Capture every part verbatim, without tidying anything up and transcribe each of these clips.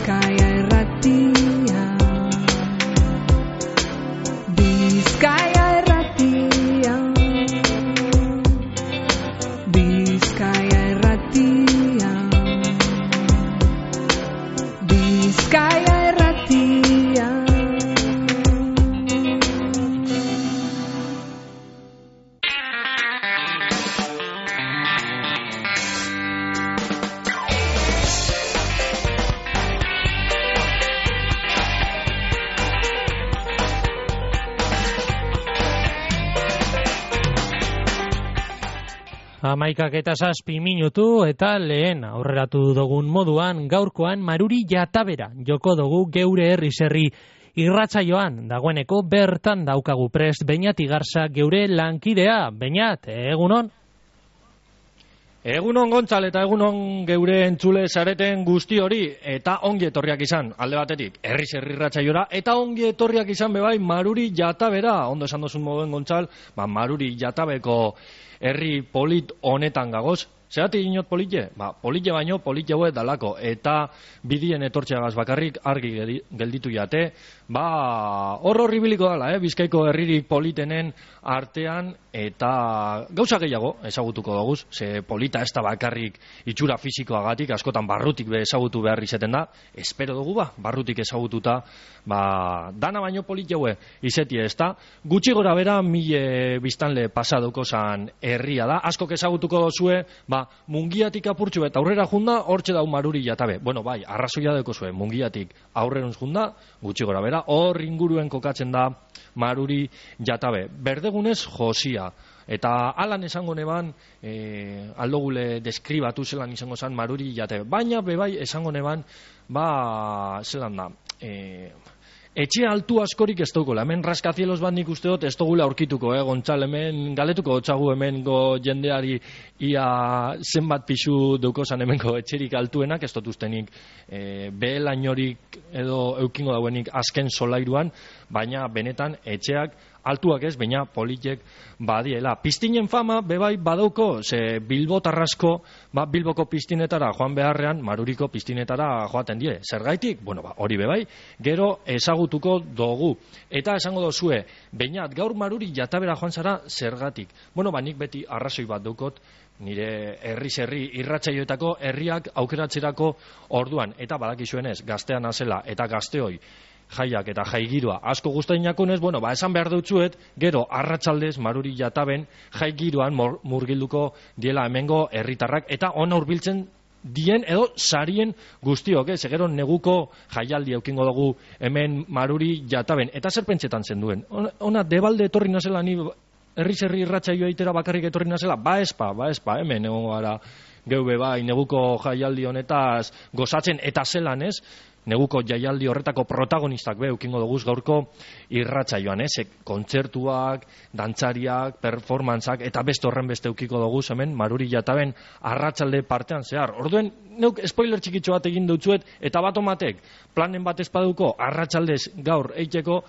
Bizkaia irratia, Bizkaia irratia, Bizkaia irratia, Bizkaia irratia. Hamaikak eta zazpi minutu eta lehen aurreratu dugun moduan gaurkoan Maruri Jatabera joko dugu geure herri zerri irratsaioan. Dagoeneko bertan daukagu prest Beñat Igarza geure lankidea. Beñat, egunon? Egunon Gontzal eta egunon geure entzule zareten guzti hori eta ongi etorriak izan alde batetik herri zerri irratsaiora eta ongi etorriak izan bebai Maruri Jatabera. Ondo esan dozun moduen Gontzal, ba, Maruri Jatabeko herri polit honetan gagoz. Zeratik inot politxe? Ba, politxe baino, politxe hauek dalako. Eta bidien etortxeagaz bakarrik argi gelditu jate. Ba, hor horri biliko dala, eh? Bizkaiko herririk politenen artean eta gauza gehiago ezagutuko dugu. Ze polita ez da bakarrik itxura fisikoagatik, askotan barrutik be ezagutu behar izeten da. Espero dugu ba, barrutik ezagututa, ba, dana baino politxe haue izetie ez da. Gutxi gora bera, mile biztanle pasaduko zan herria da. Askok ezagutuko zue, ba, Mungiatik apurtxu eta aurrera junda, hortxe dau Maruri Jatabe. Bueno, bai, arrazoia deko zuen, Mungiatik aurrerun junda, gutxi gora bera, hor inguruen kokatzen da Maruri Jatabe. Berdegunez josia. Eta alan esango neban, e, aldogule deskribatu zelan izango zan Maruri Jatabe. Baina, bebai, esango neban, ba, zelan da, e, etxe altu askorik ez dugu, hemen raskazielos bat nik uste dut ez dugula aurkituko, eh, Gontzal, hemen galetuko otxagu hemengo jendeari ia zenbat pixu dukozan hemengo etxerik altuenak, ez dut ustenik e, behelainorik edo eukingo dauenik azken solairuan, baina benetan etxeak altuak ez, baina politek badiela. Piztinen fama, bebai, badauko, ze bilbotarrasko, ba, Bilboko piztinetara joan beharrean, Maruriko piztinetara joaten die. Zergaitik? Bueno, ba, hori bebai, gero ezagutuko dugu. Eta esango dozue, Beñat, gaur Maruri Jatabera joan zara zergatik. Bueno, ba, nik beti arrazoi bat daukot, nire herri zerri irratsaioetako herriak aukeratzerako orduan. Eta badakizuenez, gaztean azela eta gazteoi, jaiak eta jaigiroa asko gustainakonez, bueno, ba, esan behar dutzuet, gero arratsaldez Maruri Jataben jaigiroan murgilduko diela hemengo herritarrak eta ona hurbiltzen dien edo sarien guztiok, eh? Gero neguko jaialdi eukingo dugu hemen Maruri Jataben. Eta zer pentsetan zen duen? Ona debalde etorri nazela ni herri zerri irratsaioa itera bakarrik etorri nazela? Ba espa, ba espa, hemen egongo gara geube bai neguko jaialdi honetaz gozatzen eta zelan ez? Neguko jaialdi horretako protagonistak be eukingo dugu gaurko irratsaioan, ez? Kontzertuak, dantzariak, performantzak eta beste horren beste eukiko dugu hemen Maruri Jataben arratsalde partean zehar. Orduen, neuk spoiler txikitxo bat egin dutzuet eta bat omatek planen bat espaduko arratsaldez gaur eiteko,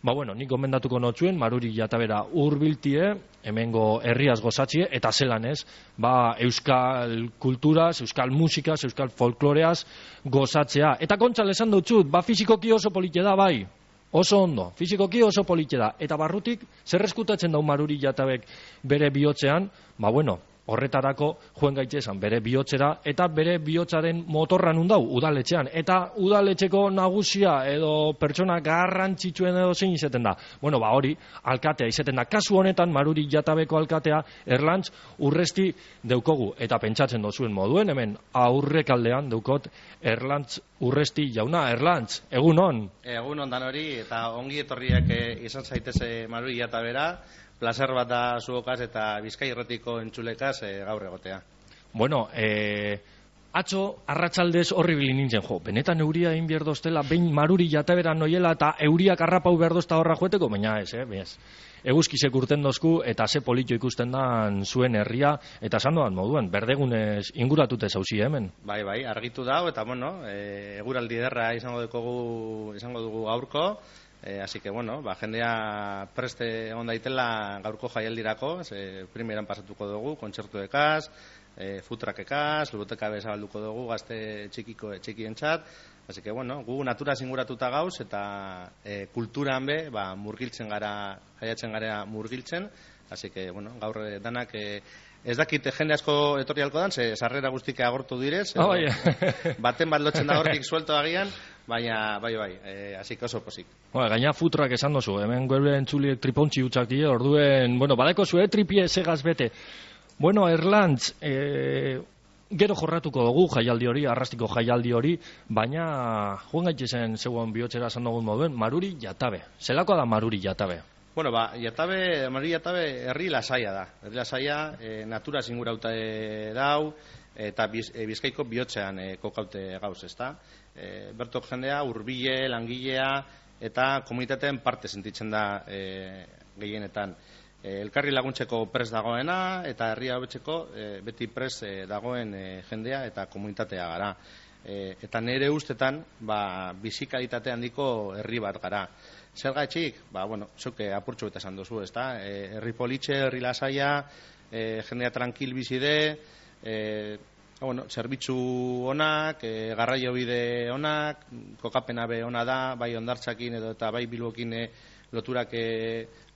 ba bueno, nik gomendatuko notzuen Maruri Jatabera hurbiltie, hemengo herriaz gozatzie eta zelan ez, ba euskal kulturaz, euskal musikaz, euskal folkloreaz gozatzea. Eta Gontzal esan dutzut, ba fizikoki oso polite da bai, oso ondo, fizikoki oso polite da. Eta barrutik, zer eskutatzen dau Maruri Jatabek bere bihotzean, ba bueno, horretarako joen gaitezan bere bihotzera eta bere bihotzaren motorra nun dau udaletxean. Eta udaletxeko nagusia edo pertsona garrantzitsuen edo zein izeten da. Bueno, ba hori, alkatea izeten da. Kasu honetan, Maruri Jatabeko alkatea Erlantz Urresti deukogu. Eta pentsatzen dozuen moduen, hemen aurrekaldean deukot Erlantz Urresti jauna. Erlantz, egunon? Egunon dan hori, eta ongi etorriak izan zaiteze Maruri Jatabera. Plazer bat da zuokaz eta Bizkai Irratiko entzulekaz e, gaur egotea. Bueno, e, atzo arratsaldez horri bilin nintzen, jo, benetan euria egin behar doztela, behin Maruri Jatabera noiela eta euriak arrapau behar dozta horra joeteko, baina ez, eh, bez. Eguzkizek urten dozku eta ze polito ikusten dan zuen herria, eta esan doan moduan, berdegunez inguratute zauzi hemen. Bai, bai, argitu dau, eta bueno, e, eguraldi derra izango dugu, izango dugu gaurko, E, así que, bueno, ba, jendea preste egon daitela gaurko jaialdirako, ze primeran pasatuko dugu, kontzertuekaz, e, futrakekaz, luruteka bezabalduko dugu gazte txikiko txikientzat, así que bueno, gu natura zinguratuta gauz eta e, kulturan be, ba, murgiltzen gara, jaiatzen gara murgiltzen, así que bueno, gaur e, danak e, ez dakit jende asko etorri halko dan, ze sarrera guztik agortu direz, oh, yeah. baten bat lotzen da hortik suelto agian, baina bai bai, e, así que oso posik. Bueno, gaina futrak esan dozu, hemen gure entzuliek tripontxi utzak die, orduen, bueno, badeko zue tripie segaz bete. Bueno, Erlantz, e, gero jorratuko dugu jaialdi hori, arrastiko jaialdi hori, baina joan gaitezen zegoen bihotzera esan dugun moduen, Maruri Jatabe. Zelakoa da Maruri Jatabe? Bueno, ba, Jatabe, Maruri Jatabe herri lasaia da. Herri lasaia, e, natura zingurauta e, dau, eta biz, e, Bizkaiko bihotzean e, kokaute gauz, ezta? E, bertok jendea, hurbile, langilea, eta komunitateen parte sentitzen da e, gehienetan. E, elkarri laguntzeko pres dagoena, eta herria hobetzeko e, beti pres e, dagoen e, jendea eta komunitatea gara. E, eta nire ustetan, ba, bizikalitate handiko herri bat gara. Zer gaitxik? Ba, bueno, zeuke apurtxo eta esan duzu, ezta? E, herri politxe, herri lasaia, e, jendea tranquil bizide, e, bueno, zerbitzu onak, e, garraio bide onak, kokapena be ona da, bai ondartzakin edo eta bai bilbokin e, loturak e,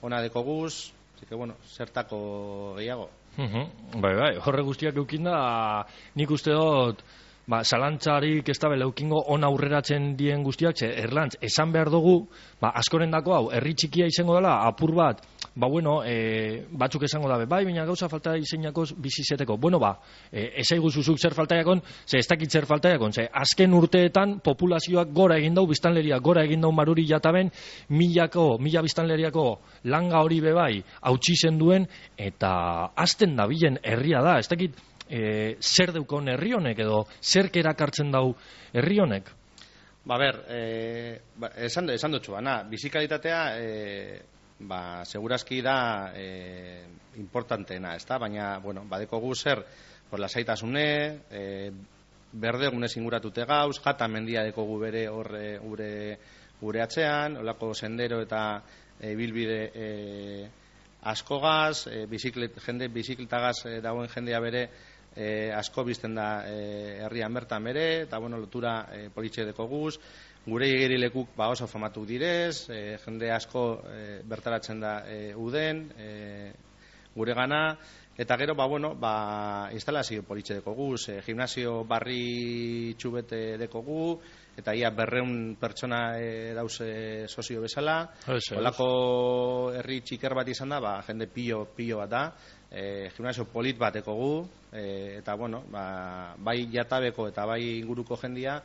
ona dekoguz, así que bueno, zertako gehiago. Uh-huh. Bai, bai, horre guztiak eukinda, nik uste dut, ba, zalantzarik ez da beleukingo on aurreratzen dien guztiak, ze Erlantz, esan behar dugu, ba, askoren dako hau, herri txikia izango dela, apur bat, ba, bueno, e, batzuk esango dabe, bai, baina gauza falta izeinako bizizeteko. Bueno, ba, e, esaigu zuzuk zer faltaiakon, ze ez dakit zer faltaiakon, ze azken urteetan populazioak gora egin dau, biztanleria gora egin dau Maruri Jataben, milako, mila biztanleriako langa hori bebai, hautsi zen duen, eta azten dabilen herria da, ez dakit, E, zer deukon herri honek edo zer erakartzen dau herri honek? Ba, ber, e, ba, esan, esan dutxu, bana, bizikalitatea e, ba, segurazki da e, importanteena, ez da? Baina, bueno, badeko gu zer, por lasaitasune, e, berde gune singuratute gauz, jata mendia deko gu bere horre gure, gure atzean, olako sendero eta e, bilbide e, askogaz, e, biziklet, jende bizikletagaz e, dagoen jendea bere E, asko bizten da e, herrian bertan bere, eta bueno, lotura e, politxe deko guz, gure igerilekuk ba oso famatu direz, e, jende asko e, bertaratzen da e, uden, e, gure gana, eta gero, ba bueno, ba instalazio politxe deko guz, e, gimnasio barri txubete deko gu, eta ia berreun pertsona e, dauze sozio bezala, holako herri txiker bat izan da, ba, jende pilo, pilo bat da, E, gimnasio polit bateko gu, e, eta bueno, ba, bai Jatabeko eta bai inguruko jendia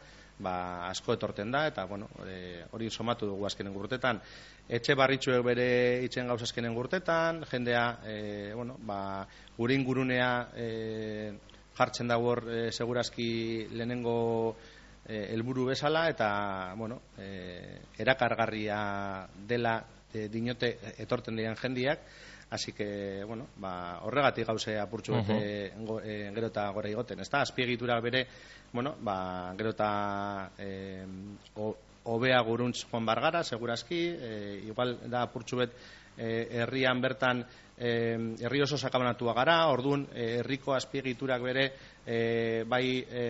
ba, asko etorten da, eta bueno, e, hori somatu dugu azkenen urtetan. Etxe barritxuek bere itzen gauz azkenen urtetan, jendea e, bueno, ba, gure ingurunea e, jartzen da hor e, segurazki lehenengo e, helburu bezala, eta bueno, e, erakargarria dela e, dinote etorten diren jendiak. Así que, bueno, ba, horregatik gauze apurtxu bete uh-huh. e, gero eta gora igoten, ez da? Azpiegitura bere, bueno, ba, gero eta e, obea guruntz joan bargara, segurazki, e, igual da apurtxu bet e, herrian bertan e, herri oso sakabanatua gara, orduan e, herriko azpiegiturak bere e, bai e,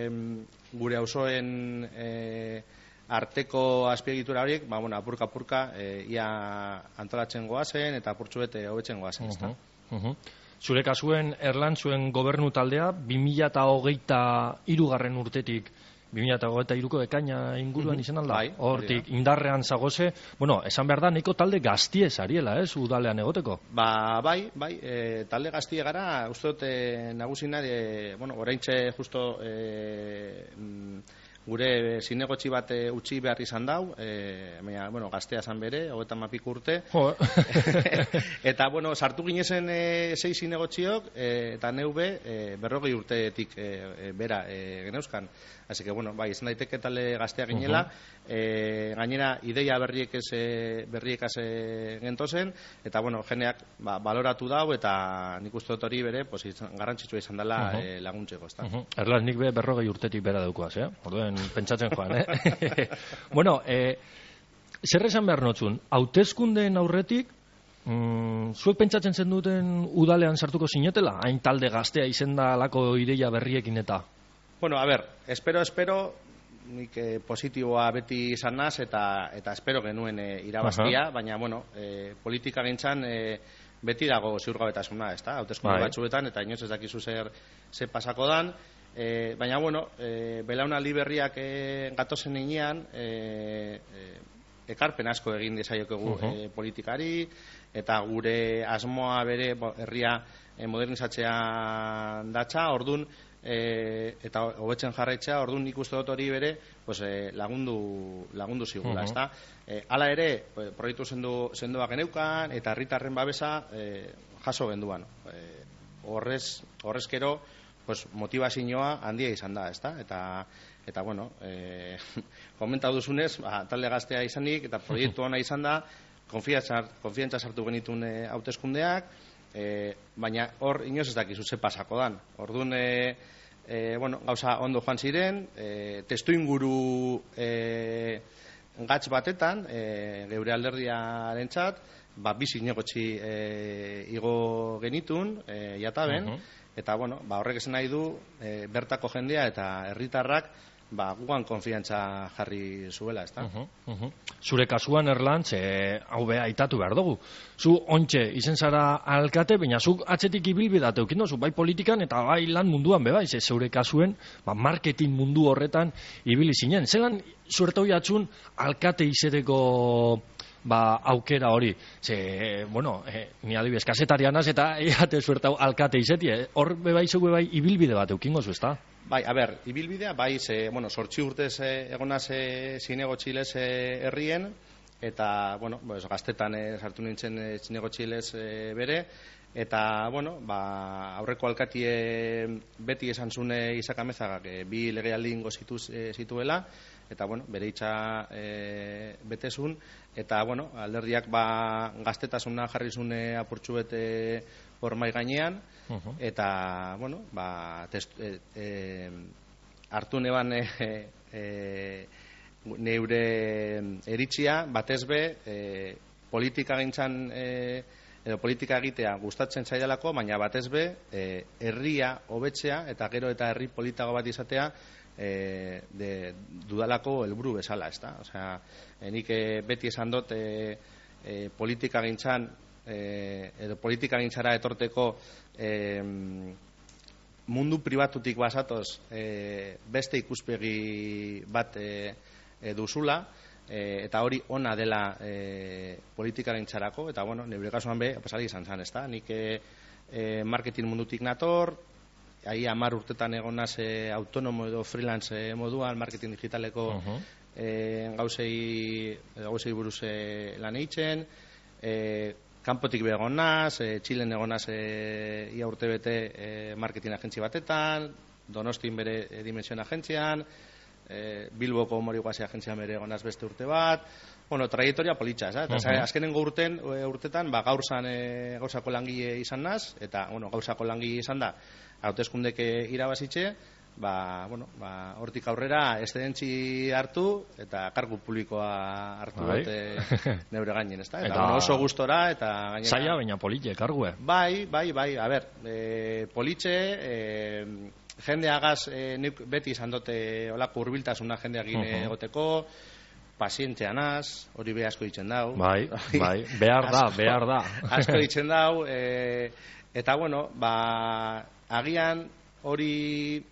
gure auzoen e, arteko azpiegitura horiek, ba, bueno, apurka-apurka e, ia antolatzen goazen eta apurtxu bete hobetzen goazen, ez da? Uh-huh, uh-huh. Zure kasuen Erlan zuen gobernu taldea, bi mila hogeita hirugarren urtetik, bi mila hogeita hiruko ekaina inguruan uh-huh. izan alda? Bai, hortik indarrean zagoze, bueno, esan behar da, neko talde gaztiez ariela, ez, udalean egoteko? Ba, bai, bai, e, talde gaztie gara, uste dut e, nagusina, e, bueno, oraintxe justo e, gure zinegotzi bat e, utzi behar izan dau, e, baina, bueno, gaztea zan bere, hogeita mapik urte. Eta, bueno, sartu ginezen e, sei zinegotziok, e, eta neube e, berrogei urtetik e, e, bera e, geneuzkan. Así que, bueno, bai, izan daiteke talde gaztea ginela, uh-huh. e, gainera ideia berriek ez e, berriek az e, gentozen, eta, bueno, jeneak ba, baloratu dau, eta nik uste dut hori bere, pues, izan, garrantzitsua izan dela uh-huh. e, laguntzeko, ezta? Uh-huh. Erlaz, nik be berrogei urtetik bera daukoaz, eh? Orduen pentsatzen joan, eh? Bueno, eh, zer esan behar notzun, hauteskundeen aurretik, Mm, zuek pentsatzen zen duten udalean sartuko zinetela? Hain talde gaztea izenda alako ideia berriekin eta? Bueno, a ber, espero, espero, nik eh, positiboa beti izan naz, eta, eta espero genuen eh, irabaztia, baina, bueno, eh, politika gintzan eh, beti dago ziurgabetasuna, ez da? Hauteskunde Bai. batzuetan, eta inoz ez dakizu zer, zer pasako dan, eh, baina, bueno, eh, belaunaldi berriak eh, gatozen inean, eh, eh, ekarpen asko egin dezaiokegu Uh-huh. eh, politikari, eta gure asmoa bere bo, herria eh, modernizatzea datza, ordun e, eta hobetzen jarraitzea, ordun nik uste dut hori bere pues, e, lagundu, lagundu zigula, Uh-huh. ezta? E, hala ere, e, proiektu sendu, sendoak geneukan, eta herritarren babesa e, jaso genduan. E, horrez, horrezkero, pues, motivazioa handia izan da, ezta? Eta, eta bueno, e, komentatu duzunez, ba, talde gaztea izanik, eta proiektu ona izan da, konfiantza sartu genitun e, hauteskundeak, e, baina hor inoz ez dakizu ze pasako dan. Orduan, e, e, bueno, gauza ondo joan ziren, e, testu inguru e, gatz batetan, e, geure alderdiaren txat, ba, bi zinegotzi e, igo genitun, e, jataben, Uh-huh. eta bueno, ba, horrek esan nahi du, e, bertako jendea eta herritarrak ba, guan konfiantza jarri zuela, ezta? Uh-huh, uh-huh. Zure kasuan, Erlantz, e, hau beha aitatu behar dugu. Zu ontxe izen zara alkate, baina zuk atzetik ibilbidate eukin dozu, bai politikan eta bai lan munduan beba, ze zeure kasuen, ba, marketing mundu horretan ibili zinen. Zelan zuertau jatzun alkate izeteko ba, aukera hori. Ze, bueno, e, ni adibidez, kasetarianaz eta eate zuertau alkate izeti, eh? Hor bebai zu bebai ibilbide bat eukingo zu, ezta? Bai, a ber, ibilbidea, bai, ze, bueno, sortzi urtez eh, egonaz eh, zinego txilez eh, herrien, eta, bueno, pues, gaztetan eh, sartu nintzen eh, zinego txilez eh, bere, eta, bueno, ba, aurreko alkatie beti esan zune Isak Amezagak eh, bi legealdi ingo zituz, eh, zituela, eta, bueno, bere itxa eh, betezun, eta, bueno, alderdiak ba, gaztetasuna jarri zune apurtxu bete hor mai gainean, Uh-huh. eta, bueno, ba, test, e, e, hartu neban e, e, neure eritzia, batez be, e, politika gintzan, e, edo politika egitea gustatzen zaidalako, baina batez be, e, herria hobetzea, eta gero eta herri politago bat izatea, e, de, dudalako helburu bezala, ezta? Osea, e, nik e, beti esan dut, e, e, politika gintzan, E, edo politika gintzara etorteko e, mundu pribatutik basatoz e, beste ikuspegi bat e, e, duzula, e, eta hori ona dela e, politika gintzarako, eta bueno, nire kasuan be, pasari izan zan, ezta? Nik e, e, marketing mundutik nator, ahi amar urtetan egonaz e, autonomo edo freelance e, moduan, marketing digitaleko uh-huh. e, gauzei, gauzei buruz e, lan eitzen, e, kanpotik begon naz, e, Txilen egon naz e, ia urte bete e, marketing agentzi batetan, Donostin bere e, dimensioen agentzian, e, Bilboko Moriguasi agentzian bere egon naz beste urte bat, bueno, traiektoria politxa, ez, eta uh-huh. azkenengo urten, e, urtetan, ba, gaurzan e, gauzako langile izan naz, eta, bueno, gauzako langile izan da, hauteskundek irabazitxe, ba, bueno, ba, hortik aurrera eszedentzi hartu eta kargu publikoa hartu bai. dute neure gainen, ezta? Eta, Eta bueno, oso gustora eta gainera zaila baina politxe kargue. Bai, bai, bai, a ber, e, politxe, e, jendeagaz e, nik beti izan dute olako hurbiltasuna jendeagin uh-huh. egoteko, pazientzeanaz, hori be asko ditzen dau. Bai, bai, behar da, asko, behar da. Asko ditzen dau, e, eta bueno, ba, agian hori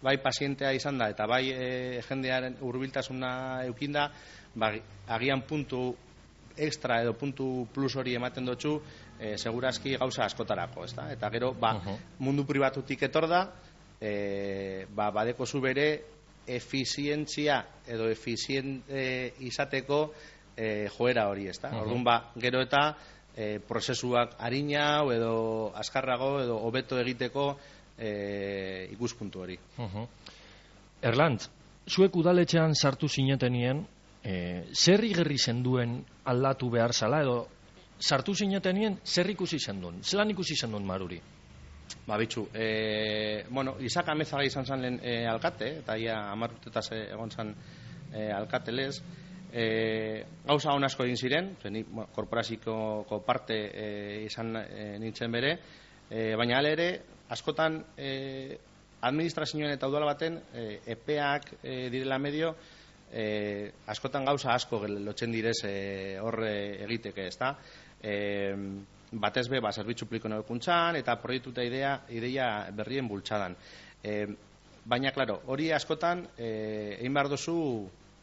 bai pazientea izan da, eta bai e, jendearen hurbiltasuna eukinda, ba, agian puntu extra edo puntu plus hori ematen dutxu, e, segurazki gauza askotarako, ezta? Eta gero, ba, uh-huh. mundu pribatutik etor da, e, ba, badeko zu bere efizientzia edo efizient e, izateko e, joera hori, ezta? Uh-huh. Orduan, ba, gero eta e, prozesuak arina edo azkarrago edo hobeto egiteko E, ikuspuntu hori. Uh-huh. Erlantz, zuek udaletxean sartu zinetenien, e, zer igerri zenduen aldatu behar zala, edo sartu zinetenien zer ikusi zenduen? Zelan ikusi zenduen Maruri? Ba, bitxu, e, bueno, Isak Amezaga izan zen lehen e, alkate, eta ia hamar urtetaz egon zen e, alkatelez, E, gauza hon asko egin ziren, nik bueno, korporaziko parte e, izan e, nintzen bere, e, baina hala ere, askotan e, administrazioen eta udala baten e, epeak e, direla medio, e, askotan gauza asko lotzen direz e, horre egiteke, ezta? E, batez be, ba, zerbitzu publiko nebekuntzan, eta proiektu eta idea, ideia berrien bultzadan. E, baina, klaro, hori askotan e, egin behar duzu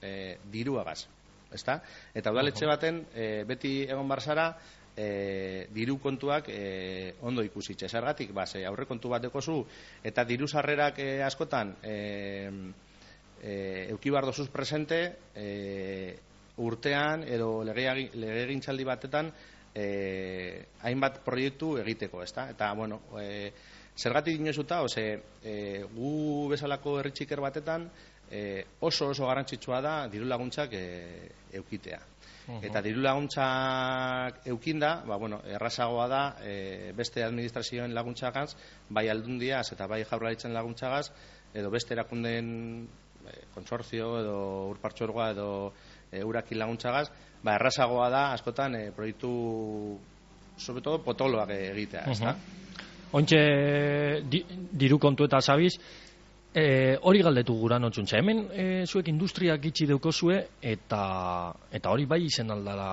e, diruagaz. Ezta? Eta udaletxe baten e, beti egon barzara e, diru kontuak e, ondo ikusitxe. Zergatik, ba, ze aurre kontu bat dekozu eta diru sarrerak e, askotan e, e, euki bar dozuz presente e, urtean edo legegintzaldi batetan e, hainbat proiektu egiteko, ezta? Eta, bueno, e, zergatik dinozuta, ose, e, gu bezalako herri txiker batetan E, oso oso garrantzitsua da diru laguntzak e, eukitea. Uh-huh. Eta diru laguntzak eukinda, ba, bueno, errazagoa da e, beste administrazioen laguntzagaz, bai aldundiaz eta bai jaurlaritzen laguntzagaz, edo beste erakundeen e, konsortzio edo urpartxorgoa edo e, urakin laguntzagaz, ba, errazagoa da askotan e, proiektu sobre todo potoloak egitea, uh-huh. ezta? Ontxe di, diru kontu eta zabiz, E, hori galdetu gura notzuntza. Hemen e, zuek industriak itxi deukozue eta eta hori bai izen aldala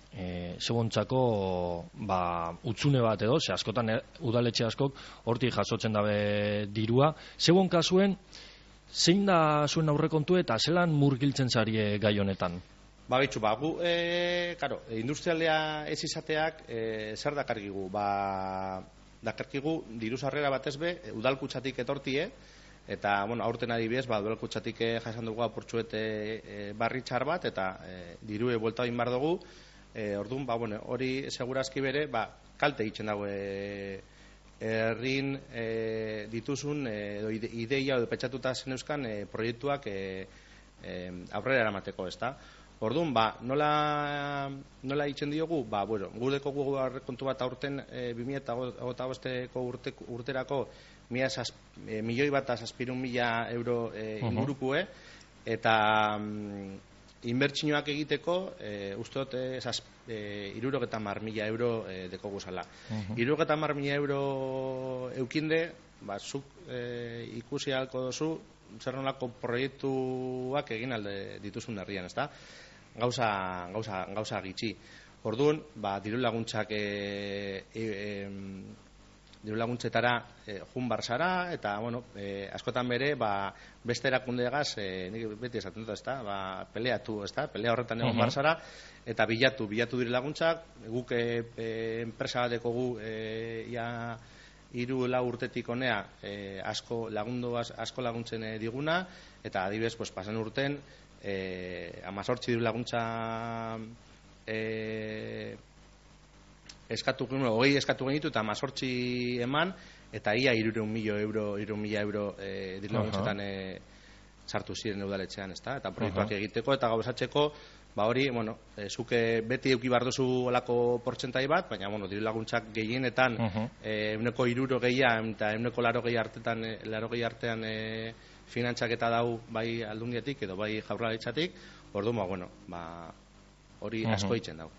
e, zebontzako ba, utzune bat edo, ze askotan e, udaletxe askok hortik jasotzen dabe dirua. Zebon kasuen, zein da zuen aurrekontu eta zelan murgiltzen zarie gai honetan? Ba, bitxu, ba, gu, e, karo, industrialea ez izateak e, zer dakarkigu? Ba, dakarkigu diru sarrera batez be, udalkutxatik etortie, eta, bueno, aurten adibidez, ba, udalkutxatik jasan dugu apurtxuet e, barri txar bat, eta e, dirue buelta egin bar dugu, e, orduan, ba, bueno, hori segurazki bere, ba, kalte egiten dago e, errin e, dituzun, edo e, ideia edo petxatuta zen euskan e, proiektuak e, e, aurrera eramateko, ezta? Orduan, ba, nola, nola itzen diogu, ba, bueno, gudeko gu kontu bat aurten e, bi mila hogeita bosteko urte, urterako mila zaz, e, milioi bat zazpirun mila euro e, ingurukue, eta mm, inbertsioak egiteko, e, uste dut, e, irurogeta mar mila euro e, deko guzala. Uh-huh. Irurogeta mar mila euro eukinde, ba, zuk e, ikusi halko dozu, zer nolako proiektuak egin alde dituzun herrian, ezta? Gauza, gauza, gauza gitxi. Orduan, ba, diru laguntzak e, e, e, diru laguntzetara e, jun barzara, eta, bueno, e, askotan bere, ba, beste erakundeagaz, e, nik beti esaten dut, ezta? Ba, peleatu, ezta? Pelea horretan egon uh-huh. barzara, eta bilatu, bilatu diru laguntzak, guk e, e, enpresa bateko gu, e, ia, hiru lau urtetik honea e, asko lagundu asko laguntzen e, diguna, eta adibidez pues pasan urten eh hemezortzi diru laguntza eh eskatu genuen, hogei eskatu genitu eta hemezortzi eman, eta ia hirurehun mila euro hirurehun mila euro eh diru laguntzetan eh sartu ziren udaletxean, ezta? Eta proiektuak uh-huh. egiteko eta gauzatzeko, ba hori, bueno, e, zuke beti eduki behar duzu olako portzentai bat, baina, bueno, diru laguntzak gehienetan uh-huh. e, euneko hiruro gehia eta euneko laro gehi artetan, e, laro gehi artean e, finantzak eta dau bai aldundietik edo bai jaurlaritzatik, orduan, ba, bueno, ba, hori uh-huh. asko itzen dago.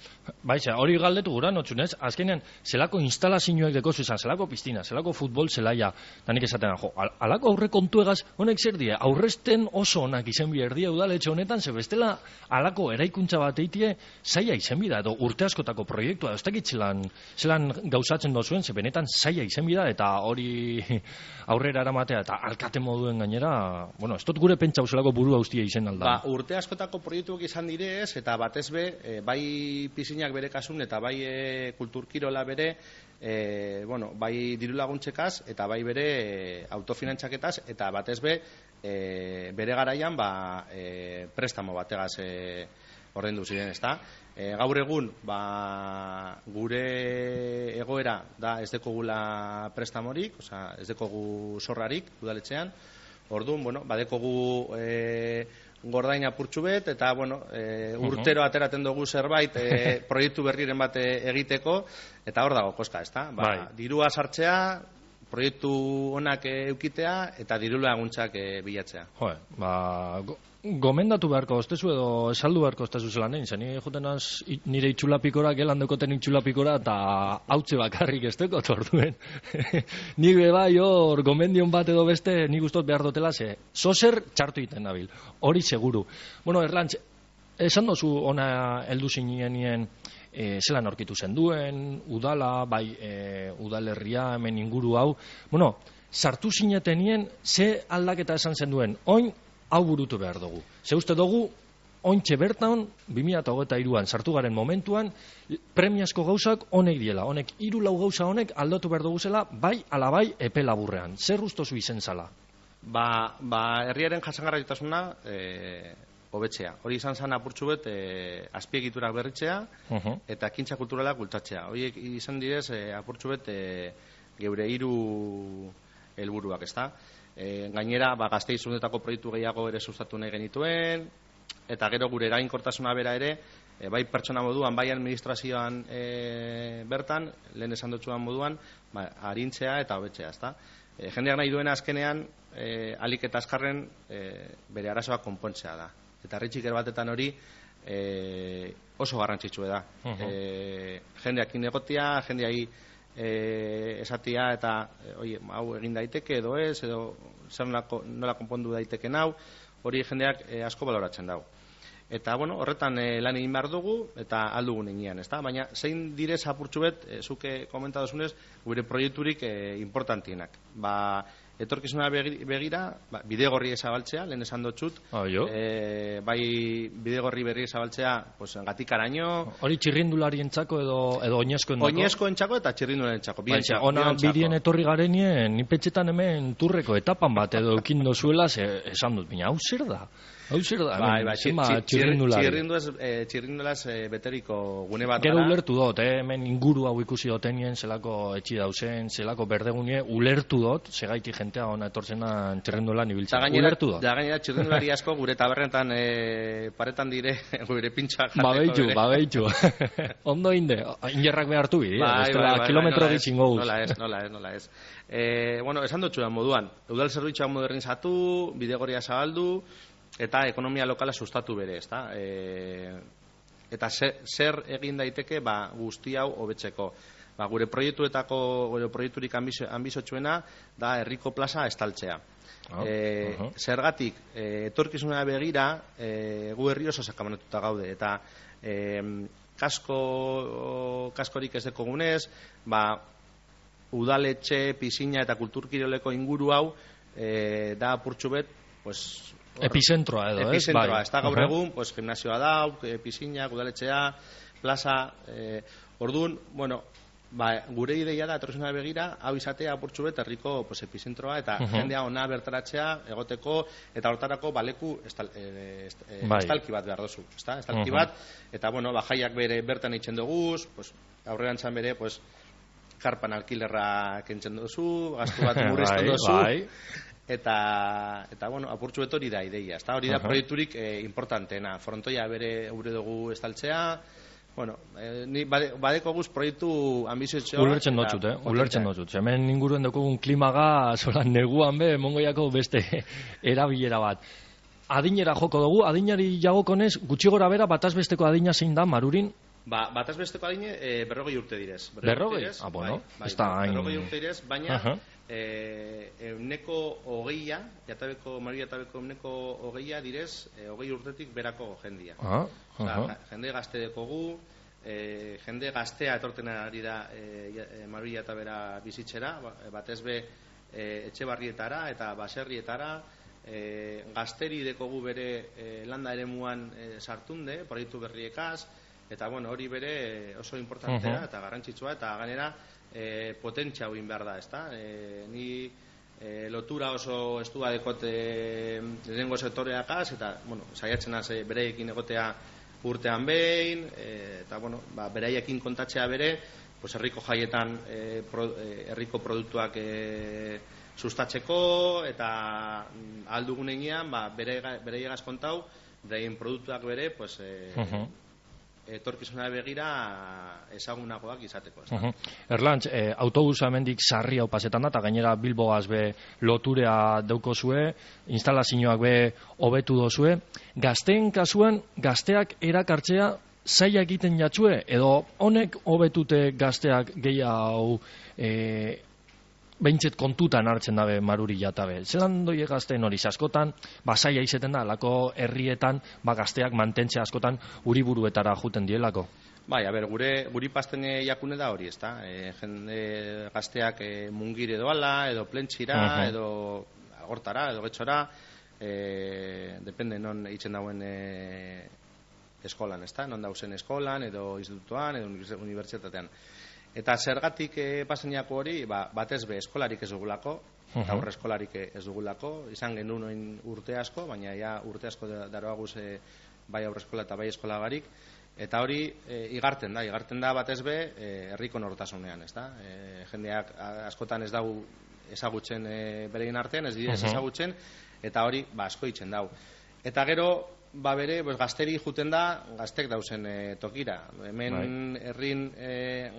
Baixa, hori galdetu gura notxunez, azkenean, zelako instalazioek dekozu izan, zelako piztina, zelako futbol zelaia, da nik esaten, jo, al, alako aurre kontuegaz, honek zer die, aurresten oso onak izen bierdia udaletxe honetan, ze bestela alako eraikuntza bat eitie, zaila izen bida, edo urte askotako proiektua, ez dakit zelan, zelan gauzatzen dozuen, ze benetan zaila izen bida, eta hori aurrera eramatea, eta alkate moduen gainera, bueno, ez dut gure pentsau zelako buru haustia izen alda. Ba, urte askotako proiektuak izan direz, eta batez be, E, bai pizinak bere kasun eta bai e, kulturkirola bere e, bueno, bai diru laguntzekaz eta bai bere e, autofinantzaketaz eta batez be e, bere garaian ba, e, prestamo bategaz e, ordaindu ziren, ezta? E, gaur egun ba, gure egoera da ez dekogula prestamorik, osea, ez dekogu zorrarik udaletxean. Orduan, bueno, badekogu e, gordain apurtxu bet, eta, bueno, e, urtero ateraten dugu zerbait e, proiektu berriren bat egiteko, eta hor dago, koska, ezta? Ba, dirua sartzea, proiektu onak eukitea eta diru laguntzak e, bilatzea. Jo, ba, go, gomendatu beharko ostezu edo esaldu beharko ostezu zelan egin, zen nire joten az nire itxulapikora, gelan dekoten itxulapikora, eta hautze bakarrik ez deko torduen. Nik bai hor, gomendion bat edo beste, nik gustot behar dutela, ze, zozer txartu egiten nabil, hori seguru. Bueno, Erlantz, esan dozu ona heldu zinenien, E, zelan aurkitu zen duen, udala, bai e, udalerria, hemen inguru hau. Bueno, sartu zinetenien, ze aldaketa esan zen duen, oin hau burutu behar dugu. Ze uste dugu, ointxe bertan, bi mila hogeita hiruan sartu garen momentuan, premiazko gauzak honek diela. Honek, hiru lau gauza honek aldatu behar dugu zela, bai ala bai epe laburrean. Zer ustozu izen zala? Ba, ba herriaren jasangarritasuna e, hobetzea. Hori izan zen apurtxu bet e, azpiegiturak berritzea Uh-huh. eta ekintza kulturalak bultatzea. Horiek izan direz e, apurtxu bet e, geure hiru helburuak, ezta? E, gainera, ba, Gasteizunetako proiektu gehiago ere sustatu nahi genituen, eta gero gure eraginkortasuna bera ere, e, bai pertsona moduan, bai administrazioan e, bertan, lehen esan dutxuan moduan, ba, arintzea eta hobetzea, ezta? E, jendeak nahi duena azkenean, e, alik eta azkarren e, bere arazoak konpontzea da. Eta herritxiker batetan hori e, oso garrantzitsua da. Uh-huh. E, jendeakin egotia, jendeai e, esatia eta e, oie, hau egin daiteke edo ez, edo zer nolako, nola konpondu daiteken hau, hori jendeak e, asko baloratzen dago. Eta, bueno, horretan e, lan egin behar dugu, eta aldugun egian, ezta? Baina, zein direz apurtxu bet, e, zuke komentadozunez, gure proiekturik e, importantienak. Ba, etorkizuna begira, ba, bidegorri ezabaltzea, lehen esan dutxut, Oh, e, bai bidegorri berri ezabaltzea, pues, gatikaraino, Hori txirrindularientzako edo edo oinezkoentzako? oinezkoentzako eta txirrindulentzako. Baina, ona birien etorri garenien, nipetxetan hemen turreko etapan bat edo eukin dozuela, ze, esan dut, baina hau zer da? Hau zer da? Bai, hemen, bai, zenba txir- txir- txirrindulari. txirrinduaz, eh, txirrindulaz eh, beteriko gune bat Gero gara. ulertu dut, eh? Hemen inguru hau ikusi dotenien, zelako etxi dauzen, zelako berdegunie, ulertu dut, segaitik jentea ona etortzenan txirrindulan Da ibiltzen. gainera, Ulertu dut. da gainera txirrindulari asko gure tabernetan e, paretan dire gure pintxa jateko. Babeitu, bere. babeitu. Ondo inde, ingerrak behartu bide, Bai, bestela bai, bai, kilometro nola ez, bitxingo guz. Nola ez, nola ez, nola ez. E, bueno, esan dutxuan moduan, udal zerbitzuak modernizatu, bidegoria zabaldu, eta ekonomia lokala sustatu bere, ezta? E, eta zer, zer egin daiteke, ba, guzti hau hobetzeko. Ba, gure proiektuetako, gure proiekturik ambizotsuena da herriko plaza estaltzea. Ah, E, uh-huh. Zergatik, e, etorkizuna begira, e, gu herri oso sakabanatuta gaude, eta e, kasko, kaskorik ez dekogunez, ba, udaletxe, pisina eta kulturkiroleko inguru hau e, da apurtxu bet, pues, hor, Epizentroa edo, ez? epizentroa, Bai. ez da gaur Uh-huh. egun, pues, gimnasioa dau, e, pisina, udaletxea, plaza, e, orduan, bueno, ba, gure ideia da, etorkizuna begira, hau izatea apurtxu bet herriko pues, epizentroa, eta Uh-huh. jendea ona bertaratzea, egoteko, eta hortarako baleku estal, e, est, e, Bai. estalki bat behar dozu, ezta? Estalki Uh-huh. bat, eta bueno, ba, jaiak bere bertan eitzen duguz, pues, aurrerantzan bere, pues, karpan alkilerra kentzen duzu, gastu bat murrizten Bai, duzu, bai. eta, eta bueno, apurtxu bet hori da ideia, ezta? Hori da Aha. proiekturik eh, importanteena, frontoia bere gure dugu estaltzea, bueno, eh, ni bade, badeko guz proiektu ambizioa. Ulertzen dutxut, eh? Ulertzen dutxut. Hemen inguruen dugun klimaga, zola neguan be, mongoiako beste erabilera bat. Adinera joko dugu, adinari jagokonez, gutxi gora bera, bataz besteko adina zein da, Marurin? Ba, bataz besteko adine, e, berrogei urte direz. Berrogei? direz, Ah, bueno, bai, bai, ez da hain- berrogei urte direz, baina Aha. e, euneko hogeia, jatabeko, Maria jatabeko euneko hogeia direz, e, hogei urtetik berako jendia. Ah, Osea, aha. ja- jende gazte dekogu, e, jende gaztea etorten ari da e, e, Maria eta bera bizitzera, ba- batez be e, etxe barrietara eta baserrietara, e, gazteri dekogu bere e, landa eremuan e, sartunde, proiektu berriekaz, eta bueno, hori bere oso importantea Mhm. eta garrantzitsua, eta gainera e, potentzia hauin behar da, ezta? E, ni e, lotura oso estua dekote lehenengo sektoreakaz, eta bueno, saiatzen az e, bereekin egotea urtean behin, e, eta bueno, ba, beraiekin kontatzea bere, pues herriko jaietan e, pro, e, herriko produktuak e, sustatzeko, eta mm, ahal dugunean ba, bere, bereiegaz kontau, beraien produktuak bere, pues, e, Mhm. etorkizuna begira ezagunagoak izateko. Ez da? Uh-huh. Erlantz, eh, autobusa hemendik sarri hau pasetan da, eta gainera Bilbogaz be loturea daukozue, instalazioak be hobetu dozue. Gazteen kasuan, gazteak erakartzea zaila egiten jatzue, edo honek hobetute gazteak gehiago eh, behintzet kontutan hartzen dabe Maruri Jatabe. Zelan doi gazteen hori, askotan, ba, zaila izeten da, lako herrietan, ba, gazteak mantentzea askotan uriburuetara juten dielako. Bai, a ber, gure guri pasten jakune da hori, ezta? E, jende gazteak e, mungire doala, edo plentsira, uh-huh. edo agortara, edo getxora, e, depende non eitzen dauen e, eskolan, ezta? Non dauzen eskolan, edo institutuan, edo unibertsitatean. Eta zergatik e, pasenako hori, ba, batez be eskolarik ez dugulako, uh-huh. eta aurre eskolarik ez dugulako, izan genuen urte asko, baina ja urte asko daroaguz e, bai aurre eskola eta bai eskola barik, eta hori e, igarten da, igarten da batez be e, herriko nortasunean, ez da? E, jendeak askotan ez dau ezagutzen e, berein artean, ez direz uh-huh. ezagutzen, eta hori ba, asko itzen dau. Eta gero, ba bere, pues, gazteri juten da, gaztek dauzen e, tokira. Hemen herrin e,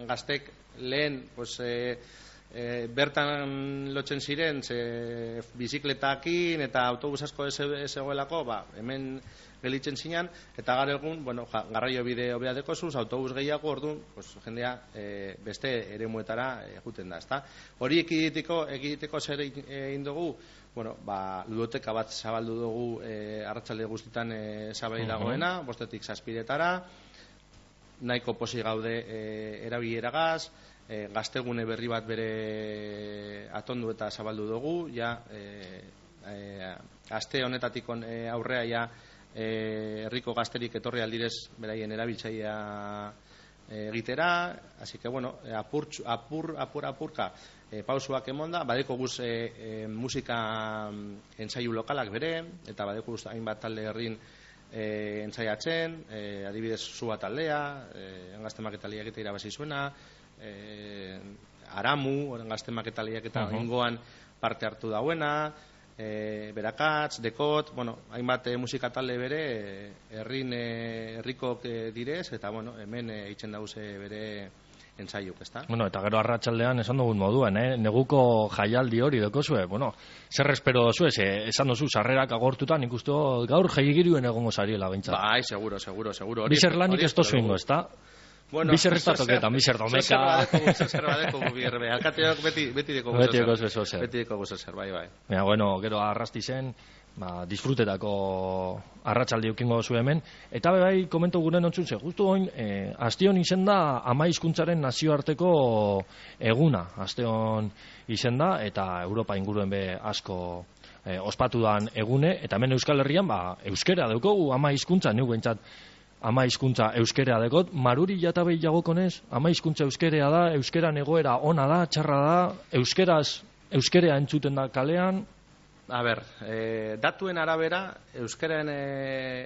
gaztek lehen, pues, e, e, bertan lotzen ziren, ze, bizikletakin eta autobus asko ez egoelako, ba, hemen gelitzen zinan, eta gara egun, bueno, ja, garraio bide hobea dekozuz, autobus gehiago, orduan, pues, jendea e, beste eremuetara e, juten da, ezta? Hori ekiditeko, ekiditeko zer egin dugu, bueno, ba, ludoteka bat zabaldu dugu e, arratsalde guztitan e, zabai dagoena, uh-huh. bostetik zazpiretara, nahiko posi gaude e, erabileragaz, e, gaztegune berri bat bere atondu eta zabaldu dugu, ja, e, e, aste honetatik on, e, aurrea ja, e, herriko gazterik etorri aldirez beraien erabiltzailea egitera, así que bueno, apur, apur, apur, apurka e, pausuak emonda, badeko guz e, e, musika entzaiu lokalak bere, eta badeko guz hainbat talde herrin e, entzaiatzen, e, adibidez Zua taldea, e, engazte maketalia egite irabazi zuena, e, Aramu, engazte maketalia eta uh-huh. ingoan parte hartu dauena, e, Berakatz, Dekot, bueno, hainbat e, musika talde bere herrin e, herrikok e, direz, eta bueno, hemen e, itzen dauze bere entzaiuk, ezta? Bueno, eta gero arratsaldean esan dugun moduan, eh? Neguko jaialdi hori dekozue, bueno, zer espero dozue, esan dozu sarrerak agortutan, ikustu gaur jaigiruen egongo zariela behintzat. Bai, seguro, seguro, seguro. Bizer lanik ez tozu ingo, ezta? Bueno, bizer ez datoketan, bizer domeka. Zer badeko gubierbe, alkateok beti, beti deko guzo zer. Beti deko guzo zer, bai, bai. Baina, bueno, gero arrasti zen, ba, disfrutetako arratsaldi ukingo zu hemen, eta bai komento gure nontzun ze, justu oin, e, astion izen da ama hizkuntzaren nazioarteko eguna, astion izen da, eta Europa inguruen be asko e, ospatu dan egune, eta hemen Euskal Herrian, ba, euskera daukogu ama hizkuntza, neu bentsat, ama hizkuntza euskera dekot, Maruri Jatabei jagokonez, ama hizkuntza euskerea da, euskeran egoera ona da, txarra da, euskeraz, euskerea entzuten da kalean. A ber, e, datuen arabera, euskaren e,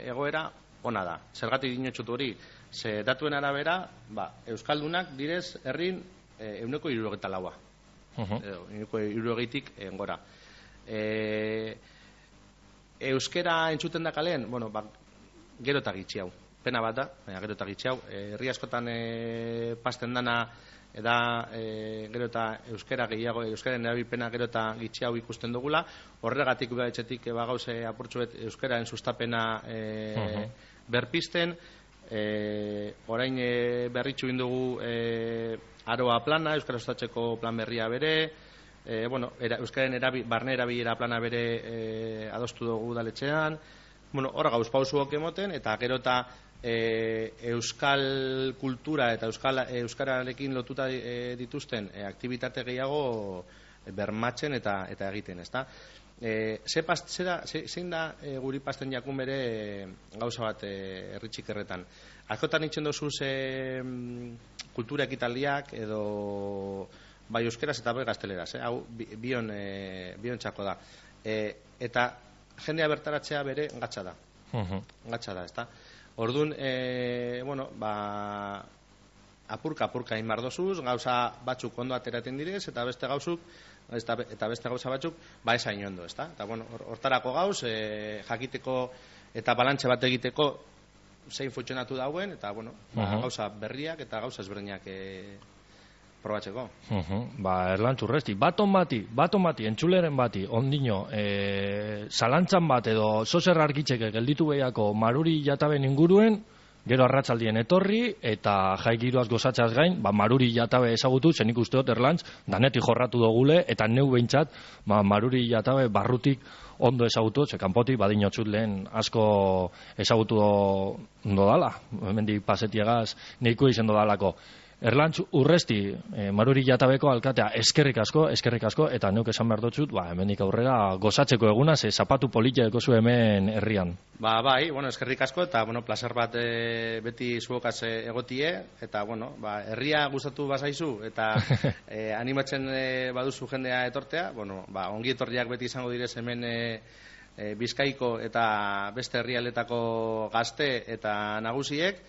egoera ona da. Zergatik dinotxutu hori, ze datuen arabera, ba, euskaldunak direz herrin e, euneko irurogeta laua. Uh-huh. Euneko irurogeitik engora. E, euskera entzuten da kalean, bueno, ba, gero eta gitxi hau. Pena bat da, baina gero eta gitxi hau. Herri askotan e, pasten dana, eda e, gero eta euskera gehiago, euskaren erabilpena gero eta gitxi hau ikusten dugula, horregatik udaetxetik eba gauze apurtxuet euskararen sustapena e, uh-huh. berpisten, e, orain e, berritxu indugu e, aroa plana, euskara sustatzeko plan berria bere, e, bueno, era, euskaren erabi, barne erabilera plana bere e, adostu dugu udaletxean, bueno, hor gauz pausuok emoten, eta gero eta E, euskal kultura eta euskal, euskararekin lotuta e, dituzten e, aktibitate gehiago e, bermatzen eta eta egiten, ezta? E, ze past, zera, ze, zein da e, guri pasten jakun bere e, gauza bat e, herritxikerretan. Askotan itxen dozuz e, kultura ekitaldiak edo bai euskeraz eta bai gazteleraz, eh? Hau bion, e, bion txako da. E, eta jendea bertaratzea bere gatsa da. Uh-huh. Gatsa da, ezta? Orduan, e, bueno, ba, apurka, apurka inbardozuz, gauza batzuk ondo ateraten direz, eta beste gauzuk, eta, eta beste gauza batzuk, ba esain ondo, ezta? Eta, bueno, hortarako gauz, e, jakiteko eta balantxe bat egiteko, zein funtzionatu dauen, eta, bueno, ba, Uh-huh. gauza berriak eta gauza ezberdinak e, probatzeko. Uh-huh. Ba, Erlantz Urresti, baton bati, baton bati, entzuleren bati, ondino, e, zalantzan bat edo zozer argitzeke gelditu behiako Maruri Jataben inguruen, gero arratsaldien etorri, eta jai giroaz gozatzaz gain, ba, Maruri Jatabe ezagutu, zenik usteot Erlantz, danetik jorratu dogule, eta neu behintzat, ba, Maruri Jatabe barrutik ondo ezagutu, ze kanpotik badinotzut lehen asko ezagutu do dala, hemendik pasetiegaz neiko izen do dalako. Erlantz Urresti, e, Maruri Jatabeko alkatea, eskerrik asko, eskerrik asko, eta neuk esan behar dutxut, ba, hemendik aurrera gozatzeko eguna, ze zapatu politia ekozu hemen herrian. Ba, bai, bueno, eskerrik asko, eta, bueno, placer bat e, beti zuokaz e, egotie, eta, bueno, ba, herria gustatu bazaizu, eta e, animatzen e, baduzu jendea etortea, bueno, ba, ongi etorriak beti izango direz hemen e, e, Bizkaiko eta beste herrialdetako gazte eta nagusiek,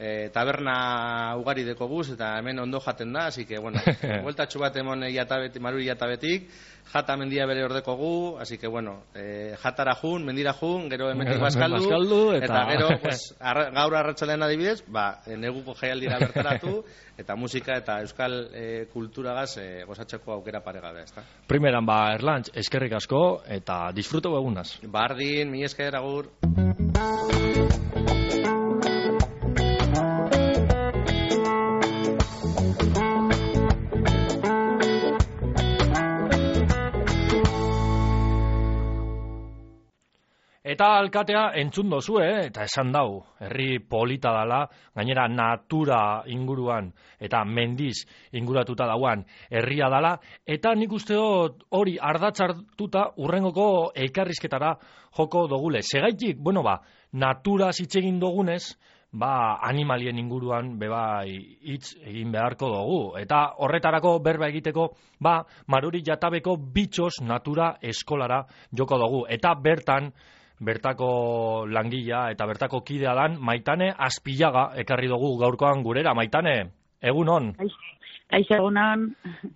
E, taberna ugari deko guz, eta hemen ondo jaten da, así que, bueno, bueltatxu bat emon jatabet, Maruri Jatabetik, jata mendia bere ordeko gu, así que, bueno, e, jatara jun, mendira jun, gero hemendik bazkaldu, bazkaldu, eta... eta gero, pues, arra, gaur arratsalean adibidez, ba, neguko jaialdira bertaratu, eta musika eta euskal e, kulturagaz e, gozatzeko aukera paregabe, ezta? Primeran, ba, Erlantz, eskerrik asko, eta disfruto egunaz. Bardin, mi esker agur. Eta alkatea entzun dozue, eh? Eta esan dau, herri polita dala, gainera natura inguruan eta mendiz inguratuta dauan herria dala, eta nik uste dut hori ardatzartuta urrengoko elkarrizketara joko dogule. Segaitik, bueno ba, natura zitzegin dogunez, ba, animalien inguruan bebai hitz egin beharko dugu. Eta horretarako berba egiteko, ba, Maruri Jatabeko bitxos natura eskolara joko dugu. Eta bertan, bertako langila eta bertako kidea dan Maitane Azpillaga ekarri dugu gaurkoan gurera. Maitane, egun on. Kaixo egunon.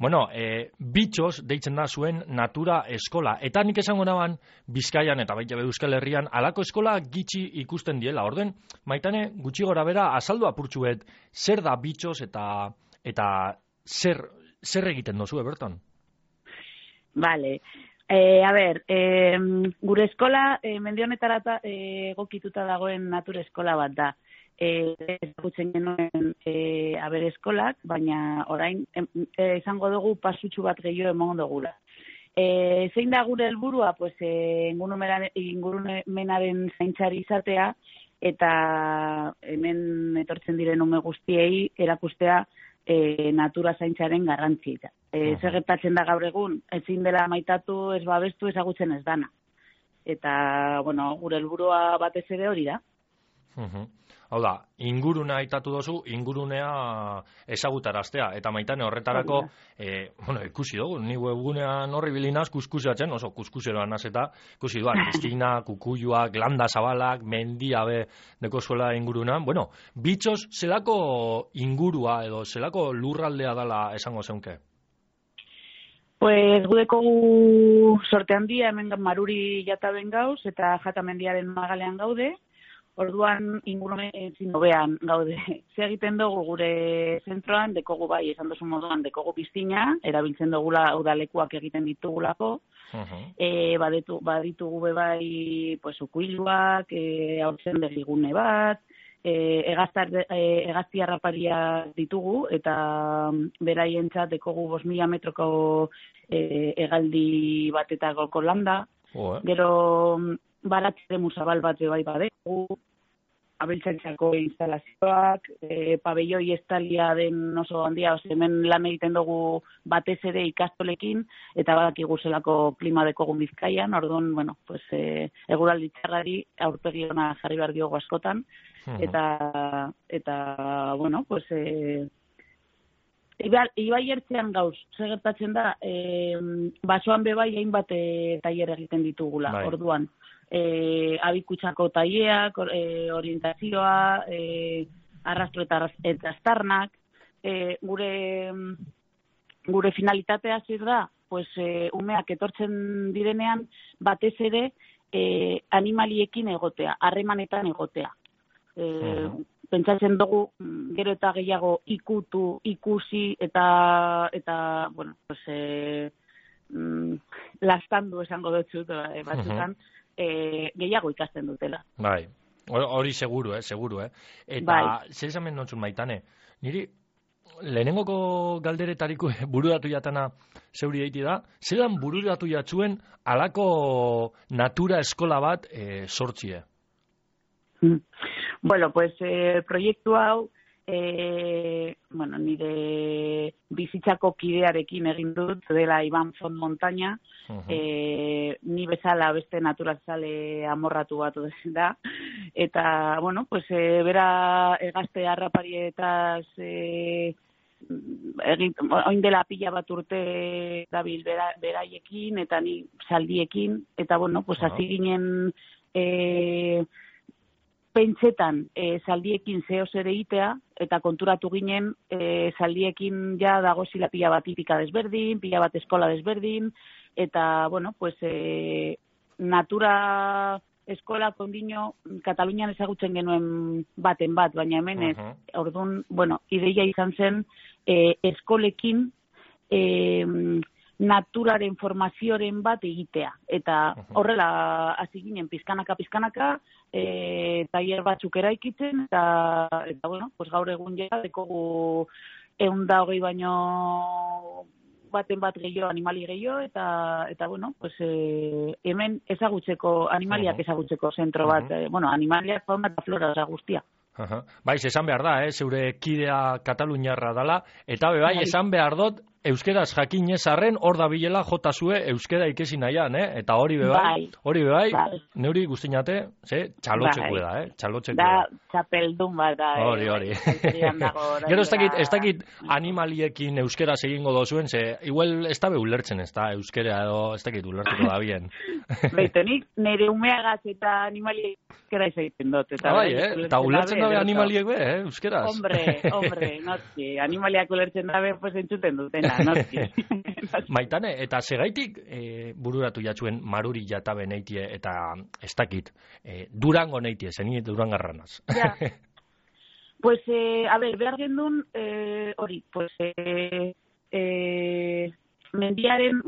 Bueno, e, bitxos deitzen da zuen natura eskola. Eta nik esango naban Bizkaian eta baita Euskal Herrian alako eskola gitxi ikusten diela. Orden, Maitane, gutxi gora bera azaldu apurtxuet zer da bitxos eta eta zer, zer egiten dozu, berton? Vale. Eh, a ber, eh, gure eskola eh, mendionetara eh, egokituta dagoen natura eskola bat da. Eh, ezagutzen genuen eh, aber eskolak, baina orain eh, izango dugu pasutxu bat gehiago emango dugula. Eh, zein da gure helburua, pues eh, ingurumenaren zaintzari izatea eta hemen etortzen diren ume guztiei erakustea E, natura zaintzaren garrantzia. E, uh-huh. Zer gertatzen da gaur egun, ezin dela maitatu, ez babestu, ezagutzen ez dana. Eta, bueno, gure helburua batez ere hori da. Uh-huh. Hau da, ingurunea aitatu dozu, ingurunea ezagutaraztea. Eta Maitane horretarako, e, bueno, ikusi dugu, ni webgunean horri bilinaz kuskusatzen, oso kuskuseroan nazeta, ikusi duan, izkina, kukuiuak, landa zabalak, mendiabe deko zuela ingurunan. Bueno, bitxos, zelako ingurua edo zelako lurraldea dala esango zeunke? Pues gudeko sorte handia hemen Maruri Jataben gauz eta Jatamendiaren magalean gaude. Orduan ingurumen ezin hobean gaude. Ze egiten dugu gure zentroan, dekogu bai, esan duzu moduan, dekogu piztina, erabiltzen dugula udalekuak egiten ditugulako. Uh-huh. E, badetu, baditugu be bai, pues, ukuiluak, e, haurtzen begigune bat, e, egaztar, e, egazti harraparia ditugu, eta beraientzat dekogu bost mila metroko e, egaldi batetako landa. Oh, eh? Gero baratzere musabal bat bai badegu, abeltzaintzako instalazioak, e, pabelloi estalia den oso handia, ose, hemen lan egiten dugu batez ere ikastolekin, eta badakigu zelako klima dekogun Bizkaian, orduan, bueno, pues, e, eguraldi txarrari aurpegi ona jarri behar diogu askotan, uh-huh. eta, eta, bueno, pues, e, Ibai ertzean gauz, zer gertatzen da, e, basoan bebai hainbat e, tailer egiten ditugula, bai. Orduan. E, abikutsako taileak, e, orientazioa, e, arrastro eta, eta astarnak, e, gure, gure finalitatea zer da, pues, e, umeak etortzen direnean batez ere e, animaliekin egotea, harremanetan egotea. E, pentsatzen dugu gero eta gehiago ikutu, ikusi eta eta bueno, pues eh mm, lastandu esango dut eh, batzutan eh, gehiago ikasten dutela. Bai. Hori seguru, eh, seguru, eh. Eta Bai. zer esamen nontzun Maitane, niri lehenengoko galderetariko bururatu jatana zeuri eiti da, zelan bururatu jatzuen alako natura eskola bat e, sortzie? Mm. Bueno, pues eh, proiektu hau eh, bueno, nire bizitzako kidearekin egin dut, dela Iban Font Montaña, uh-huh. eh, ni bezala beste naturazale amorratu bat da, eta, bueno, pues eh, bera egazte harraparietaz eh, egin, oin dela pila bat urte dabil bera, beraiekin, eta ni zaldiekin, eta, bueno, pues hasi uh-huh. ginen eh, pentsetan e, zaldiekin zeo zer egitea, eta konturatu ginen e, zaldiekin ja dago zila pila bat tipika desberdin, pila bat eskola desberdin, eta, bueno, pues, e, natura eskola kondino Katalunian ezagutzen genuen baten bat, baina hemen ez, uh-huh. orduan, bueno, ideia izan zen e, eskolekin e, naturaren formazioaren bat egitea. Eta horrela hasi ginen pizkanaka pizkanaka, eh tailer batzuk eraikitzen eta eta bueno, pues gaur egun ja dekogu ehun eta hogei baino baten bat gehiago animali gehiago eta eta bueno, pues eh, hemen ezagutzeko animaliak ezagutzeko zentro bat, eh, bueno, animaliak fauna eta flora da guztia. Aha. Bai, esan behar da, eh, zeure kidea kataluniarra dala, eta be bai, esan behar dut, euskeraz jakinez arren hor da bilela jota zue euskera ikesi nahian, eh? Eta hori be bai, hori be bai, bai. Neuri guztinate, ze, txalotxeko da, eh? Txalotxeko da. Da, txapeldun bat da, eh? Hori, hori. Gero ez dakit, ez dakit animaliekin euskeraz egingo dozuen, ze, igual ez da be ulertzen ez da, euskera edo ez dakit ulertuko da bien. Beitonik, nire umeagaz eta animaliek euskera izaiten dut. Eta bai, eh? Eta ulertzen dabe animaliek be, eh? Euskeraz. Hombre, hombre, notzi, animaliak ulertzen dabe, pues entzuten dutena. Maitane, eta segaitik e, bururatu jatzuen maruri jatabe neitie eta ez dakit, e, Durango neitie, zeni Durangarranaz. Ja. Pues, eh, a ver, behar gendun, eh, hori, pues, eh, eh, mendiaren,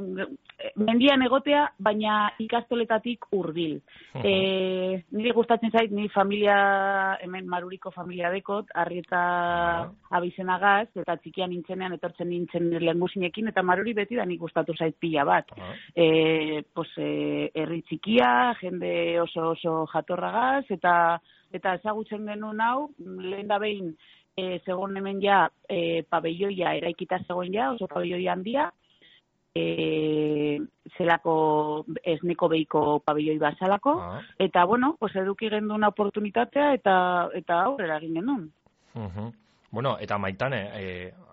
mendian egotea, baina ikastoletatik hurbil. Uh-huh. E, niri gustatzen zait, ni familia, hemen Maruriko familia dekot, Arrieta uh-huh. abizenagaz, eta txikian nintzenean, etortzen nintzen lehengusinekin, eta Maruri beti da nik gustatu zait pila bat. Uh-huh. E, pues, e, herri txikia, jende oso oso jatorragaz, eta eta ezagutzen genuen hau, lehen da behin, e, zegoen hemen ja, e, pabelloia eraikita zegoen ja, oso pabelloia handia, E, zelako esneko behiko pabelloi bazalako, ah. eta, bueno, pues eduki genduna oportunitatea eta eta aurrera egin genuen. Uh-huh. Bueno, eta Maitane, e,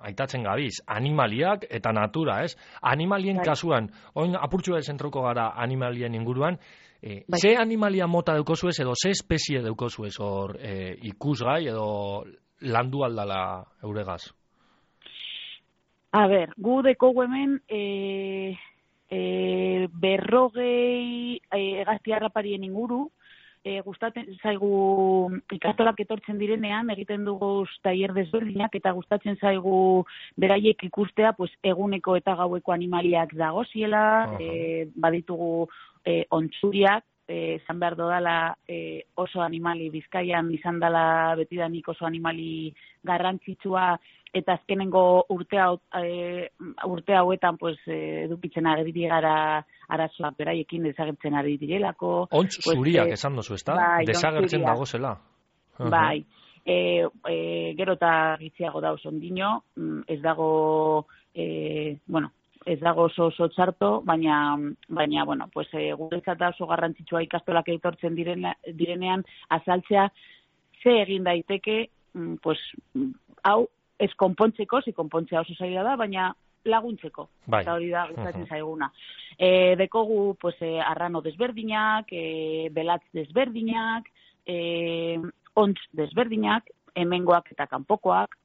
aitatzen gabiz, animaliak eta natura, ez? Animalien bai. Kasuan, oin apurtxua zentroko gara animalien inguruan, e, bai. Ze animalia mota deukozuez edo ze espezie deukozuez hor e, ikusgai edo landu aldala euregaz? A ber, gu dekogu hemen e, e, berrogei egazti e, harraparien inguru, e, gustatzen zaigu ikastolak etortzen direnean, egiten dugu tailer desberdinak, eta gustatzen zaigu beraiek ikustea pues, eguneko eta gaueko animaliak dagoziela, uh-huh. e, baditugu e, ontsuriak, izan behar dodala e, oso animali Bizkaian izan dela betidanik oso animali garrantzitsua eta azkenengo urte, hau, e, urte hauetan pues, e, edukitzen ari gara arazoa beraiekin desagertzen ari direlako. Ontz pues, zuriak e, esan dozu, ez da? Bai, desagertzen dago zela. Uh-huh. Bai, e, e, gero eta gitziago da oso ondino, ez dago, e, bueno, ez dago oso oso txarto, baina, baina bueno, pues, e, guretzat da oso garrantzitsua ikastolak etortzen direna, direnean azaltzea, ze egin daiteke, pues, hau, ez konpontzeko, zi konpontzea oso zaila da, baina laguntzeko, bai. Eta hori da gustatzen uh-huh. zaiguna. E, dekogu, pues, e, arrano desberdinak, e, belatz desberdinak, e, ontz desberdinak, hemengoak eta kanpokoak,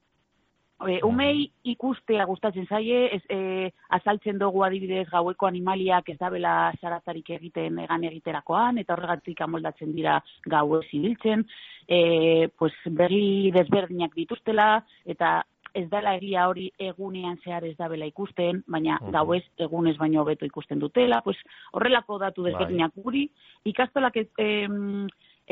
E, umei ikustea gustatzen zaie, ez, e, azaltzen dugu adibidez gaueko animaliak ez dabela zaratarik egiten egan egiterakoan, eta horregatik amoldatzen dira gauez ibiltzen, e, pues, begi desberdinak dituztela, eta ez dela egia hori egunean zehar ez dabela ikusten, baina uh-huh. gauez egunez baino hobeto ikusten dutela, pues, horrelako datu desberdinak guri, ikastolak e, e,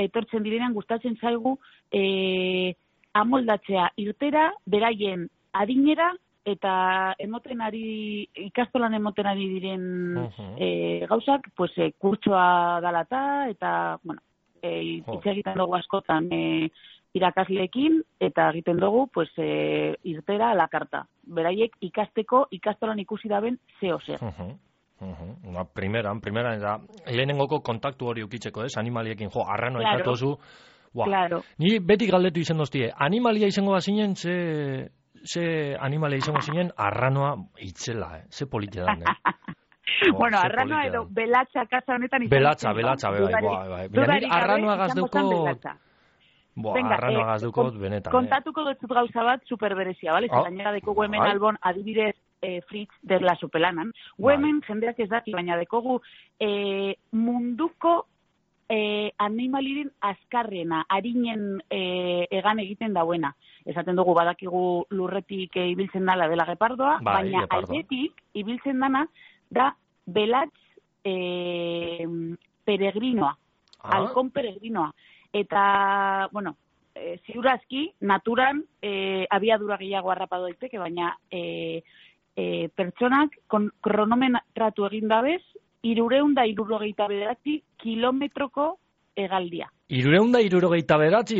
etortzen direnean gustatzen zaigu, e, amoldatzea irtera, beraien adinera, eta emoten ari, ikastolan emoten ari diren uh-huh. e, gauzak, pues, e, kurtsoa dalata, eta, bueno, e, hitz egiten dugu askotan e, irakasleekin, eta egiten dugu, pues, e, irtera alakarta. Beraiek ikasteko, ikastolan ikusi daben zeo zer. Uh-huh. Uh-huh. Ba, primeran, primeran, eta lehenengoko kontaktu hori ukitzeko, ez, animaliekin, jo, arranoa claro. ikatozu, Wow. Claro. Ni beti galdetu izen doztie, animalia izango da zinen, ze, ze animalia izango zinen, arranoa itzela, eh? Ze politia da, eh? Oh, bueno, arranoa edo belatza kasa honetan izan. Belatza, belatza, bai, bai, bai. Baina arranoa gazduko... Boa, arranoa eh, gazduko benetan, kontatuko eh? dut gauza bat superberezia, bale? Oh. Gainera dekogu hemen Ai. albon adibidez eh, Fritz de la Sopelanan. Gu hemen jendeak ez daki, baina dekogu eh, munduko Eh, animaliren azkarrena, harinen eh, egan egiten dauena. Esaten dugu badakigu lurretik eh, ibiltzen dala dela gepardoa, bai, baina gepardo. Airetik ibiltzen dana da belatz eh, peregrinoa, ah. halkon peregrinoa. Eta, bueno, eh, ziurazki, naturan eh, abiadura gehiago harrapatu daiteke, baina eh, eh, pertsonak kon, kronometratu egin dabez, irureunda irurogeita bederatzi kilometroko hegaldia. Irureunda irurogeita bederatzi?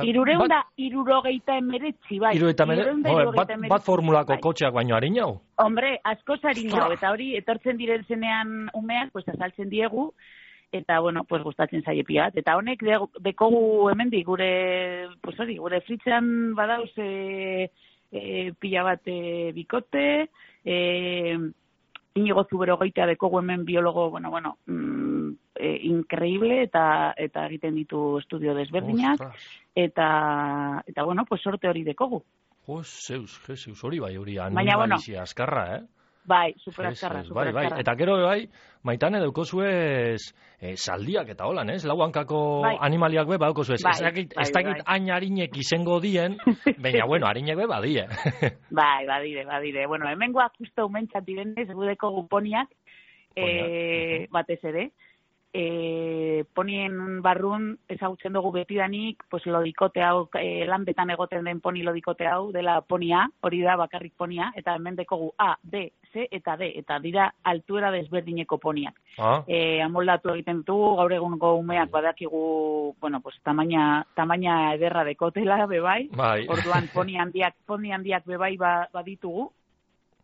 Irureunda irurogeita emeretzi, bai. Irureunda emeretzi, bat, bat formulako bai. Kotxeak baino harinau? Hombre, askoz harinau, eta hori, etortzen diren zenean umeak, pues, azaltzen diegu, eta, bueno, pues, gustatzen zaie piat. Eta honek, de, dekogu hemendik, gure, pues, hori, gure fritzean badauz e, e, pila bat e, bikote, e, Inigo Zuberogoitea dekogu hemen biologo, bueno, bueno, mm, e, increíble, eta eta egiten ditu estudio desberdinak, Ostras. eta, eta, bueno, pues sorte hori dekogu. Jo, zeus, zeus, hori bai, hori animalizia bueno, azkarra, eh? Bai, super azkarra, super bai, bai. Eta gero, bai, Maitane daukozuez eh, saldiak eta holan, ez? Lau hankako bai. Animaliak be, badaukozuez. Bai, ez dakit, bai, ez dakit bai. Hain harinek izango dien, baina, bueno, harinek be badie. Bai, badire, badire. Bueno, hemengoak justo umentzat direnez, gudeko guponiak, eh, batez ere, eh, ponien barrun ezagutzen dugu betidanik, pues lodikote hau, eh, lan betan egoten den poni lodikote hau, dela ponia, hori da bakarrik ponia, eta hemen dekogu A, B, C eta D, eta dira altuera desberdineko poniak. Ah. Eh, amoldatu egiten dugu, gaur egungo umeak badakigu, bueno, pues tamaina, tamaina ederra dekotela, bebai, bai. Orduan poni handiak, poni handiak bebai ba, baditugu,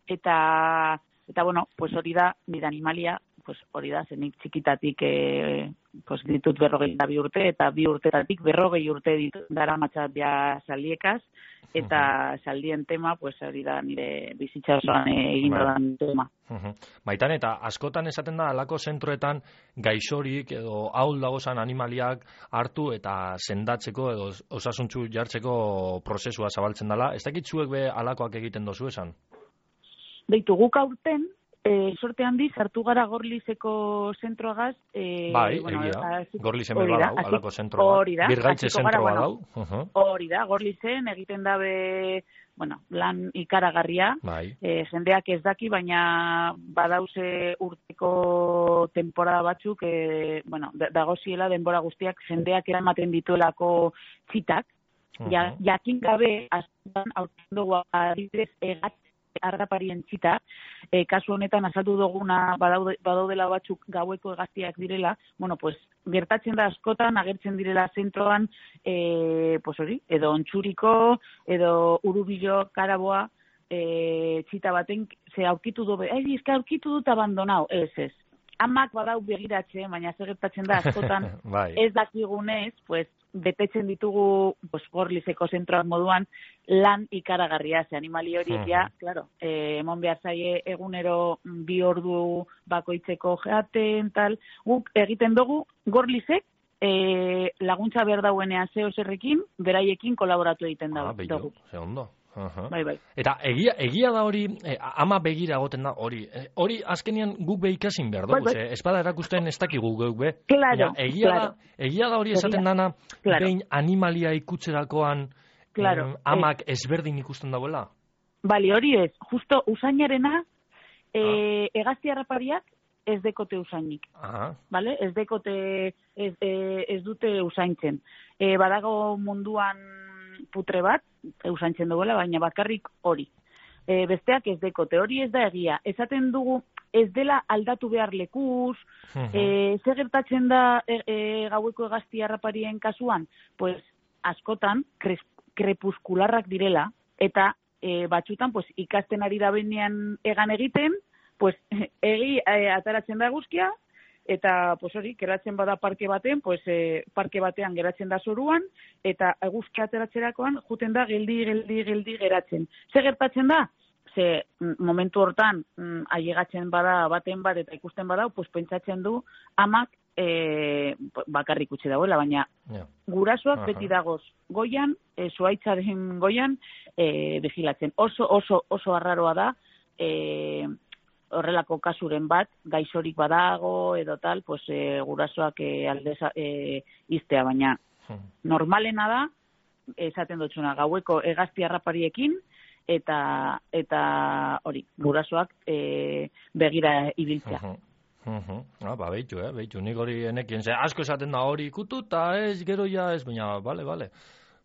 eta, eta bueno, pues hori da, nire animalia, pues hori da, zenik txikitatik eh, pues ditut berrogeita bi urte, eta bi urtetatik berrogei urte ditut dara matxat ja saldiekaz, eta uh-huh. saldien tema, pues hori da nire bizitza osoan egin dodan tema. Uh-huh. Maitan, eta askotan esaten da, alako zentroetan gaixorik edo haul dagozan animaliak hartu eta sendatzeko edo osasuntzu jartzeko prozesua zabaltzen dela. Ez dakit zuek be alakoak egiten dozu esan? Deitu guk aurten, E, sorte handi, sartu gara Gorlizeko zentroagaz. E, bai, bueno, egia, Gorlizen beba dau, alako zentroa. Hori da, Birgaitze zentroa dau. Hori da, Gorlizen egiten dabe, bueno, lan ikaragarria. Bai. E, jendeak ez daki, baina badauze urteko temporada batzuk, e, bueno, dagoziela denbora guztiak jendeak eramaten dituelako txitak. Uh-huh. Ja, jakin gabe, aztan aurten dugu adibidez egat arraparien txita, e, kasu honetan azaldu duguna badaude, badaudela batzuk gaueko hegaztiak direla, bueno, pues, gertatzen da askotan, agertzen direla zentroan, e, pues hori, edo ontsuriko, edo urubilo, karaboa, e, txita baten, ze aurkitu dobe, ai, ezka aurkitu dut abandonau, ez ez. Amak badau begiratzen, baina zer gertatzen da askotan, bai. Ez dakigunez, pues, betetzen ditugu pues, Gorlizeko zentroak moduan lan ikaragarria, ze animali horiek ja, uh-huh. claro, eh, emon behar zaie egunero bi ordu bakoitzeko jaten, tal, guk egiten dugu Gorlizek eh, laguntza behar dauenean zeo zerrekin, beraiekin kolaboratu egiten ah, dugu. Ze ondo. Aha. Bai, bai. Eta egia, egia da hori, eh, ama begira egoten da hori. Eh, hori azkenean guk be ikasin behar dugu, Bai, bai. ze espada erakusten ez dakigu guk be. Claro, Baina egia, claro. da, egia da hori esaten Egia. dana, Claro. behin animalia ikutzerakoan Claro, em, amak ezberdin ikusten dauela. Bali, hori ez, justo usainarena, e, Ah. hegazti harrapariak ez dekote usainik. Aha. Vale? Ez dekote, ez, e, ez dute usaintzen. E, badago munduan putre bat, usaintzen duela, baina bakarrik hori. E, besteak ez dekote, hori ez da egia. Esaten dugu, ez dela aldatu behar lekuz, Mhm. e, zer gertatzen da e, e, gaueko hegazti harraparien kasuan? Pues, askotan, kres, krepuskularrak direla, eta e, batzutan, pues, ikasten ari da benean egan egiten, pues, egi e, ataratzen da eguzkia, eta pues hori, geratzen bada parke baten, pues e, parke batean geratzen da zoruan, eta eguzkia ateratzerakoan juten da geldi, geldi, geldi geratzen. Ze gertatzen da? Ze mm, momentu hortan mm, ailegatzen bada baten bat eta ikusten bada, pues pentsatzen du amak e, bakarrik utzi dagoela, baina Ja. gurasoak Aha. beti dagoz goian, e, zuhaitzaren goian, e, vigilatzen. Oso, oso, oso arraroa da, e, horrelako kasuren bat, gaixorik badago edo tal, pues, e, gurasoak e, aldez e, iztea, baina Mhm. normalena da, esaten dutxuna, gaueko hegazti harrapariekin, eta eta hori, gurasoak e, begira ibiltzea. Mhm. Mhm. Ah, ba, behitu, eh, behitu, nik hori enekien, ze asko esaten da hori ikututa ez, gero ja ez, baina, bale, bale.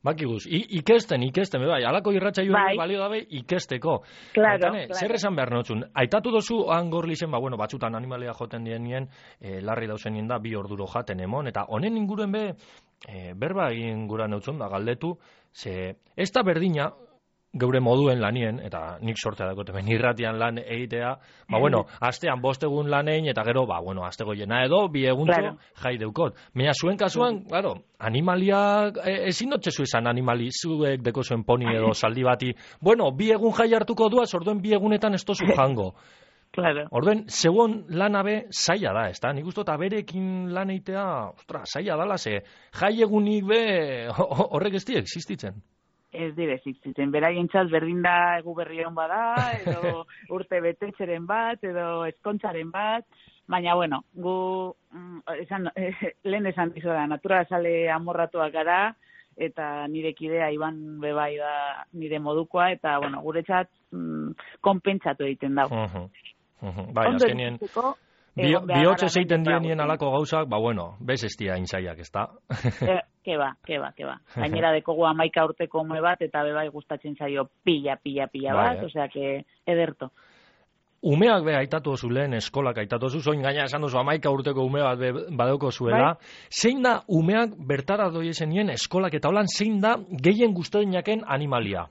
Bakiguz, I, ikesten, ikesten, be bai, alako irratsaio Bai. balio dabe ikesteko. Claro, Aitane, claro. Zer esan behar notzun? Aitatu dozu angorlizen, ba, bueno, batzutan animalia joten dienien, e, larri dauzenien da, bi orduro jaten emon, eta honen inguruen be, e, berba egin gura neutzun da, galdetu, ze, ez da berdina, geure moduen lanien, eta nik sortea dakote ben irratian lan egitea, ba bueno, astean bost egun lanein, eta gero, ba bueno, astego jena edo, bi eguntzo Claro. jai deukot. Baina zuen kasuan, claro, animaliak, e, ezin dotzezu esan animali, zuek deko zuen poni edo saldi bati, bueno, bi egun jai hartuko duaz, orduen bi egunetan ez tozu jango. Claro. Orduen, zeuon lan abe zaila da, ez da? Nik uste dut aberekin lan eitea, ostra, zaila dala, ze jai egunik be horrek ez di existitzen. Ez dire existitzen, beraientzat berdin da egu berrion bada, edo urte betetxeren bat, edo eskontzaren bat, baina, bueno, gu, mm, esan, eh, lehen esan dizu da, natura sale amorratuak gara, eta nire kidea Iban bebai da nire modukoa, eta, bueno, guretzat mm, konpentsatu egiten dago. Mhm, mhm. Bai, Ondo azkenien, egiteko, Bi- egon behar bihotz gara ezeiten benetan dienien dago. alako gauzak, ba bueno, bez ez dira inzaiak, ez da? Eh, ke ba, ke ba, ke ba. Gainera dekogu amaika urteko ume bat, eta bebai gustatzen zaio pila, pila, pila Bai, bat, eh. osea, que ederto. Umeak be aitatu oso lehen eskolak aitatu oso, zoin gaina esan duzu amaika urteko ume bat be badauko zuela. Bai. Zein da umeak bertara doiezenien eskolak eta holan zein da gehien gustoinaken animalia?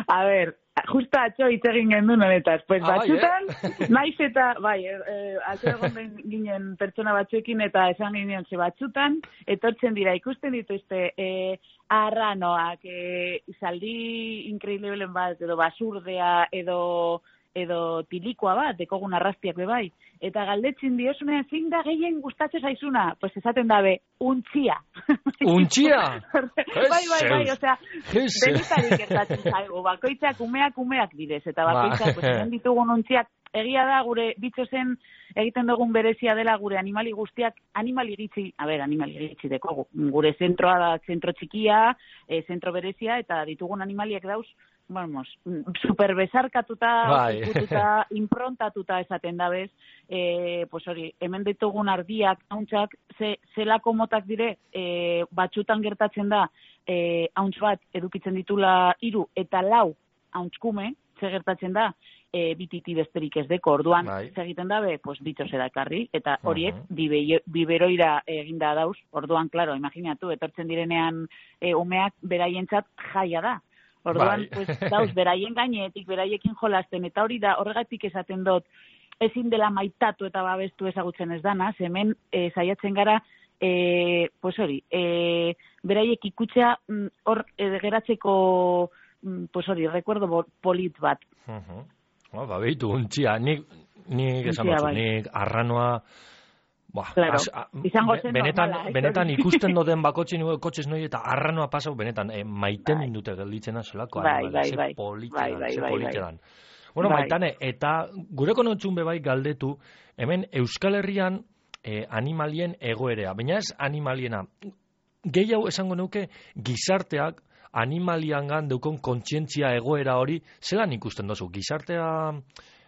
A ber, justo atxo hitz egin gendun honetaz. Pues Ah, bai, batzutan, eh? naiz eta, bai, e, e, atxo egon den ginen pertsona batzuekin eta esan ginen ze batzutan, etortzen dira ikusten dituzte e, arranoak, e, zaldi inkreiblen bat, edo basurdea, edo edo tilikoa bat, dekogun arrastiak be bai. Eta galdetzen diozunean, zein da gehien gustatzen zaizuna? Pues esaten dabe, untxia. Untxia? bai, bai, bai, Jezeus. osea, Jezeus. denetarik gertatzen zaigu, bakoitzak umeak umeak direz, eta Ba. bakoitzak, pues, hemen ditugun untziak, egia da gure bitzozen egiten dugun berezia dela gure animali guztiak, animali iritzi, a ber, animali iritzi dekogu, gure zentroa da zentro txikia, e, zentro berezia, eta ditugun animaliak dauz, vamos, super besarkatuta, Bai. ikututa, improntatuta esaten dabez, e, pues hori, hemen ditugun ardiak, hauntzak, ze, zelako motak dire, e, batzutan gertatzen da, e, hauntz bat edukitzen ditula hiru eta lau hauntzkume, ze gertatzen da, e, bititi besterik ez deko, orduan, Bai. ze egiten dabe, pues bitxo edakarri, eta horiek, Mhm. bibe, biberoira eginda dauz, orduan, claro, imaginatu, etortzen direnean e, umeak beraientzat jaia da. Orduan, Bai. pues, dauz, beraien gainetik, beraiekin jolasten, eta hori da, horregatik esaten dut, ezin dela maitatu eta babestu ezagutzen ez dana, hemen e, saiatzen gara, e, pues hori, e, beraiek ikutzea mm, hor e, geratzeko, mm, pues hori, recuerdo bo- polit bat. Mhm. Oh, ba, behitu, untxia, nik, nik esan Untxia, dutzu, bai. nik arranoa, Ba, Claro, as- a- izango be- zen benetan, normala, eh, benetan hori. ikusten doden bakotxe nuke kotxez noi eta arranoa pasau, benetan, eh, maiten Bai. dute gelditzena zelako Bai, animalia, bai, ze bai. polite Bai, dan, bai, ze bai, polite bai. dan. Bueno, Bai. Maitane, eta gure konotzun bebai galdetu, hemen Euskal Herrian eh, animalien egoerea, baina ez animaliena, gehiago esango nuke gizarteak animaliangan deukon kontzientzia egoera hori, zelan ikusten dozu? Gizartea,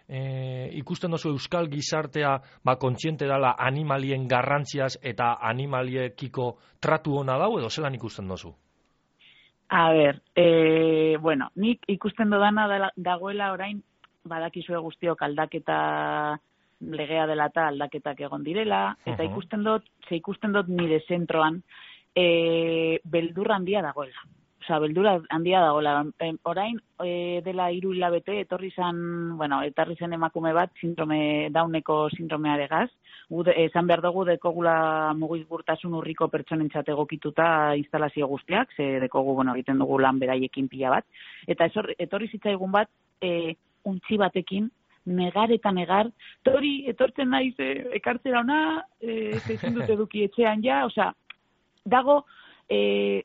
e, ikusten dozu euskal gizartea, ba, kontziente dela animalien garrantziaz eta animaliekiko tratu ona dau, edo zelan ikusten dozu? A ber, e, bueno, nik ikusten dodana dela- dagoela orain, badakizue guztiok aldaketa legea dela eta aldaketak egon direla, eta Mhm. ikusten dut, ze ikusten dut nire zentroan, e, beldurra handia dagoela. Osea, beldurra handia dagoela. E, orain, e, dela hiru hilabete, etorri zen, bueno, etorri zen emakume bat, sindrome, dauneko sindromearegaz. Gu de- esan behar dugu dekogula mugikortasun urriko pertsonentzat egokituta instalazio guztiak, ze dekogu, bueno, egiten dugu lan beraiekin pila bat. Eta esor, etorri zitzaigun bat, e, untxi batekin, negar eta negar, tori, etortzen naiz, e, ekartzera ona, e, ezin dut eduki etxean ja, osea, dago, e,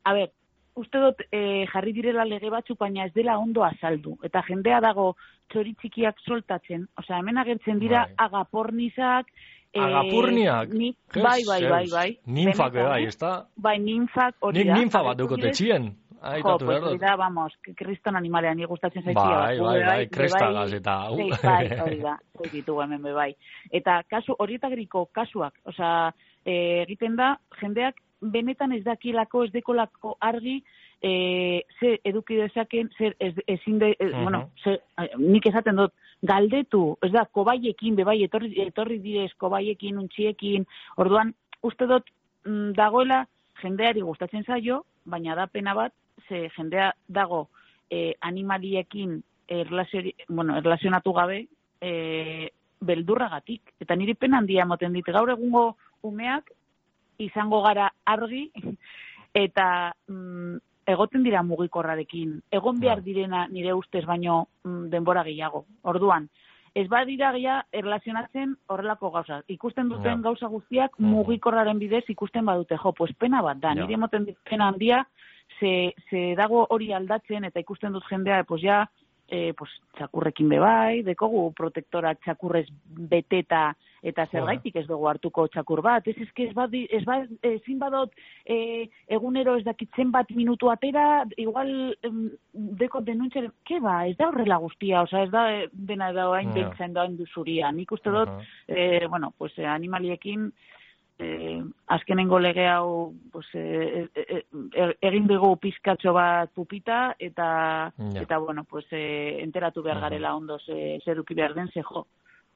a ber, uste dut e, jarri direla lege batzuk, baina ez dela ondo azaldu. Eta jendea dago txori txikiak soltatzen, osea, hemen agertzen dira Bai. agapornizak, e, Agapurniak? ni, Jes, bai, bai, bai, zeus. bai. Ninfak Benetan, bai, eh? ezta? Bai, ninfak hori Nik da. ninfa bat Agertu dukote dire- txien. Jo, Aitatu pues behar hori dut. da, vamos, kriston animalean ni gustatzen zaizkia. Bai, gu bai, be bai, be krestagaz eta, au. Sei, bai, hori da, hori ditugu hemen be bai. Eta kasu, horietagriko kasuak, osea, e, egiten da, jendeak benetan ez dakilako, ez dekolako argi, e, ze eduki dezaken, zer ez, ezin de, e, Mhm. bueno, ze, nik esaten dut, galdetu, ez da, kobaiekin, bebai, etorri, etorri direz, kobaiekin, untxiekin, orduan, uste dut, mm, dagoela, jendeari gustatzen zaio, baina da pena bat, ze jendea dago e, animaliekin erlaziori, bueno, erlazionatu gabe, e, beldurragatik. Eta niri pena handia emoten dit, gaur egungo umeak izango gara argi, eta mm, egoten dira mugikorrarekin. Egon behar direna nire ustez baino mm, denbora gehiago. Orduan, ez badira gehiago erlazionatzen horrelako gauza. Ikusten duten Ja. gauza guztiak Mhm. mugikorraren bidez ikusten badute. Jo, pues pena bat da. Ja. Nire emoten dit pena handia, ze, ze dago hori aldatzen eta ikusten dut jendea, pues ja, e, pues, txakurrekin bebai, dekogu protektora txakurrez beteta, eta zergaitik ez dugu hartuko txakur bat. Ez eske ez badi, ez bad, ezin badot e, egunero ez dakitzen bat minutu atera, igual em, deko denuntzen, ke ba, ez da horrela guztia, osea, ez da eh, dena da hain Ja. beltzen da hain duzuria. Nik uste dut, Aha. eh, bueno, pues eh, animaliekin eh, azkenengo lege hau pues, eh, eh, eh, egin dugu pizkatxo bat pupita eta Ja. eta bueno, pues eh, enteratu behar Aha. garela ondo ze zer eduki behar den ze jo.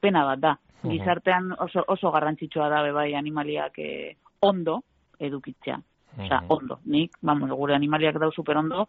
Pena bat da. Aha. Gizartean oso oso garrantzitsua da be bai animaliak eh, ondo edukitzea. Osea, Aha. ondo. Nik, vamos, gure animaliak dau super ondo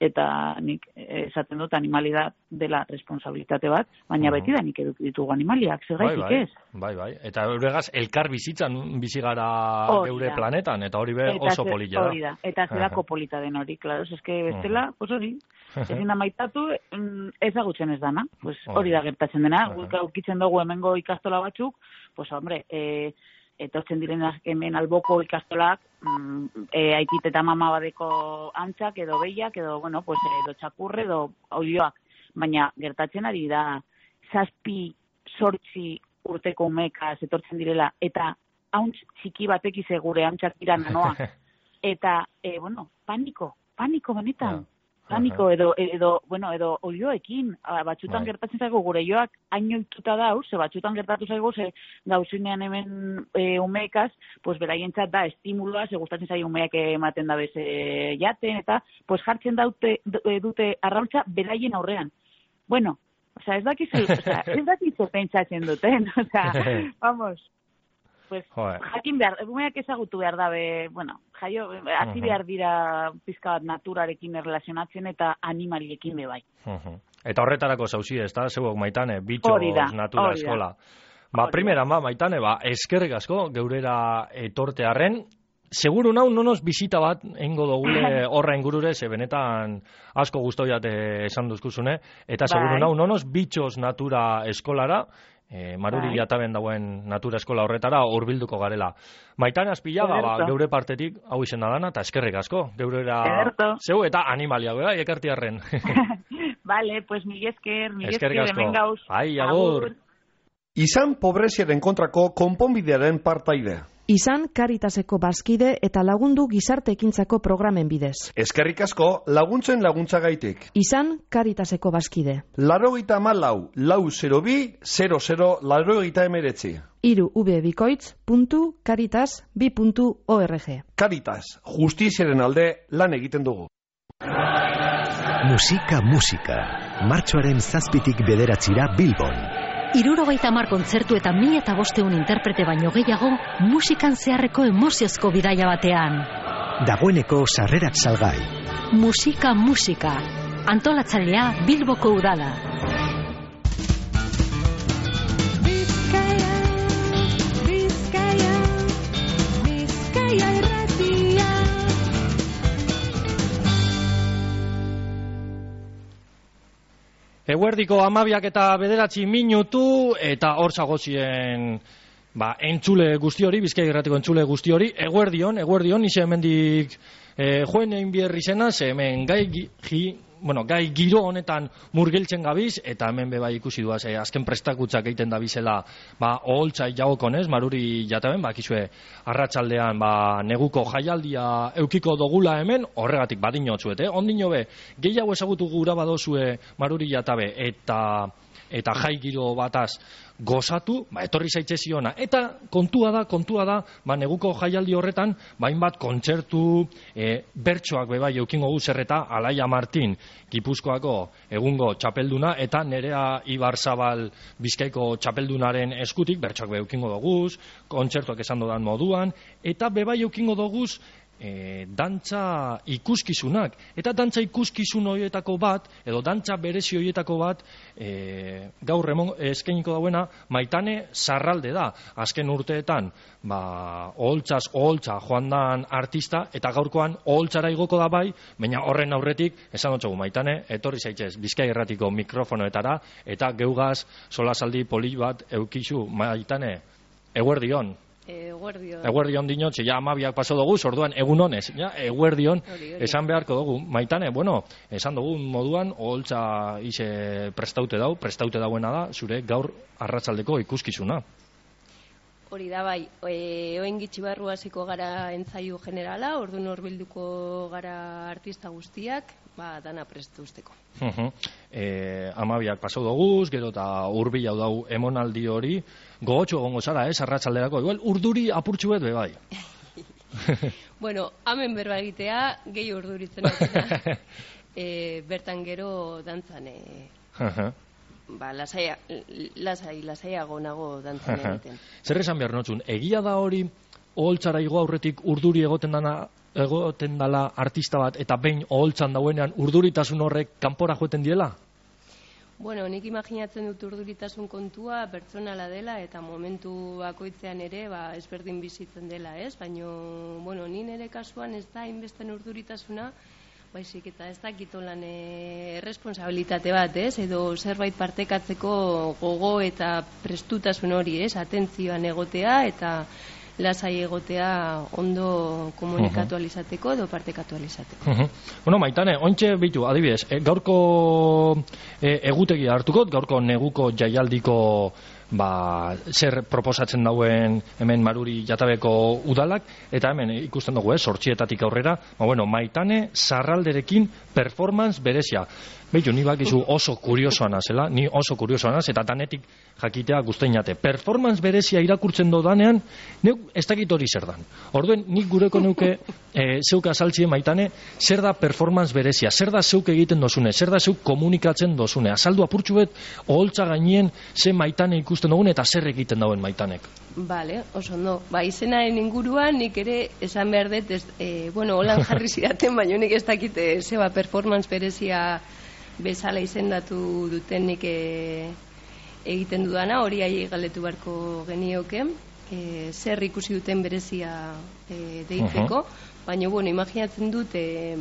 eta nik eh, esaten dut animalidad dela responsabilitate bat, baina Aha. beti da nik eduki ditugu animaliak, zergaitik bai, bai, ez? bai, bai. Eta euregaz elkar bizitzan bizi gara Hori geure da. planetan, eta hori be Eta oso ze- polilla da. Hori da, eta zelako Aha. polita den hori, claro, es que bestela, pues hori, Aha. ezin da maitatu, mm, ezagutzen ez dana, pues Hori. hori da gertatzen dena, Aha. guk aurkitzen dugu hemengo ikastola batzuk, pues hombre, e, etortzen direnak hemen alboko ikastolak, mm, e, aitit eta mama badeko antzak, edo behiak, edo, bueno, pues, edo txakurre, edo oioak, baina gertatzen ari da, zazpi, sortzi urteko umekaz etortzen direla, eta hauntz txiki batekiz gure antzak dira nanoa, eta, e, bueno, paniko, paniko benetan, Ja. paniko, edo, edo, bueno, edo oioekin, a, batzutan Bai. gertatzen zaigu gure joak ainoituta dauz, ze batzutan gertatu zaigu, ze gauzinean hemen e, umeekaz, pues beraientzat da estimuloa, ze gustatzen zaio umeak ematen da beze jaten, eta pues jartzen daute, d- dute arraultza beraien aurrean. Bueno, osea, ez dakizu, osea, ez dakizu pentsatzen duten, osea, vamos, pues, Joder. jakin behar, umeak ezagutu behar dabe, bueno, jaio, hasi Mhm. behar dira pizka bat naturarekin erlazionatzen eta animaliekin be bai. Mhm. Eta horretarako zauzi, ez da, zeuok Maitane, bitxoz Hori da, natura hori da. eskola. Ba, Hori da. primera, ba, Maitane, ba, eskerrik asko, geurera etortearren, seguru nau, nonos bisita bat eingo dogule horra ingurure, ze benetan asko guztoiat esan duzkuzune, eta seguru Bai. nau, nonos bitxoz natura eskolara, E, Maruri Bai. Jataben dauen natura eskola horretara hurbilduko garela. Maitane Azpillaga, ba, Ederto. geure partetik hau izena dana, eta eskerrik asko, geurera Ederto. zeu eta animalia, bera, ekartiarren. Vale, pues mil esker, mil Eskerrik esker, asko. hemen gauz. Ai, agur. Izan pobreziaren kontrako konponbidearen partaide. Izan Caritaseko bazkide eta lagundu gizarte ekintzako programen bidez. Eskerrik asko laguntzen laguntzagaitik. Izan Caritaseko bazkide. Laurogeita hamalau, lau zero bi, zero zero, laurogeita emeretzi. Hiru ubebikoitz puntu caritas bi puntu org. Caritas, justiziaren alde lan egiten dugu. Musika, musika. Martxoaren zazpitik bederatzira Bilbon. Hirurogeita hamar kontzertu eta mila eta bosteun interprete baino gehiago musikan zeharreko emoziozko bidaia batean. Dagoeneko sarrerak salgai. Musika, musika. Antolatzailea Bilboko Udala. Bizkaia, Bizkaia, Bizkaia irratia. Eguerdiko amabiak eta bederatzi minutu, eta hor zagozien ba, entzule guzti hori, Bizkaia irratiko entzule guzti hori, eguerdion, eguerdion, ize hemendik e, joen egin bierri zena, ze hemen gai, gi, bueno, gai giro honetan murgiltzen gabiz, eta hemen beba ikusi duaz, e, azken prestakutzak egiten da bizela, ba, oholtzai jagokonez, Maruri Jataben, ba, kizue, arratsaldean ba, neguko jaialdia eukiko dogula hemen, horregatik badinotzuet, eh? Ondino be, gehiago ezagutu gura badozue Maruri Jatabe, eta eta jai giro bataz gozatu, ba, etorri zaitze ziona. Eta kontua da, kontua da, ba, neguko jaialdi horretan, bainbat kontzertu, e, bertsoak bebai eukingo guzerreta, Alaia Martin, Gipuzkoako egungo txapelduna, eta Nerea Ibarzabal Bizkaiko txapeldunaren eskutik, bertsoak be eukingo doguz, kontzertuak esan dodan moduan, eta bebai eukingo doguz, E, dantza ikuskizunak, eta dantza ikuskizun horietako bat, edo dantza berezi horietako bat, e, gaur remon, eskainiko dauena Maitane Sarralde da. Azken urteetan, ba, oholtzaz oholtza joan dan artista, eta gaurkoan oholtzara igoko da bai, baina horren aurretik, esan dutxogu Maitane, etorri zaitzez Bizkaia irratiko mikrofonoetara, eta geugaz solasaldi poli bat eukizu. Maitane, eguerdion. Eguerdion. Eguerdion dinotxe, ja amabiak paso dugu, orduan egun honez, ja, eguerdion, esan beharko dugu. Maitane, bueno, esan dugu moduan, oholtza ise prestaute dau, prestaute dauena da, zure gaur arratsaldeko ikuskizuna. Hori da bai, e, oen gitxi barru hasiko gara entzaiu generala, orduan horbilduko gara artista guztiak, ba, dana prestu usteko. Uh -huh. e, amabiak pasau doguz, gero eta hurbil hau dau emonaldi hori, gogotxo egongo zara, ez, arratsalderako, igual urduri apurtxu bet, bebai. Bueno, hemen berba egitea, gehi urduritzen da, e, bertan gero dantzan, e, Uh -huh. ba, lasai, lasai, lasaiago nago dantzan egiten. Zer esan behar notzun, egia da hori, oholtzara igo aurretik urduri egoten dana, egoten dala artista bat, eta behin oholtzan dauenean urduritasun horrek kanpora joeten diela? Bueno, nik imaginatzen dut urduritasun kontua pertsonala dela, eta momentu bakoitzean ere, ba, ezberdin bizitzen dela, ez? Baina, bueno, ni nire kasuan ez da inbesten urduritasuna, baizik eta ez dakitolan e, erresponsabilitate bat, ez? Edo zerbait partekatzeko gogo eta prestutasun hori, ez? Atentzioan egotea eta lasai egotea ondo komunikatu alizateko edo partekatu alizateko. Uh -huh. Bueno, Maitane, ointxe bitu, adibidez, e, gaurko e, egutegia hartuko, gaurko neguko jaialdiko ba, zer proposatzen dauen hemen Maruri Jatabeko udalak, eta hemen ikusten dugu, eh, sortxietatik aurrera, ba, bueno, Maitane Sarralderekin performance berezia. Beitu, ni bakizu oso kuriosoana zela, ni oso kuriosoana, eta danetik jakitea guzteinate. Performance berezia irakurtzen dodanean, neuk ez dakit hori zer dan. Orduen, nik gureko neuke e, zeuk azaltzien Maitane, zer da performance berezia, zer da zeuk egiten dozune, zer da zeuk komunikatzen dozune. Azaldu apurtxu bet, oholtza gainien, ze Maitane ikusten dugun eta zer egiten dauen Maitanek. Bale, oso ondo. Ba, izenaren inguruan nik ere esan behar dut, ez, e, bueno, holan jarri zidaten, baina nik ez dakit e, zeba performance berezia bezala izendatu duten nik e, egiten dudana, hori ahi galdetu beharko genioke, e, zer ikusi duten berezia e, deitzeko, uh -huh. Baina, bueno, imaginatzen dut, e,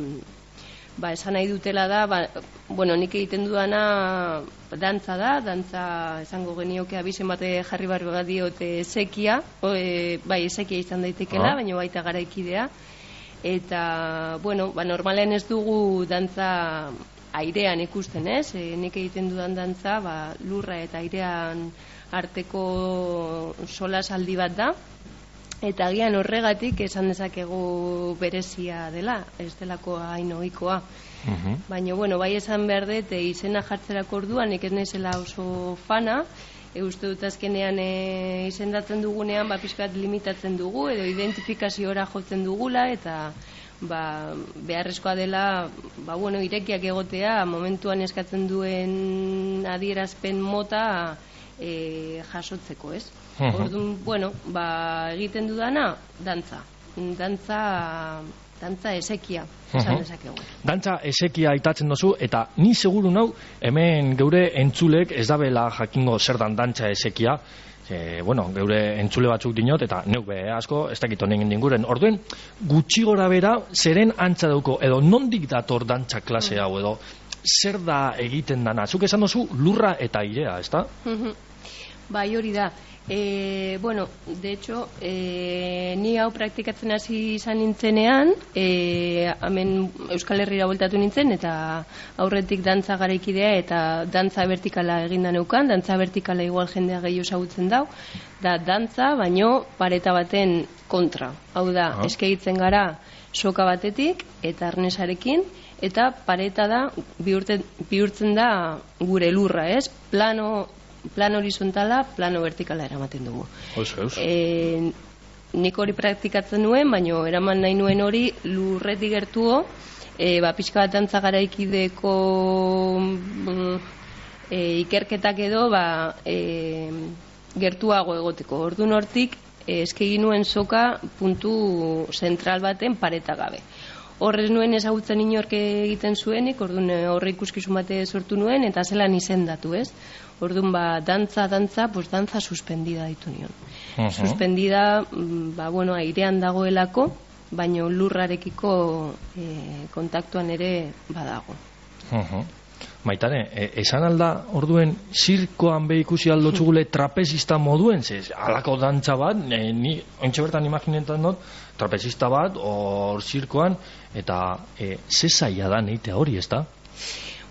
ba, esan nahi dutela da, ba, bueno, nik egiten dudana dantza da, dantza esango genioke abizen bate jarri barri bat diote esekia, o, e, bai, esekia izan daitekela, Ah. baina baita garaikidea, eta, bueno, ba, normalen ez dugu dantza airean ikusten, ez? E, nik egiten dudan dantza, ba, lurra eta airean arteko solasaldi bat da, eta agian horregatik esan dezakegu berezia dela, ez delako hain ohikoa. Mhm. Baina, bueno, bai esan behar dut, e, izena jartzerako orduan, nik ez naizela oso fana, e, uste dut azkenean e, izendatzen dugunean, ba, pixkat limitatzen dugu, edo identifikaziora jotzen dugula, eta ba, beharrezkoa dela, ba, bueno, irekiak egotea, momentuan eskatzen duen adierazpen mota e, jasotzeko, ez? Mhm. Orduan, bueno, ba, egiten dudana, dantza. Dantza, dantza esekia, esan Mhm. dezakegu. Dantza esekia aitatzen dozu, eta ni seguru nau, hemen geure entzulek ez dabela jakingo zer dan dantza esekia, e, bueno, geure entzule batzuk dinot, eta neuk be asko, ez dakit honen dinguren. Orduen, gutxi gora bera, zeren antza dauko, edo nondik dator dantza klase hau, edo zer da egiten dana. Zuk esan dozu lurra eta airea, ezta? Mhm. Bai, hori da. E, bueno, de hecho, e, ni hau praktikatzen hasi izan nintzenean, e, hemen Euskal Herrira bueltatu nintzen, eta aurretik dantza garaikidea eta dantza vertikala eginda neukan. Dantza vertikala igual jendea gehiago ezagutzen dau, da dantza, baino pareta baten kontra. Hau da, Ah. eskeitzen gara soka batetik eta arnesarekin, eta pareta da bihurtzen, bihurtzen da gure lurra, ez? Plano plano horizontala, plano vertikala eramaten dugu. Oso, eus. E, nik hori praktikatzen nuen, baina eraman nahi nuen hori lurretik gertuo, e, ba, pixka bat dantza garaikideko mm, e, ikerketak edo ba, e, gertuago egoteko. Orduan hortik, e, eskegi nuen soka puntu zentral baten pareta gabe. Horrez nuen ezagutzen inork egiten zuenik, orduan horre ikuskizun bate sortu nuen, eta zelan izendatu, ez? Orduan, ba, dantza, dantza, pues dantza suspendida ditu nion. Mhm. Suspendida, mm, ba, bueno, airean dagoelako, baino lurrarekiko e, kontaktuan ere badago. Mhm. Maitane, e, esan alda orduen zirkoan be ikusi aldo txugule trapezista moduen, ze alako dantza bat, e, ni ontxe bertan imaginetan dut, trapezista bat, hor zirkoan, eta e, ze zaila da neitea hori, ez da?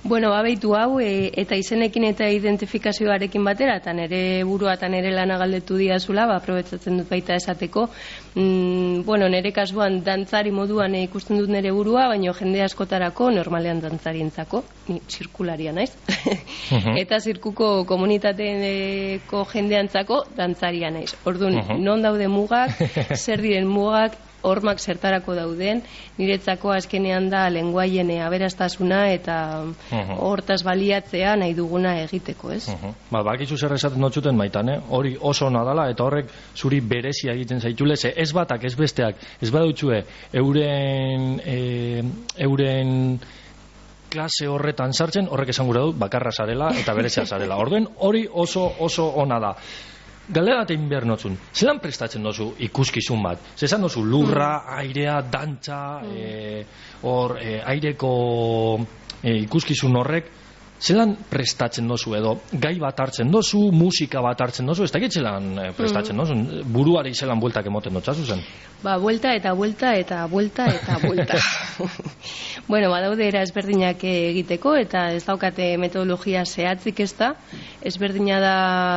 Bueno, babeitu hau, e, eta izenekin eta identifikazioarekin batera, eta nire burua eta nire lana galdetu diazula, ba, aprobetsatzen dut baita esateko. Mm, bueno, nire kasuan dantzari moduan e, ikusten dut nire burua, baina jende askotarako, normalean dantzarientzako, ni zirkularia naiz. Mhm. Eta zirkuko komunitateko jendeantzako dantzaria naiz. Orduan, Mhm. non daude mugak, zer diren mugak, hormak zertarako dauden, niretzako azkenean da lenguaien aberastasuna eta Mhm. hortaz baliatzea nahi duguna egiteko, ez? Mhm. Ba, bakizu zer esaten dutxuten Maitane, hori oso ona dala, eta horrek zuri berezia egiten zaitule, ze ez batak, ez besteak, ez badutxue euren e, euren klase horretan sartzen, horrek esan gura dut, bakarra zarela eta berezia zarela. Orduen, hori oso oso ona da. Galdera bat egin behar notzun, zelan prestatzen dozu ikuskizun bat? Zezan dozu lurra, airea, dantza, eh, hor, e, aireko e, ikuskizun horrek, zelan prestatzen dozu edo gai bat hartzen dozu, musika bat hartzen dozu, ez dakit zelan e, prestatzen dozu, buruari zelan bueltak emoten dotzazu zen? Ba, buelta eta buelta eta buelta eta buelta. Bueno, badaude era ezberdinak egiteko eta ez daukate metodologia zehatzik ez da. Ezberdina da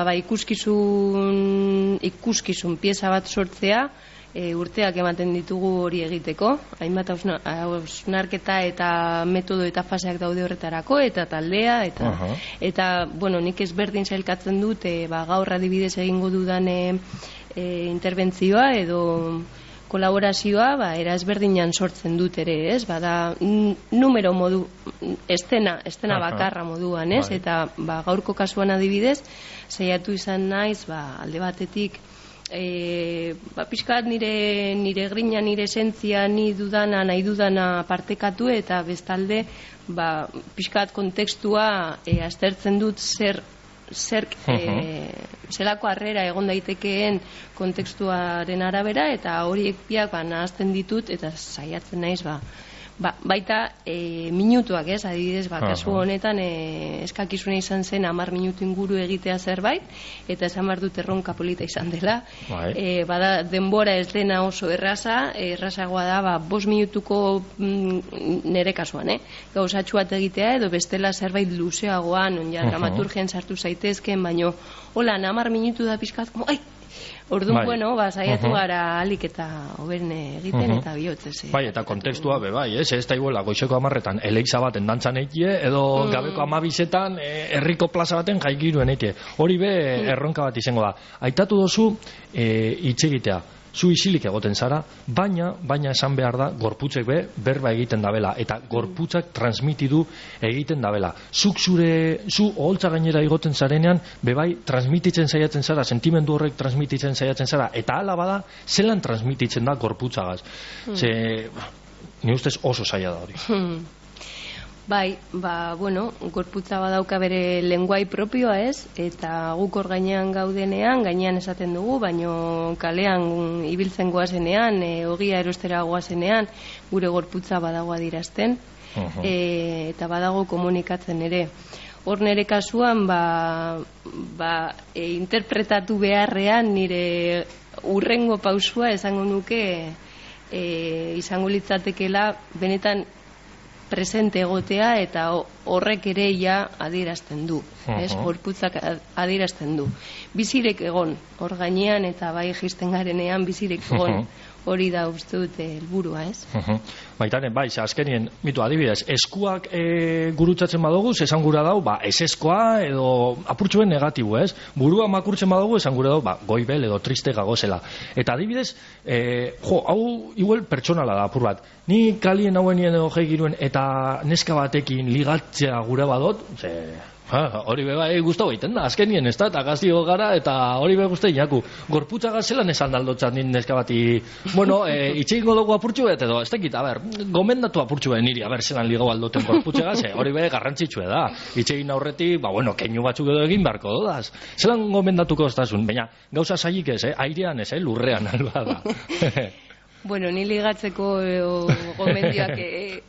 ba, ikuskizun, ikuskizun pieza bat sortzea, e, urteak ematen ditugu hori egiteko. Hainbat hausna- hausnarketa eta metodo eta faseak daude horretarako, eta taldea, eta, Aha. eta bueno, nik ezberdin sailkatzen dut, e, ba, gaur adibidez egingo dudan e, e, interbentzioa edo kolaborazioa, ba, era ezberdinan sortzen dut ere, ez? Bada n- numero modu, estena, estena Aha. bakarra moduan, ez? Bai. Eta ba, gaurko kasuan adibidez, saiatu izan naiz, ba, alde batetik, e, ba, pixkat nire, nire grina, nire esentzia, ni dudana, nahi dudana partekatu, eta bestalde, ba, pixkat kontekstua e, aztertzen dut zer zer e, zelako harrera egon daitekeen kontekstuaren arabera, eta horiek biak ba, nahazten ditut eta saiatzen naiz ba, Ba, baita e, minutuak, ez, adibidez, ba, kasu honetan e, eskakizuna izan zen hamar minutu inguru egitea zerbait, eta esan behar dut erronka polita izan dela. E, bada, denbora ez dena oso erraza, errazagoa da, ba, bost minutuko mm, nere kasuan, eh? Gauzatxu bat egitea, edo bestela zerbait luzeagoan, on ja, dramaturgian sartu zaitezken, baino, hola, hamar minutu da pixkat, ai, orduan, bai. Bueno, ba, saiatu uh -huh. gara alik eta hoberen egiten uh -huh. eta bihotzez. Eh, bai, eta kontekstua be bai, ez? Ez da iguela goizeko hamarretan eleiza baten dantzan eitie, edo mm. gabeko amabizetan eh, herriko plaza baten jaigiruen eitie. Hori be mm. erronka bat izango da. Aitatu dozu eh, itxegitea. Zu isilik egoten zara, baina, baina esan behar da, gorputzek be, berba egiten dabela, eta gorputzak transmitidu egiten dabela. Zuk zure, zu oholtza gainera egoten zarenean, bebai, transmititzen saiatzen zara, sentimendu horrek transmititzen saiatzen zara, eta hala bada, zelan transmititzen da gorputzagaz. Hmm. Ze, ni ustez oso zaila da hori. Hmm. Bai, ba, bueno, gorputza badauka bere lenguai propioa, ez? Eta guk hor gainean gaudenean, gainean esaten dugu, baino kalean ibiltzen goazenean, e, ogia erostera goazenean, gure gorputza badago adirazten, uh-huh. e, eta badago komunikatzen ere. Hor nire kasuan, ba, ba, e, interpretatu beharrean nire urrengo pausua esango nuke e, izango litzatekela benetan presente egotea, eta horrek ere ja adierazten du, uh-huh. ez? Gorputzak adierazten du. Bizirek egon, hor gainean eta bai jisten garenean bizirek egon, uh-huh. hori da uste dute helburua, ez? Uh-huh. Baitaren, bai, azkenien, mitu adibidez, eskuak e, gurutzatzen badugu, esan gura dau, ba, eseskoa edo apurtxuen negatibo, ez? Burua makurtzen badugu, esan gura dau, ba, goibel edo triste gagozela. Eta adibidez, e, jo, hau igual pertsonala da apur bat. Ni kalien hauenien edo jeigiruen eta neska batekin ligatzea gure badot, ze... Ha, hori beba, e, guztau egiten da, azkenien, ez da, eta gaztio gara, eta hori beba guztai inaku. Gorputza gazelan esan daldotzat nin neska bati, bueno, e, itxegingo dugu apurtxu bet, edo, ez tekit, a ber, gomendatu apurtxu bet niri, a ber, zelan ligau aldoten gorputza gaze, hori beba garrantzitsue da. Itxegin aurretik, ba, bueno, keinu batzuk edo egin beharko dodaz. Zelan gomendatuko oztasun, baina, gauza zailik ez, eh? Airean ez, eh? Lurrean, alba da. Bueno, ni ligatzeko e, gomendioak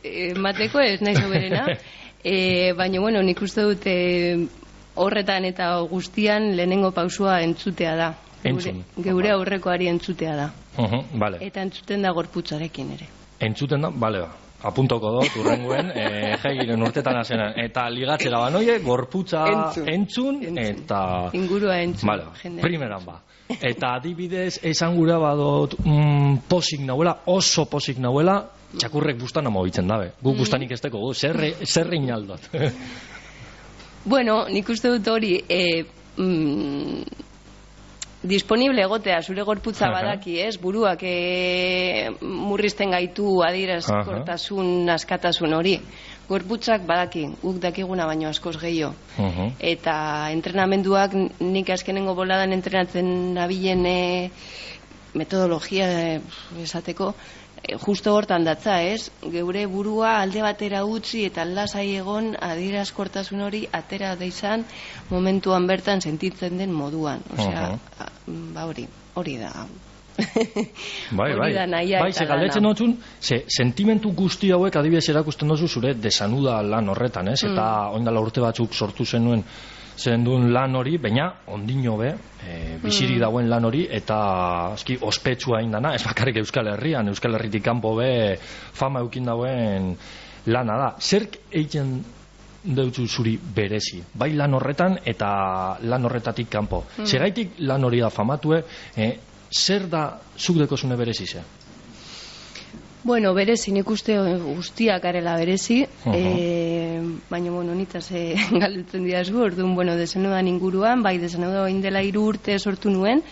emateko, ez naiz oberena. E, baina, bueno, nik uste dute horretan eta guztian lehenengo pausua entzutea da. Entzun. Geure, geure aurrekoari entzutea da. Uh-huh, vale. Eta entzuten da gorputzarekin ere. Entzuten da, bale ba. Apuntoko dut, urrenguen, e, jaigiren urtetan azenan. Eta ligatzera banoie, gorputza entzun, entzun, entzun. Eta... ingurua entzun. Vale, primeran ba. Eta adibidez, esan gura badot mm, posik nauela, oso posik nauela, txakurrek bustan amobitzen dabe. Guk mm. bustanik ez teko, zerre, zerre inaldot. Bueno, nik uste dut hori, e, mm, disponible egotea, zure gorputza badaki, ez? Buruak e, murrizten gaitu adierazkortasun, askatasun hori. Gorputzak badaki, guk dakiguna baino askoz gehiago. Uh-huh. Eta entrenamenduak, nik azkenengo boladan entrenatzen nabilen e, metodologia e, esateko, e, justo hortan datza, ez? Geure burua alde batera utzi eta lasai egon adierazkortasun hori atera da izan momentuan bertan sentitzen den moduan. Osea, uh-huh. ba hori, hori da. Bai, bai, bai, ze galdetzen notzun, ze sentimentu guzti hauek adibidez erakusten dozu zure desanuda lan horretan, ez? Mm. Eta oindala urte batzuk sortu zenuen zenduen lan hori, baina ondino be, e, biziri mm. dauen lan hori, eta eski ospetsua indana, ez bakarrik Euskal Herrian, Euskal Herritik kanpo be fama eukin dauen lana da. Zerk egiten deutzu zuri berezi, bai lan horretan eta lan horretatik kanpo. Mm. Segaitik lan hori da famatue, eh, zer da zuk dekozune berezi ze? Bueno, berezi, nik uste guztiak arela berezi, uh-huh. e, baina, bueno, nitaz e, galdutzen didazu, orduan, bueno, desenudan inguruan, bai, desenudan indela hiru urte sortu nuen,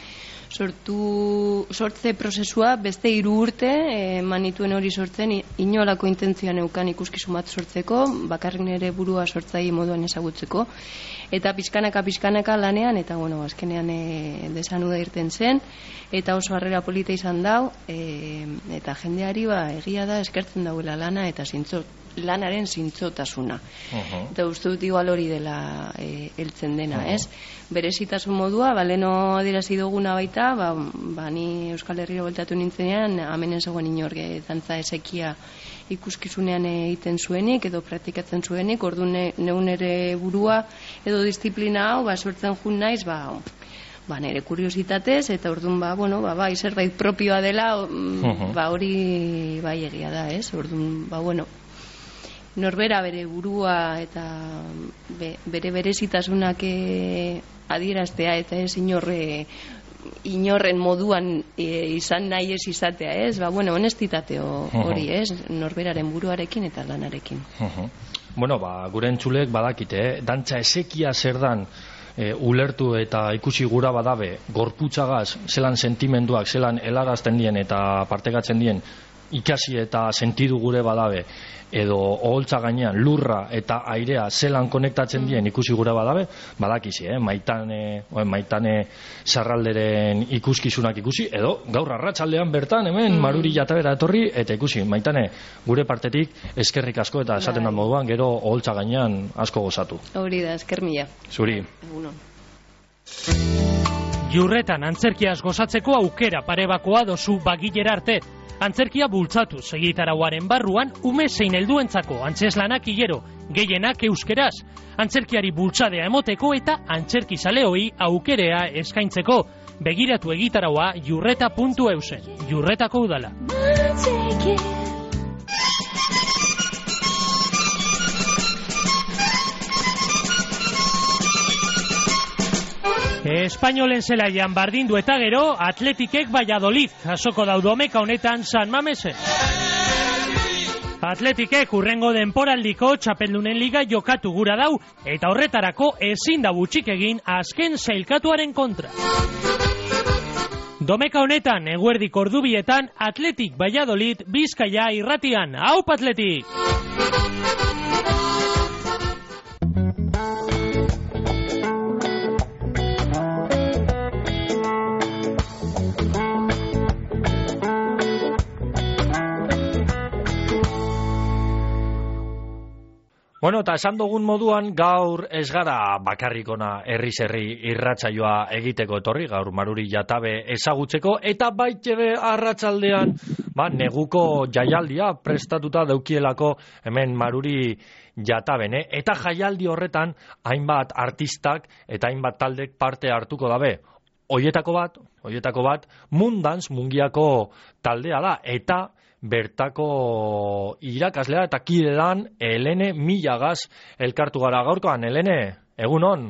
sortu, sortze prozesua beste hiru urte e, manituen hori sortzen, inolako intentzioa neukan ikuskizun bat sortzeko, bakarrik nire burua sortzai moduan ezagutzeko, eta pixkanaka pixkanaka lanean, eta bueno, azkenean e, desanuda irten zen, eta oso harrera polita izan dau, e, eta jendeari ba, egia da eskertzen dauela lana, eta zintzo, lanaren zintzotasuna. Uh-huh. Eta uste dut igual hori dela e, heltzen dena, uh-huh. ez? Berezitasun modua, baleno adirazi duguna baita, da, ba, ba ni Euskal Herrira bueltatu nintzenean, hemen ez zegoen inorge dantza esekia ikuskizunean egiten zuenik edo praktikatzen zuenik, orduan ne, neun ere burua edo disiplina hau ba sortzen jun naiz, ba ba nere kuriositatez eta orduan ba bueno, ba bai zerbait propioa dela, uh-huh. ba hori bai egia da, ez? Orduan ba bueno, norbera bere burua eta be, bere berezitasunak e, adieraztea eta ez inorre inorren moduan e, izan nahi ez izatea, ez? Ba, bueno, honestitate hori, ez? Norberaren buruarekin eta lanarekin. Uh-huh. Bueno, ba, gure entzulek badakite, eh? Dantza esekia zer dan e, ulertu eta ikusi gura badabe, gorputzagaz, zelan sentimenduak, zelan helagazten dien eta partekatzen dien, ikasi eta sentidu gure badabe, edo oholtza gainean lurra eta airea zelan konektatzen dien ikusi gura badabe, badakizi, eh? Maitane, oen, maitane sarralderen ikuskizunak ikusi, edo gaur arratsaldean bertan hemen mm. Maruri Jatabera etorri, eta ikusi, Maitane, gure partetik eskerrik asko eta esaten da moduan, gero oholtza gainean asko gozatu. Hori da, esker mila. Zuri. Egunon. Jurretan antzerkiaz gozatzeko aukera parebakoa dozu bagilera arte. Antzerkia bultzatu segitarauaren barruan ume zein helduentzako antzeslanak hilero, gehienak euskeraz. Antzerkiari bultzadea emoteko eta antzerki zaleoi aukerea eskaintzeko. Begiratu egitaraua jurreta puntu eusen. Jurretako udala. Espainolen zelaian bardindu eta gero Atletikek Valladolid jasoko dau Domeka honetan San Mamesen. Atletikek urrengo denporaldiko txapeldunen liga jokatu gura dau eta horretarako ezin da butxik egin azken sailkatuaren kontra. Domeka honetan eguerdik ordubietan Atletik Valladolid Bizkaia irratian. Aupa Atletik! Bueno, eta esan dugun moduan gaur ez gara bakarrikona herriz herri irratsaioa egiteko etorri, gaur Maruri Jatabe ezagutzeko, eta baitere arratsaldean ba, neguko jaialdia prestatuta daukielako hemen Maruri Jatabene, eta jaialdi horretan hainbat artistak eta hainbat taldek parte hartuko dabe. Hoietako bat, hoietako bat, Mundans Mungiako taldea da, eta bertako irakaslea eta kidedan Helene Milagaz elkartu gara gaurkoan. Helene, egunon?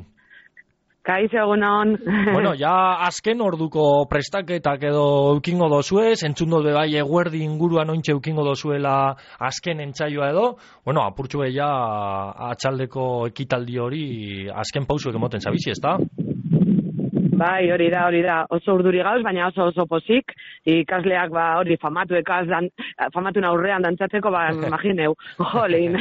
Kaixo, egunon. Bueno, ja azken orduko prestaketak edo eukingo dozue, entzun dut bai eguerdi inguruan ointxe eukingo dozuela azken entsaioa edo, bueno, apurtxu ja atxaldeko ekitaldi hori azken pausuek emoten zabizi, ezta? Bai, hori da, hori da, oso urduri gauz, baina oso oso pozik, ikasleak ba hori famatu ekaz, dan, famatu aurrean dantzatzeko, ba, imagineu, jolin.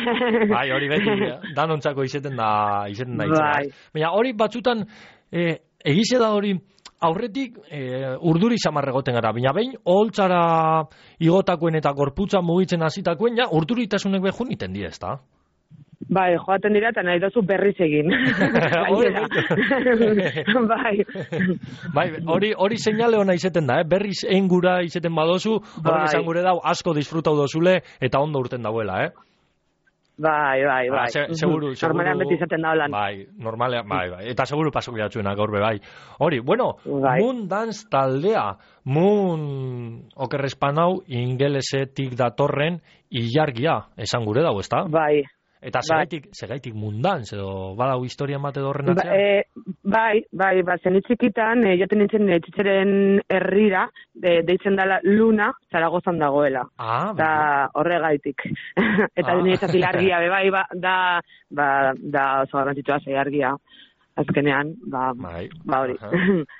Bai, hori beti, danontzako izeten da, izeten da, bai. Baina hori batzutan, eh, egize da hori, aurretik eh, urduri samarregoten gara, baina behin, oholtzara igotakoen eta gorputza mugitzen hasitakoen, ja, urduritasunek behun iten dira, ez da? Bai, joaten dira eta nahi dozu berriz egin. Bai. Bai, hori hori seinale ona izeten da, eh? Berriz egin gura izeten badozu, hori bai. Esan gure dau asko disfrutau dozule eta ondo urten dauela, eh? Bai, bai, bai. Ah, se, seguru, seguru. Normalean beti izaten da holan. Bai, normalean, bai, bai. Eta seguru pasok jatzuena gaur be, bai. Hori, bueno, bai. Moon Dance taldea, Moon okerrespanau ingelesetik datorren ilargia, esan gure dau, ezta? Bai. Eta segaitik, segaitik mundan, edo badau historia mate dorren atzean? Ba, e, bai, bai, ba, zenitzikitan, e, joten nintzen etxitzeren herrira, de, deitzen dela Luna, Zaragozan dagoela. Ah, da horregaitik. Eta ah. Niretzat ilargia, be, bai, ba, da, ba, da oso garrantzitsua zeiargia. Azkenean, ba, bai. Ba hori.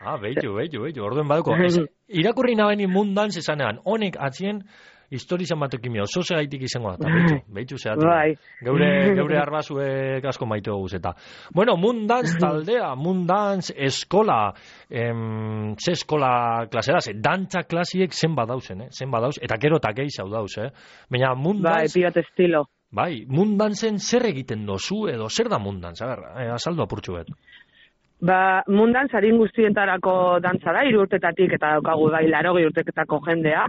Ah, behitu, behitu, behitu, orduen baduko. Es, irakurri nabaini mundan zezanean, honek atzien, historizan batekin oso segaitik izango da, behitu, behitu zehatzen. Bai. Geure, geure arbazuek asko maite goguz eta. Bueno, Mundans taldea, Mundans eskola, em, ze eskola klasera, ze dantza klasiek zen badauzen, eh? Zen badauz, eta gero eta gehi zau dauz, eh? Baina Mundans... Bai, pirat estilo. Bai, Mundansen zer egiten dozu edo zer da Mundans? A ber, eh, azaldu apurtxu bet. Ba, mundan zarin guztientarako dantza da, hiru urtetatik eta daukagu bai larogei urteketako jendea.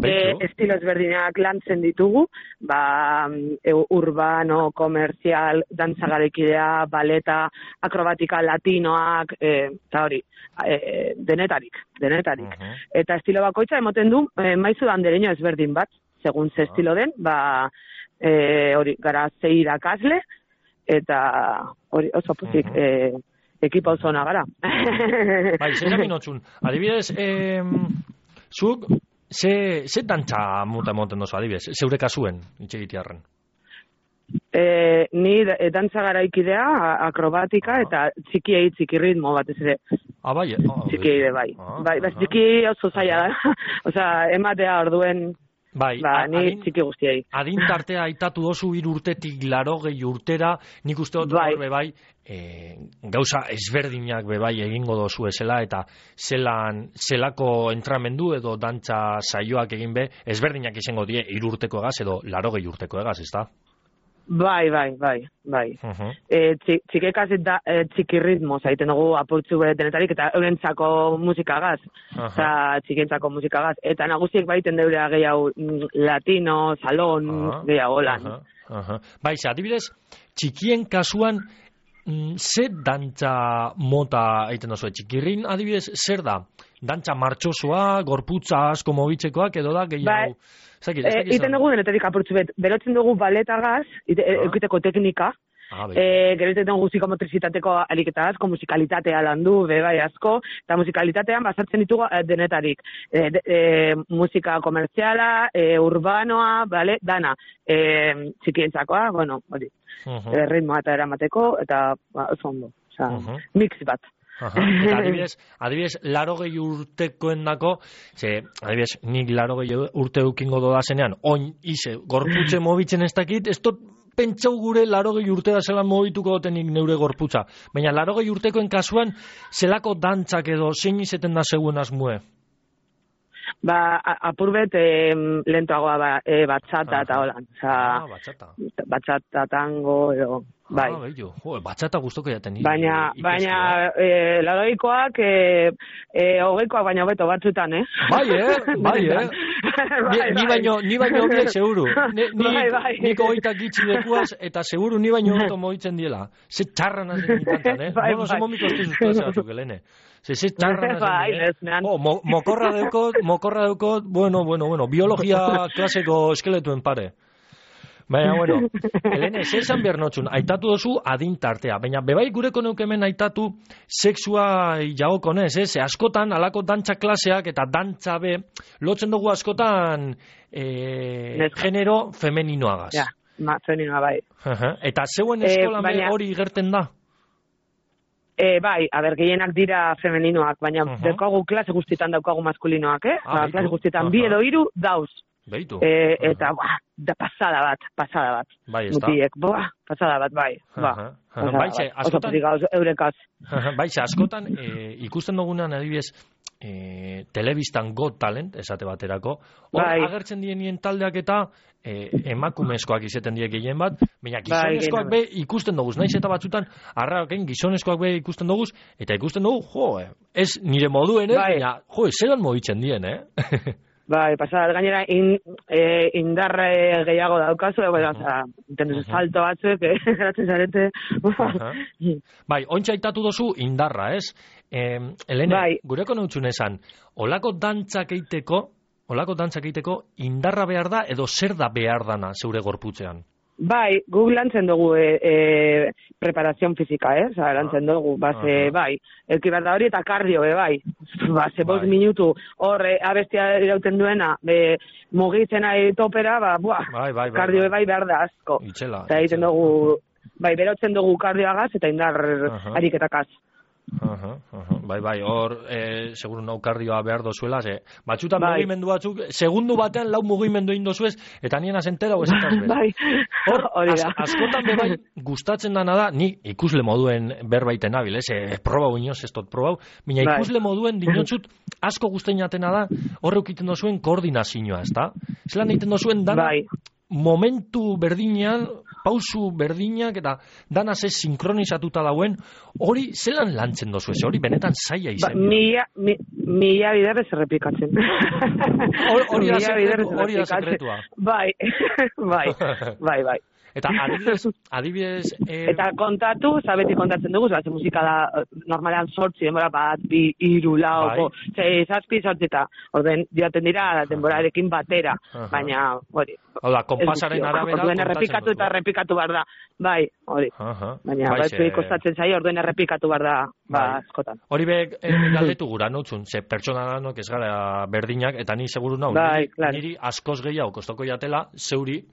E, estilo ezberdinak lantzen ditugu, ba, e, urbano, komerzial, dantza garaikidea, baleta, akrobatika latinoak, e, eta hori, e, denetarik, denetarik. Uh-huh. Eta estilo bakoitza emoten du, e, maizu dandereño ezberdin bat, segun ze estilo den, ba, e, hori, gara zei irakasle, eta hori, oso puzik, uh-huh. e, ekipa oso ona gara. Bai, zera minotxun. Adibidez, eh, zuk, ze, ze dantza muta emoten dozu, adibidez, zeure kasuen, itxegitearren? E, ni e, dantza garaikidea, akrobatika, eta txikiei txiki ritmo batez ere. Ah, bai, ah, txikiei bai. Ah, bai, bai, txiki oso zaila da. Osea, ematea orduen, bai, ba, ni adin, txiki guztiei. Adin tartea aitatu dozu hiru urtetik larogei urtera, nik uste dut bai. Horbe bai, e, gauza ezberdinak bebai egingo dozu ezela, eta zelan, zelako entramendu edo dantza saioak egin be, ezberdinak izango die hiru urteko egaz edo larogei urteko egaz, ez da? Bai, bai, bai, bai. Uh-huh. E, txikekaz eta e, txiki ritmo zaiten dugu apurtzu denetarik eta eurentzako musikagaz, uh-huh. eta txikentzako musikagaz. Eta nagusiek baiten deurea gehiago latino, salon, uh-huh. gehiago lan. Uh-huh. Uh-huh. Bai, ze, adibidez, txikien kasuan, mm, zer dantza mota egiten dozu? Txikirrin, adibidez, zer da? Dantza martxosoa, gorputza asko mobitzekoak, edo da gehiago... Bai. Zaki, e, iten dugu denetetik apurtzu bet, berotzen dugu baletagaz, eukiteko teknika, ah, e, gero iten dugu psikomotrizitateko ariketa asko, musikalitatea landu, bebai asko, eta musikalitatean basartzen ditugu denetarik. E, de, e, musika komerziala, e, urbanoa, bale, dana, e, txikientzakoa, bueno, hori, uh-huh. e, ritmoa eta eramateko, eta ba, oso ondo, oza, uh-huh. mix bat. Aha, eta adibidez, adibidez, larogei urtekoen dako, ze, adibidez, nik larogei urte eukingo dodazenean, oin, ize, gorputze mobitzen ez dakit, ez dut pentsau gure larogei urte da zelan mobituko dotenik neure gorputza. Baina larogei urtekoen kasuan, zelako dantzak edo zein izeten da zegoen asmue? Ba, apurbet e, lentoagoa ba, e, batxata eta holan. Ah, batxata. Batxata, tango, edo... Bai. Ah, bello. Jo, batxata gustoko jaten. Baina, baina, e, laroikoak, e, e, hogeikoak baina hobeto batzutan, eh? Bai, eh? Bai, eh? Ni, ni baino, ni baino hobiek seguru. Ni, ni, bai, bai. Niko hoitak gitzi dekuaz, eta seguru ni baino hobeto moitzen diela. Ze txarran hazen nintantan, eh? Bai, Bono, bai. ze momiko ez duzuz klase batzuk, Helene. Ze, ze txarran hazen nintan. Oh, mo, mokorra deukot, mokorra deukot, bueno, bueno, bueno, biologia klaseko eskeletuen pare. Baina, bueno, Helene, zer zan behar notxun, aitatu dozu adin tartea, baina bebai gureko neukemen aitatu sexua jagokonez, ez? Askotan, alako dantza klaseak eta dantza be, lotzen dugu askotan e, genero femeninoagaz. Ja, ma, femeninoa bai. Uh-huh. Eta zeuen eskola e, baina... hori gerten da? E, bai, aber, gehienak dira femeninoak, baina uh-huh. daukagu klase guztietan daukagu maskulinoak, eh? Ah, ba, klase guztietan uh-huh. bi edo hiru dauz. Beitu. E, eta, uh-huh. ba, da pasada bat, pasada bat. Bai, ez da. Mutiek, ba, pasada bat, bai. Ba, uh-huh. Uh-huh. Baixe, askotan... Oso eurekaz. Uh-huh. Baixe, askotan, e, ikusten dugunean adibidez, e, telebistan Got Talent, esate baterako, hor bai. Agertzen dienien taldeak eta e, emakumezkoak izeten die gehien bat, baina gizonezkoak bai, be ikusten duguz, naiz eta batzutan, arraken gizonezkoak be ikusten duguz, eta ikusten dugu, jo, ez nire moduen, eh? Bai. Baina, jo, zelan mobitzen dien, eh? Bai, pasada, gainera in, e, indarre gehiago daukazu, e, bueno, oza, uh-huh. salto batzuek, eh, geratzen zarete. Uh-huh. Bai, ontsa aitatu dozu indarra, ez? Eh, Helene, bai. Gureko neutxun esan, olako dantzak eiteko, olako dantzak eiteko, indarra behar da, edo zer da behar dana zeure gorputzean? Bai, guk lantzen dugu e, e, preparazion fizika, eh? Oza, lantzen dugu, base, uh-huh. bai, elkibarda hori eta kardio, be, bai. Base, bai. Bost minutu, hor, abestia irauten duena, be, mugitzen ari topera, ba, buah, bai, bai, bai, kardio, bai. bai, behar da asko. Itxela. Eta egiten dugu, bai, berotzen dugu kardioagaz eta indar uh-huh. ariketakaz. Uh-huh, uh-huh. Bai, bai, hor, e, seguru nau kardioa behar dozuela, ze, batxutan bai. Mugimendu batzuk, segundu batean lau mugimendu egin dozuez, eta nien azentera oezekaz behar. Bai, hor, az, askotan bebai, gustatzen dana da, ni ikusle moduen berbaiten nabil, ez, e, probau inoz, ez dut probau, baina bai. Ikusle moduen dinotzut, asko guztain jatena da, horre ukiten dozuen koordinazioa, ez da? Zelan egiten dozuen dana, bai. Momentu berdinean, pausu berdinak eta dana ze sinkronizatuta dauen, hori zelan lantzen dozu ez, hori benetan zaila Ba, izan. mila, mi, mila biderrez errepikatzen. Hori da Mila sekretu- biderrez hori da errepikatzen. sekretua. Bai, bai, bai, bai. Eta adibidez, adibidez eh, Eta kontatu, zabeti kontatzen dugu, zaten musika da, eh, normalean sortzi, denbora bat, bi, iru, lau, Bai. bo, zei, zazpi, sortzi, eta orden joaten dira denborarekin batera, Aha. baina, hori. hau da, konpasaren ez guztia. arabera Orduen kontatzen errepikatu duzu, eta eh? errepikatu behar da, bai, hori. Aha. Baina, Bai, batzuei ze- kostatzen zaio, orduen errepikatu behar da, ba, Bai. askotan. Hori be, eh, galdetu gura notzun, ze pertsona danok ez gara berdinak, eta ni seguru nau, Bai, niri, claro. niri askoz gehiago kostoko jatela, zeuri,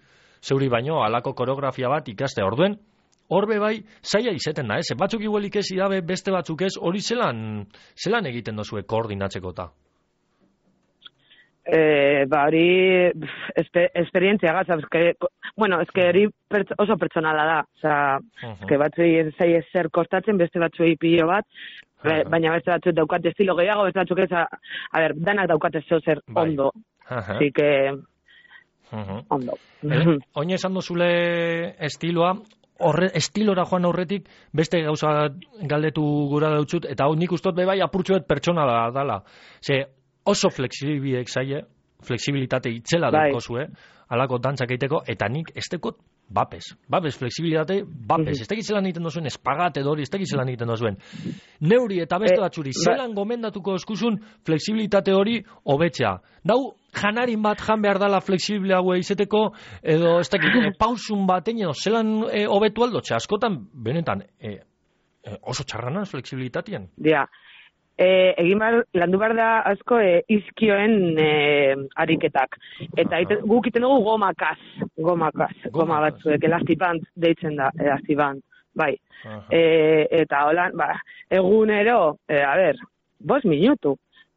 zeuri baino, alako koreografia bat ikaste orduen, horbe bai, zaila izeten da, ez? Batzuk iguelik ez idabe, beste batzuk ez, hori zelan, zelan egiten dozue koordinatzeko ta? Eh, ba, hori pf, espe, esperientzia gaz, eske, bueno, eske hori pertso, oso pertsonala da, osea, eske batzuei ez zaie zer kostatzen, beste batzuei pilo bat, be- baina beste batzuk daukate estilo gehiago, beste batzuk ez, a, a ber, danak daukate zeo zer Bai. ondo, Aha. así que, Mhm. ondo. Ele, oin esan dozule estiloa, horre, estilora joan aurretik beste gauza galdetu gura dautzut, eta hau nik ustot be bai apurtxoet pertsonala dala. Ze oso flexibiliek zaie, flexibilitate itzela Bai. daukozue, alako dantzak egiteko, eta nik ez dekot bapes. Bapes, flexibilitate, bapes. Ez tekit zelan egiten dozuen, espagat edo hori, ez tekit zelan egiten dozuen. Neuri eta beste Eh, batzuri, ba- zelan gomendatuko eskuzun flexibilitate hori hobetzea. Dau, janarin bat jan behar dala flexibiliagoa izeteko, edo ez dakit, e, pausun batein edo zelan e, hobetu aldotxe, askotan, benetan, e, e, oso txarranaz flexibilitatean. Dia, e, egin behar, landu behar da asko e, izkioen e, ariketak. Eta ite, guk iten dugu gomakaz, gomakaz, goma batzuek, elastibant deitzen da, elastibant, bai. E, eta holan, ba, egunero, e, a ber, bost minutu,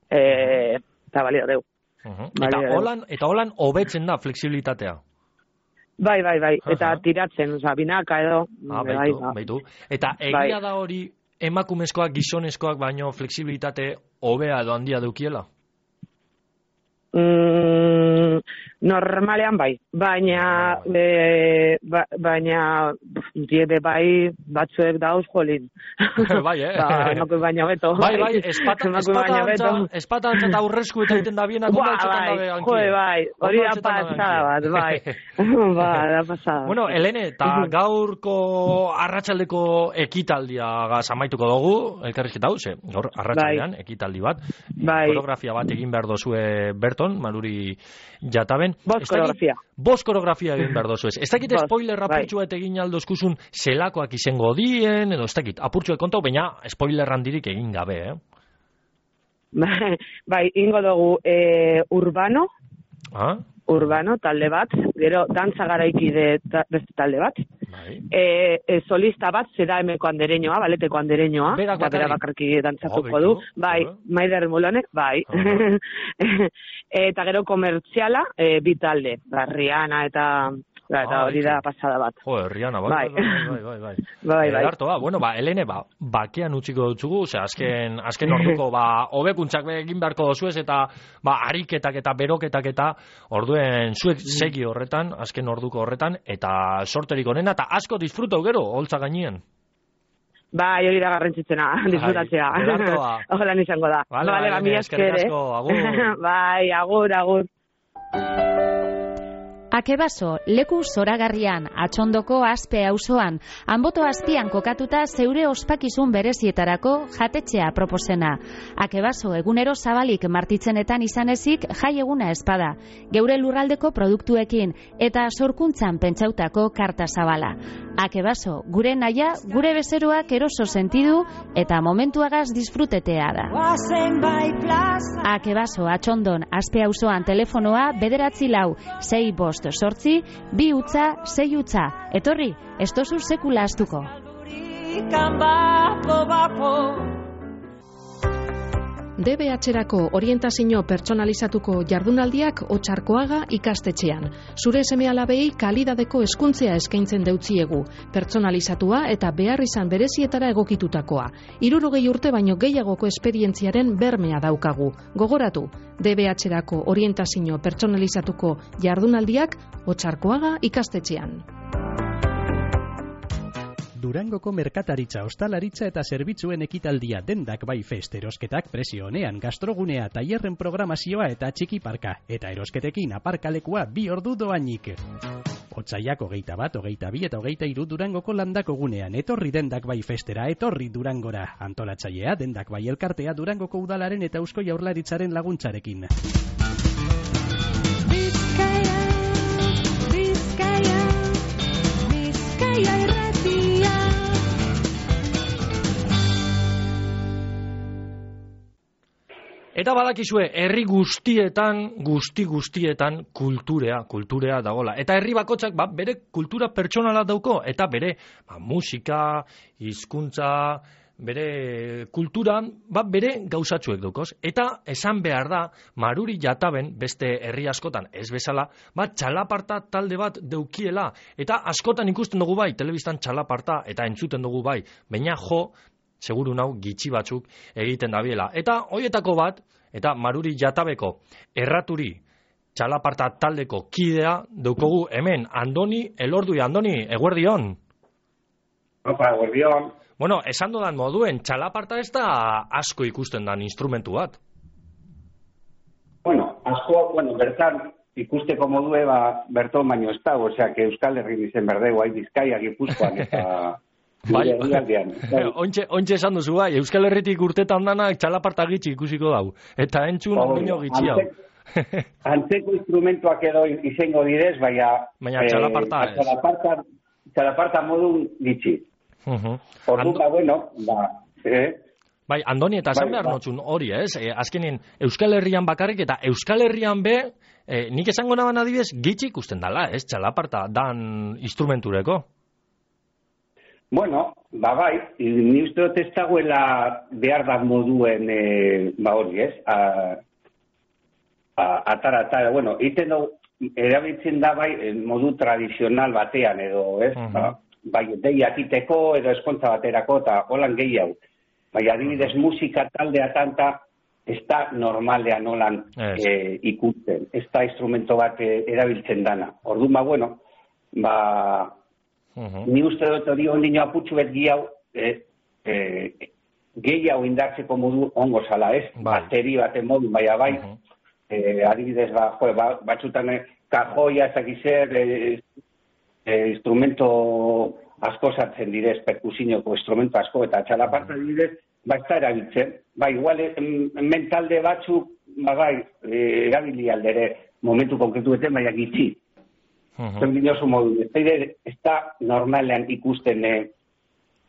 e, eta balio deu. Uh-huh. Bai, Eta bai. holan, eta holan hobetzen da flexibilitatea. Bai, bai, bai, eta Aha. tiratzen, oza, binaka edo, Ah, bai, baitu, ba. baitu. Eta Bai. egia da hori emakumezkoak, gizonezkoak baino flexibilitate hobea edo handia dukiela? Mm, normalean bai, baina e, ba, baina diebe bai batzuek dauz jolin. Bai, eh? Ba, emakume baina beto. Bai, bai, espata, Emakume baina beto. espata, espata antza eta aurresku eta egiten da bienak Ba, ondo altzetan bai, dabe hanki. joe, bai, hori Ondo da altzetan dabe pasada bat, hanki. bai. Ba, da pasada. Bueno, Helene, eta gaurko arratsaldeko ekitaldia amaituko dugu, elkarrizketa hau, ze, gaur arratsaldean ekitaldi bat, Bai. koreografia bat egin behar dozue Berton, Maruri Jataben. Bost Ez dakit- koreografia. Bost koreografia egin behar dozu ez. Ez dakit Bost, spoiler bai. apurtxua eta egin aldozkuzun zelakoak izango dien, edo ez dakit, apurtxua kontau, baina spoiler handirik egin gabe, eh? Bai, ingo dugu e, urbano, Ah? urbano, talde bat, gero dantza garaikide ta, beste talde bat, Bai. e, e, solista bat, zera emeko andereñoa, baleteko andereñoa, Berak eta bera bakarrik? bakarki dantzatuko Oh, du, beitu, bai, ah. Maider Mulone, bai. Eta gero komertziala, e, bi talde, ba, Rihanna eta, ba, eta Ah, hori da pasada bat. Jo, Rihanna, bai, Bai. bai, bai, bai, bai. Bai, bai. Edarto, ba, bueno, ba, Helene, ba, bakean utziko dutzugu, ose, azken, azken orduko, ba, hobekuntzak egin beharko dozuez, eta, ba, ariketak eta beroketak eta, orduen, zuek segi horretan, azken orduko horretan, eta sorterik onena, eta asko disfrutau gero, holtza gainien. Bai, hori da garrantzitsena, disfrutatzea. ederto ba. Ojalan izango da. Vale, Vale, vale, ba, mila eskerrik esker, eh? asko, agur. Bai, agur, agur. Akebaso, leku zoragarrian, atxondoko azpe auzoan, anboto azpian kokatuta zeure ospakizun berezietarako jatetxea proposena. Akebaso, egunero zabalik martitzenetan izan ezik jai eguna espada, geure lurraldeko produktuekin eta sorkuntzan pentsautako karta zabala. Akebaso, gure naia, gure bezeroak eroso sentidu eta momentuagaz disfrutetea da. Akebaso, atxondon, azpe auzoan telefonoa bederatzi lau, sei bost sortzi, bi utza, sei utza. Etorri, ez tozu sekula astuko. D B H-erako orientazio pertsonalizatuko jardunaldiak Otxarkoaga ikastetxean. Zure seme-alabei kalidadeko hezkuntzea eskaintzen deutziegu, pertsonalizatua eta behar izan berezietara egokitutakoa. Hirurogei urte baino gehiagoko esperientziaren bermea daukagu. Gogoratu, D B H-erako orientazio pertsonalizatuko jardunaldiak Otxarkoaga ikastetxean. Durangoko merkataritza, ostalaritza eta zerbitzuen ekitaldia dendak bai fest erosketak prezio honean gastrogunea, tailerren programazioa eta txiki parka. Eta erosketekin aparkalekua bi ordu doainik. Otsaiak hogeita bat, hogeita bi eta hogeita hiru Durangoko landako gunean. Etorri dendak bai festera, etorri Durangora. Antolatzailea dendak bai elkartea Durangoko udalaren eta Eusko Jaurlaritzaren laguntzarekin. Bizkaia, Bizkaia, Bizkaia irratia. Eta badakizue, herri guztietan, guzti guztietan kulturea, kulturea dagola. Eta herri bakotzak ba, bere kultura pertsonala dauko, eta bere ba, musika, hizkuntza, bere kulturan, ba, bere gauzatxuek daukoz. Eta esan behar da, Maruri Jataben, beste herri askotan ez bezala, ba, txalaparta talde bat deukiela. Eta askotan ikusten dugu bai, telebistan txalaparta, eta entzuten dugu bai, baina jo, seguru nau gitxi batzuk egiten dabiela. Eta hoietako bat, eta Maruri Jatabeko erraturi txalaparta taldeko kidea daukogu hemen, Andoni Elordui. Andoni, eguerdion. Opa, eguerdion. Bueno, esan dudan moduen, txalaparta ez da asko ikusten dan instrumentu bat. Bueno, asko, bueno, bertan ikusteko modue, ba, berton baino ez da, osea, que Euskal Herri izen berdeu, hai Bizkaia, Gipuzkoan, eta... Bai, ontxe, ontxe esan duzu bai, Euskal Herritik urtetan danak txalaparta gitxi ikusiko dau. Eta entzun ondino gitxi hau. Antzeko instrumentuak edo izango direz, baina... Baina txalaparta ez. Txalaparta, txalaparta modun gitxi. Ordu, ba, bueno, ba... Eh? Bai, Andoni, eta esan behar notxun hori, ez? E, azkenin, Euskal Herrian bakarrik eta Euskal Herrian be, e, nik esango naban adibidez, gitxi ikusten dala, ez? Txalaparta dan instrumentureko. Bueno, ba bai, ni uste dut ez dagoela behar bat moduen, e, ba hori ez, a, a, atara, atara, bueno, iten dugu, erabiltzen da bai modu tradizional batean edo, ez, uh-huh. ba, bai, deiak iteko edo eskontza baterako eta holan gehiago. Bai, adibidez musika taldea tanta, ez da normalean holan yes. e, ikusten, ez da instrumento bat e, erabiltzen dana. Orduan, ba, bueno, ba... Uh-huh. Ni uste dut hori ondino aputxu bet gehiago, eh, eh, gehiago indartzeko modu ongo zala, ez? Bai. Bateri baten modu, baina bai, uh-huh. eh, adibidez, ba, jo, ba, batxutan eh, kajoia, ezakizer, eh, eh, instrumento asko sartzen direz, perkusinoko instrumento asko, eta txalaparta adibidez, ba, ez da erabiltzen. Ba, igual, mentalde batzuk, ba, bai, eh, erabili aldere, momentu konkretu beten, baina gitxi. Zer dinosu modu, ez da normalean ikusten eh,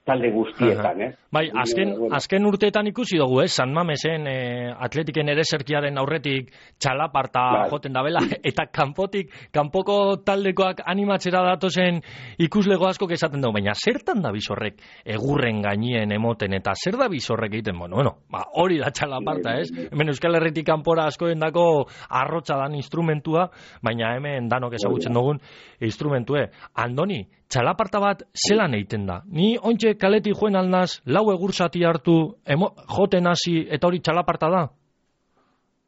talde guztietan, eh? Bai, azken, azken urteetan ikusi dugu, eh? San Mamesen eh, atletiken ereserkiaren aurretik txalaparta bai. Joten dabela, eta kanpotik, kanpoko taldekoak animatzera datozen ikuslego asko esaten dugu, baina zertan da bizorrek egurren gainien emoten, eta zer da bizorrek egiten, bueno, bueno, ba, hori da txalaparta, ez? Hemen Euskal Herritik kanpora askoen dako arrotza dan instrumentua, baina hemen danok ezagutzen dugun instrumentue. Andoni, txalaparta bat zelan egiten da? Ni ontxe kaletik joen alnaz, lau egursati hartu, emo, joten hasi eta hori txalaparta da?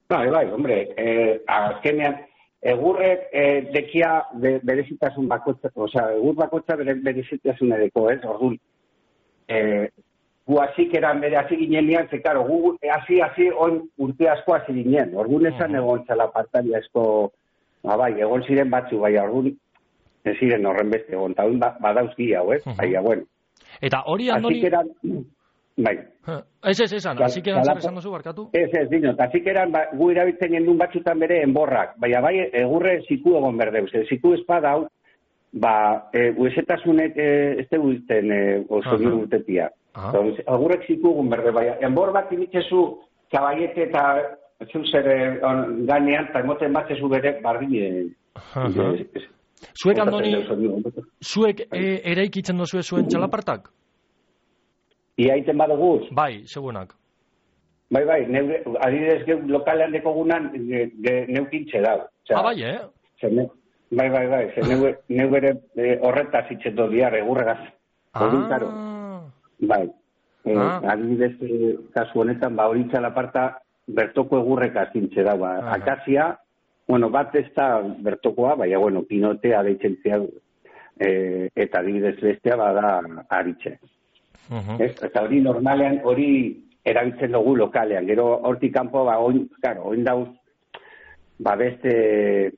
Bai, bai, hombre, eh, azkenean, egurrek eh, dekia be, berezitasun bakotza, osea, egur bakotza bere, berezitasun edeko, ez? Orduan, eh, gu hasik eran bere hasi ginen lian, ze, karo, gu hasi, hasi, on urte asko hasi ginen. Orduan esan uh-huh. egon txalapartari asko, ba, bai, egon ziren batzu, bai, orduan, ez ziren horren beste egon, eta ba, badauzki hau, ez? Uh-huh. Baina, bueno. Eta hori, Andoni... Eran, bai. Ez, ez, esan, hasik eran zer esan duzu, barkatu? Ez, ez, dino, hasik eran, ba, gu erabiltzen gendun batzutan bere enborrak, baina bai, egurre ziku egon berdeuz, e, ziku espada hau, ba, e, uesetasunek e, ez dugu izten e, oso nire urtetia. Egurrek ziku egon berde, baina, enbor bat imitzezu, kabaiete eta zeu zer ganean, eta emoten bat zezu bere bardine. Zuek, Andoni, zuek e, eraikitzen dozue zuen txalapartak? Ia iten badugu? Bai, segunak. Bai, bai, neure, adibidez geu lokalean dekogunan neukintxe dau. Ah, bai, eh? Ne, bai, bai, bai, neu, neu ere e, horretaz itxeto diar, egurregaz. Ah. Karo. Bai, e, ah. adibidez e, kasu honetan, ba, hori txalaparta bertoko egurrekaz intxe dau. Ba. Akazia, bueno, bat ez da bertokoa, baina, bueno, pinotea deitzen zian. e, eta adibidez bestea bada aritxe. Uh-huh. Ez? Eta hori normalean, hori erabiltzen dugu lokalean. Gero hortik kanpo, ba, oin, claro, oin dauz, ba, beste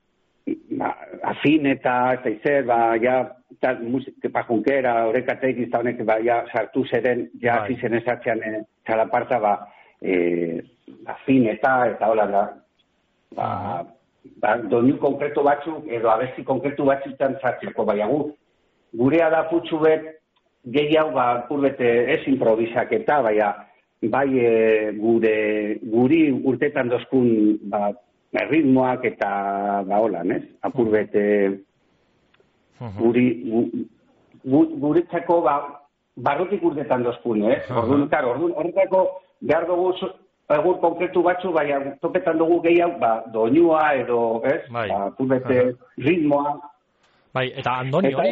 ba, afin eta, ez da izer, ba, ja, eta musika pajunkera, horrekatek izta honek, ba, ja, sartu zeren, ja, Bai. zizen esatzean, e, txalaparta, ba, e, afin eta, eta hola, da, ba, ba, doinu konkretu batzuk, edo abesti konkretu batzutan sartzeko, baina gu, gurea da putxu bet, gehiago, ba, purbete ez improvisaketa, baina, bai e, gure, guri urtetan dozkun, ba, ritmoak eta, ba, holan, ez? Apurbet, guri, gu, gu, guretzako, ba, barrotik urtetan dozkun, ez? Orduan, karo, orduan, horretako, behar dugu, egur konkretu batzu, baina topetan dugu gehiago, ba, doinua edo, ez? Bai. Ba, apurbete, ritmoa. Bai, eta Andoni, hori,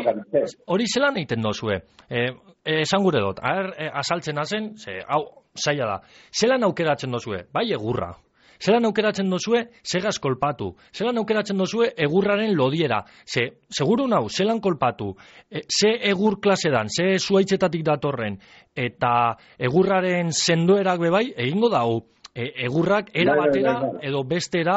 hori zelan egiten dozue? Eh, esan gure dut, aher, eh, asaltzen hazen, ze, hau, zaila da. Zelan aukeratzen dozue? Bai, egurra. Zelan aukeratzen dozue, segaz kolpatu. Zelan aukeratzen dozue, egurraren lodiera. Ze, seguru nau, zelan kolpatu. E, ze egur klasedan, ze zuaitzetatik datorren, eta egurraren sendoerak bebai, egingo dau. E, egurrak era Bai, bai, batera bai, bai. edo bestera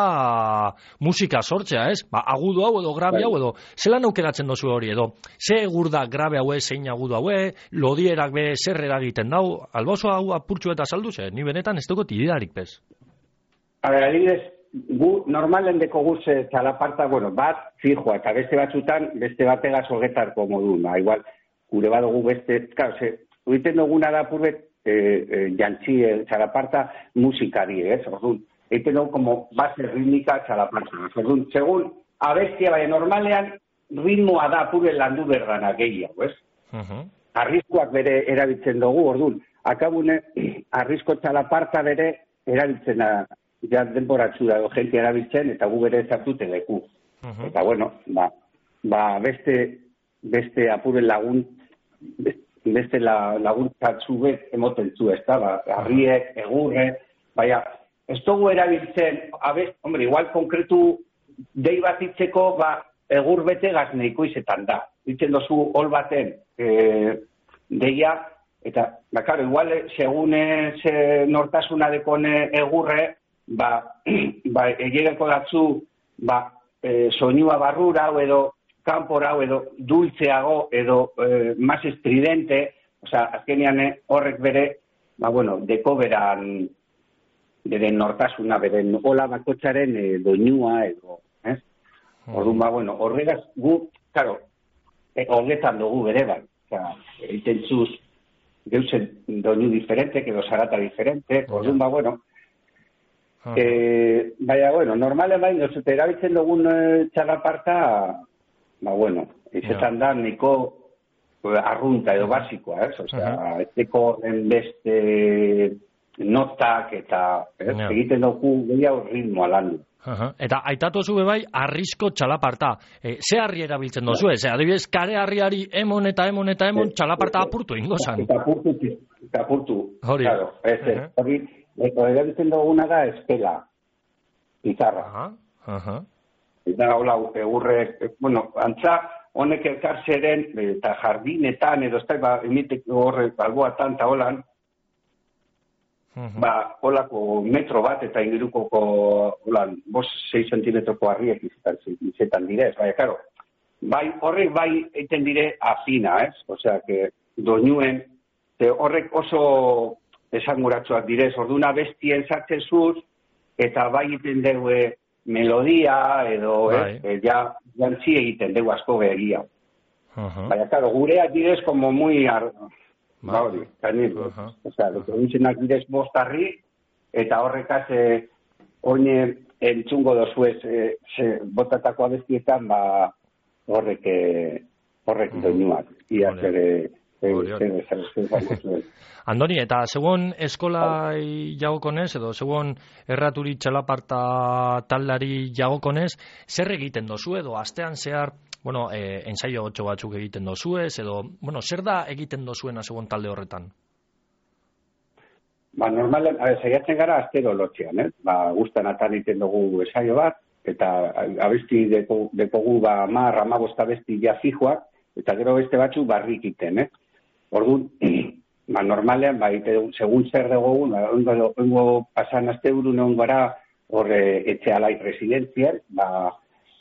musika sortzea, ez? Ba, agudo hau edo grabe Bai. hau edo, zelan aukeratzen dozu hori edo, ze egur da grabe haue, zein agudo haue, lodierak be zer eragiten dau, albozo hau apurtxu eta saldu ze, ni benetan ez dugu tididarik bez. A ber, adibidez, gu normalen deko guz eh, txalaparta, bueno, bat, fijoa, eta beste batzutan, beste bategaz hogetarko modu, ba, igual, gure badugu beste, claro, ze, egiten duguna da purbet, eh, eh, jantzi eh, txalaparta musikari, ez? Orduan, egiten dugu como base ritmika txalaparta. Orduan, segun, abestia, bai, normalean, ritmoa da pure landu berdana gehiago, ez? Uh-huh. Arriskuak bere erabiltzen dugu, orduan, akabune, arrisko txalaparta bere erabiltzen da, ja denboratzu da, gente erabiltzen, eta gu bere zartute leku. Uh-huh. Eta bueno, ba, ba beste, beste apuren lagun, beste la, laguntzatzu bet emoten zu, ez da, ba, harriek, egurre, baina, ez dugu erabiltzen, abez, hombre, igual konkretu dei bat itzeko, ba, egur bete gazneiko izetan da. Ditzen dozu hol baten e, deia, eta, ba, karo, igual, segun ze nortasuna dekone egurre, ba, ba egereko datzu, ba, e, soinua barrura, edo kanpora, edo dultzeago, edo e, más estridente, osea, azkenean horrek bere, ba, bueno, deko beran, beren nortasuna, beren hola bakotxaren e, doinua, edo, ez? Orduan, ba, bueno, horregaz gu, claro, e, horretan dugu bere, bai, osea, egiten zuz, geuzen doinu diferente, edo zarata diferente, orduan, ba, bueno, Uh-huh. Eh, baina, bueno, normalen bain, nosute erabiltzen dugun eh, txalaparta, ba, bueno, izetan da, niko eh, arrunta edo basikoa, ez? Osea, uh-huh. Eteko den beste notak eta ez? Yeah. Egiten dugu gehiago ritmoa landu. Uh-huh. Eta aitatu zube bai, arrisko txalaparta. E, ze harri erabiltzen dozu, ez? Adibidez, kare harriari emon eta emon eta emon txalaparta apurtu ingo zan. Eta apurtu, eta apurtu. Hori. Claro, ez, ez. Uh-huh. Hori, erabiltzen duguna da eskela, pizarra. Uh-huh. Uh-huh. Eta hola, egurre, bueno, antza, honek elkartzeren, eta jardinetan, edo ez da, ba, emiteko horre, alboatan, eta holan, uh-huh. ba, holako metro bat, eta ingirukoko, holan, bos, sei zentimetroko harriek izetan, izetan direz, baina, karo, bai, horrek bai egiten dire afina, ez? Osea, que doinuen, horrek oso esanguratsuak direz, orduna bestien sartzen zuz, eta bai egiten dugu melodia, edo, bai. eh, ja, jantzi egiten dugu asko begia. Uh-huh. Baina, claro, gureak direz como muy, ar... Bai. ba hori, kanil, Uh-huh. osea, dutzenak direz bostarri, eta horrekaz, eh, oine entzungo dozuez, eh, ze, botatako abestietan, ba, horrek, eh, horrek Uh-huh. doinuak, ia Hori. zere, Hori, hori. Andoni, eta segon eskolai jagokonez, edo segon erraturi txalaparta taldari jagokonez, zer egiten dozu edo astean zehar, bueno, eh, ensaio otxo batzuk egiten dozuez, edo, bueno, zer da egiten dozuena segon talde horretan? Ba, normalen, a ver, saiatzen gara astero lotxean, eh? Ba, guztan atan egiten dugu ensaio bat, eta abesti deko, dekogu, ba, mar, amabost abesti ja fijoak, eta gero beste batzu barrik iten, eh? Orduan, ba, normalean, ba, ite, segun zer dugu, ba, ongo, ongo pasan azte burun egon gara, hor e, etxe alai residenzial, ba,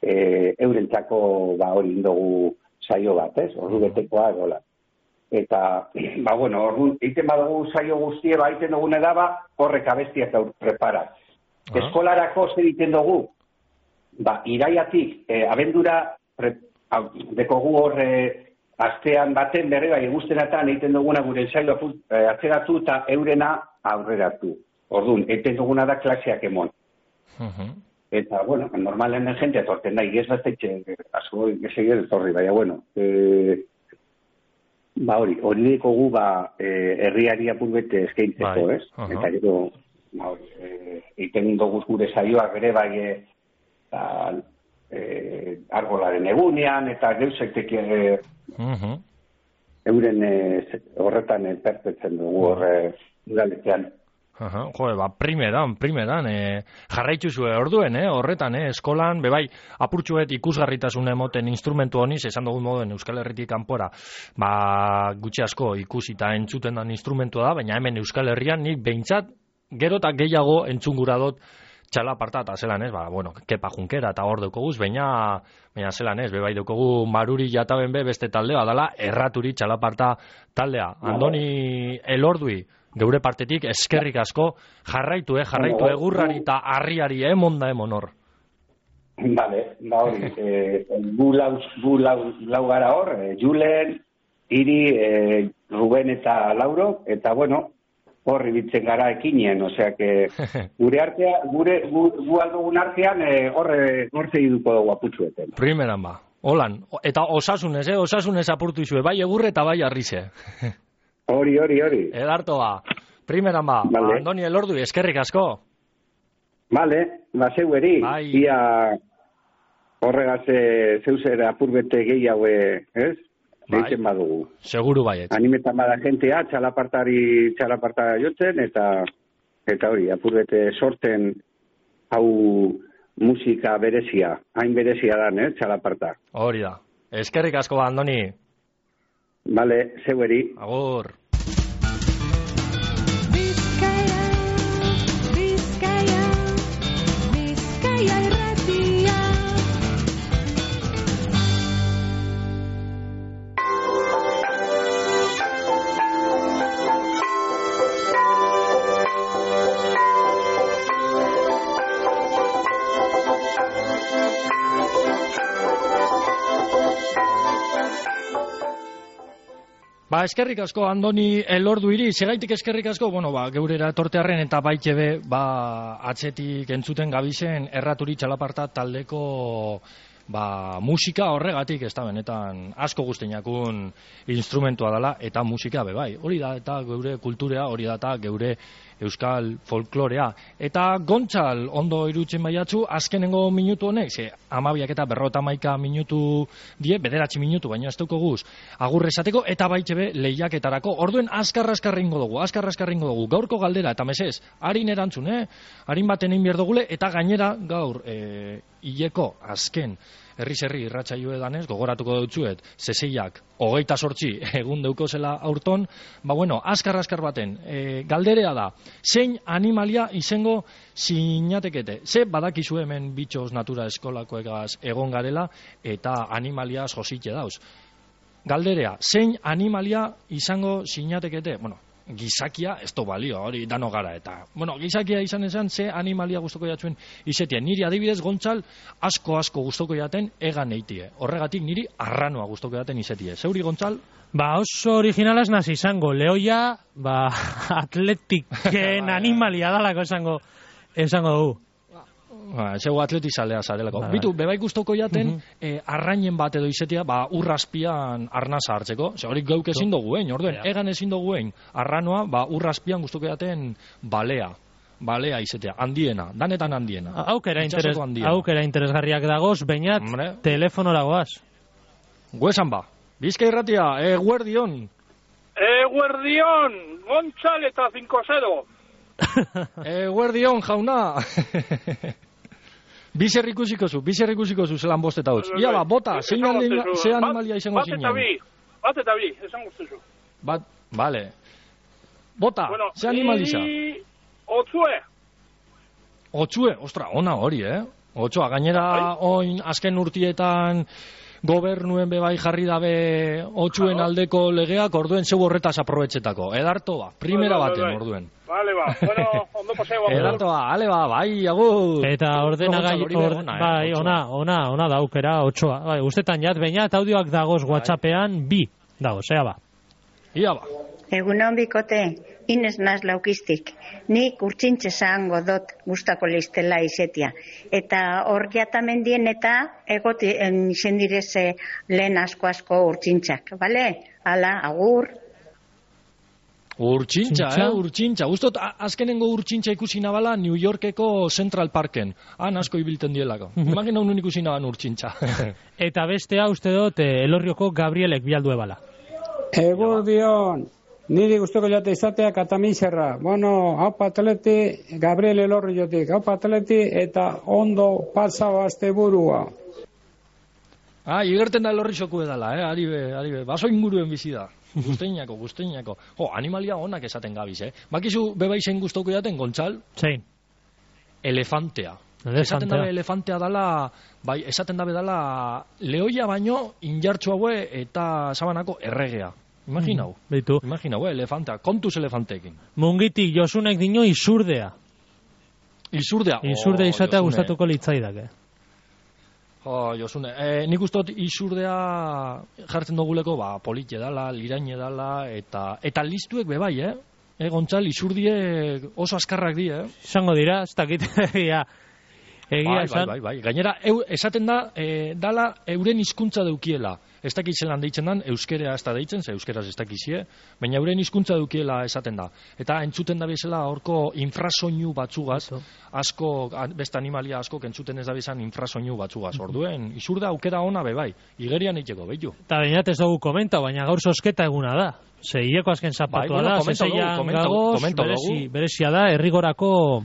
e, eurentzako, ba, hori indogu saio bat, ez? Ordu betekoa, gola. Eta, ba, bueno, orduan, iten badugu saio guztie, ba, iten dugune da, ba, horrek abestiak aur prepara. Ah. Eskolarako zer iten dugu, ba, iraiatik, e, abendura, pre, au, dekogu hor, e, astean baten berre, bai, guztenatan egiten duguna gure saio e, atzeratu eta eurena aurreratu. Orduan, egiten duguna da klaseak emon. Uh-huh. Eta, bueno, normalen den jente etorten da, igez bastetxe, asko egin etorri, baina, bueno, e, ba hori, hori dekogu, ba, e, herriari apurbete eskaintzeko, ez? Uh-huh. Eta gero, ba hori, e, egiten dugu gure saioak ere, bai, e, ta, e, argolaren egunean, eta geuzektek ere, uh-huh. euren e, horretan e, perpetzen dugu horre udaletean. Uh-huh. Jo, ba, primeran, primeran, e, jarraitu zuen orduen, eh, horretan, eh, eskolan, bebai, apurtxuet ikusgarritasun emoten instrumentu honiz, esan dugun moduen Euskal Herritik kanpora, ba, gutxi asko ikusita entzuten dan instrumentua da, baina hemen Euskal Herrian nik behintzat, gero eta gehiago entzungura dut txalaparta, eta zelan ez, ba, bueno, kepa junkera, eta hor deukoguz, baina, baina zelan ez, bebai deukogu Maruri Jataben be beste taldea, dala erraturi txalaparta taldea. Andoni Elordui, geure partetik eskerrik asko, jarraitu, eh, jarraitu egurrari eta harriari emon da emon hor. Vale, ba hori, eh, gu lau, gu lau, lau gara hor, eh, Julen, Iri, eh, Ruben eta Lauro, eta bueno, hor ibiltzen gara ekinien, osea que gure artea, gure gu, gu aldugun artean eh, horre nortzei duko dugu aputxueten. Primeran ba, holan, eta osasunez, eh, osasunez apurtu izue, bai egurre eta bai arrize. Hori, hori, hori. Edarto ba, primeran ba, vale. Andoni Elordu, eskerrik asko. Vale, ba zeueri, bai. Ia horregaz e, zeuzera apurbete gehiago, ez? Deiten bai. Badugu. Seguru baiet. Animetan bada jentea, txalapartari txalaparta jotzen, eta eta hori, apurbete sorten hau musika berezia, hain berezia dan, eh, txalaparta. Hori da. Eskerrik asko ba, Andoni. Vale, zeueri. Agur. Bizkaia, Bizkaia, Bizkaia irratia. Ba, eskerrik asko Andoni Elordu iri, segaitik eskerrik asko, bueno, ba, geurera etortearren eta baitxebe, ba, atzetik entzuten gabizen erraturi txalaparta taldeko, ba, musika horregatik, ez da benetan asko guztienakun instrumentua dela, eta musika bebai, hori da, eta geure kulturea, hori da, eta geure euskal folklorea. Eta Gontzal, ondo irutzen baiatzu, azkenengo minutu honek, ze, amabiak eta berrota maika minutu die, bederatzi minutu, baina ez duko guz, agur esateko, eta baitxebe lehiaketarako, orduen azkar-azkarringo dugu, azkar-azkarringo dugu, gaurko galdera, eta mesez, harin erantzun, eh? Harin baten egin berdogule, eta gainera, gaur, e, hileko, azken, herri-zerri irratsaio edanez, gogoratuko dutzuet, zeseiak, hogeita sortzi egun deuko zela aurton, ba bueno, azkar-azkar baten, e, galderea da, zein animalia izango sinatekete, ze badakizu hemen bitxos natura eskolakoegaz egon garela, eta animalia jositxe dauz. Galderea, zein animalia izango sinatekete, bueno, gizakia, ez to balio, hori dano gara, eta, bueno, gizakia izan esan, ze animalia gustoko jatzuen izetien. Niri adibidez, Gontzal, asko-asko gustoko jaten egan eitie. Horregatik niri arranoa gustoko jaten izetie. Zeuri, Gontzal? Ba, oso originalaz nazi izango. Leoia, ba, atletiken animalia dalako esango, esango dugu. Ba, zego atletizalea zarelako. Ba, bitu, bebai gustoko jaten, uh -huh. eh, arrainen bat edo izetia, ba, urraspian arnaza hartzeko. Ze hori geuk ezin dugu, hein, orduen, ja. Egan ezin dugu, hein, arranoa, ba, urraspian gustoko jaten balea. Balea izetea, handiena, danetan handiena. Aukera, interes, aukera interesgarriak dagoz, bainat, Hombre. telefonora goaz. Guesan ba, Bizkai irratia, eguerdion. Eguerdion, Gontzal eta cinco zero. Eguerdion, jauna. Bizer ikusiko zu, bizer ikusiko zu zelan bost eta hots. Ia ba, bota, zein anima- ze animalia izango Bat eta zinen. bi, bat eta bi, esan guztuzu. Bat, vale. Bota, Bueno, ze animaliza. ni otzue. Otsue, ostra, ona hori, eh? Otsoa, gainera oin azken urtietan gobernuen bebai jarri dabe otxuen aldeko legeak, orduen zeu horretaz aprobetxetako. Edarto ba, primera Bai, bai, baten bai. orduen. Vale, ba, bueno, ondo paseo. Edarto ba, ale ba, bai, agur. Eta ordenagai, Gontzalo, hori be or, ona, eh, bai, otsoa. ona, ona, ona daukera, otsoa. Bai, ustetan jat, baina eta audioak dagoz WhatsAppean bi, dagoz, ea ba. Ia ba. Egunon bikote, Ines naz laukiztik. Nik urtsintxe zango dot gustako listela izetia. Eta hor jatamendien eta egoti izen direze lehen asko-asko urtsintxak. Bale? Hala, agur. Urtsintxa, Urtsintxa? eh, urtsintxa. Gustot, a- azkenengo urtsintxa ikusi nabala New Yorkeko Central Parken. Han asko ibilten dielako. Imagina unun ikusi naban urtsintxa. Eta bestea uste dut eh, Elorrioko Gabrielek bialdu ebala. Egudion, niri guztoko jote izatea katamizerra. Bueno, hau patleti, Gabriel Elorri jotik, hau patleti eta ondo pasau azte burua. Ah, igerten da elorri soku edala, eh, ari be, ari be. Baso inguruen bizi da. Guzteinako, guzteinako. Jo, animalia onak esaten gabiz, eh. Bakizu beba izen guztoko jaten, Gontzal? Zein? Elefantea. Elefantea. Esaten dabe elefantea dala, bai, esaten dabe dala lehoia baino injartxu haue eta sabanako erregea. Imaginau. Mm, Beitu. Imaginau, eh, elefantea. Kontuz elefanteekin. Mungitik Josunek dino izurdea. Izurdea. Izurdea Oh, izatea Josune. gustatuko litzaidak, Jo, Josune, eh, nik ustot izurdea jartzen duguleko, ba, politxe dala, liraine dala, eta eta listuek bebai, eh? E, Gontzal, izurdiek oso askarrak di, eh? Izango dira, ez dakit, egia, egia bai, esan. bai, bai, bai. Gainera, eu, esaten da, e, dala euren hizkuntza deukiela. Ez dakit zelan deitzen dan, euskerea ez da deitzen, ze euskeraz ez dakizie, baina euren hizkuntza deukiela esaten da. Eta entzuten da bezala horko infrasoinu batzugaz, asko, beste animalia asko entzuten ez da bezan infrasoinu batzugaz. Orduen, izurde aukera ona bebai, igerian eiteko, behitu. Eta bainat ez dugu komenta, baina gaur sosketa eguna da. Ze hileko azken zapatua Bai, bueno, da, komenta dugu, zeseian komenta- gagoz, komenta dugu. berezi, berezia da, errigorako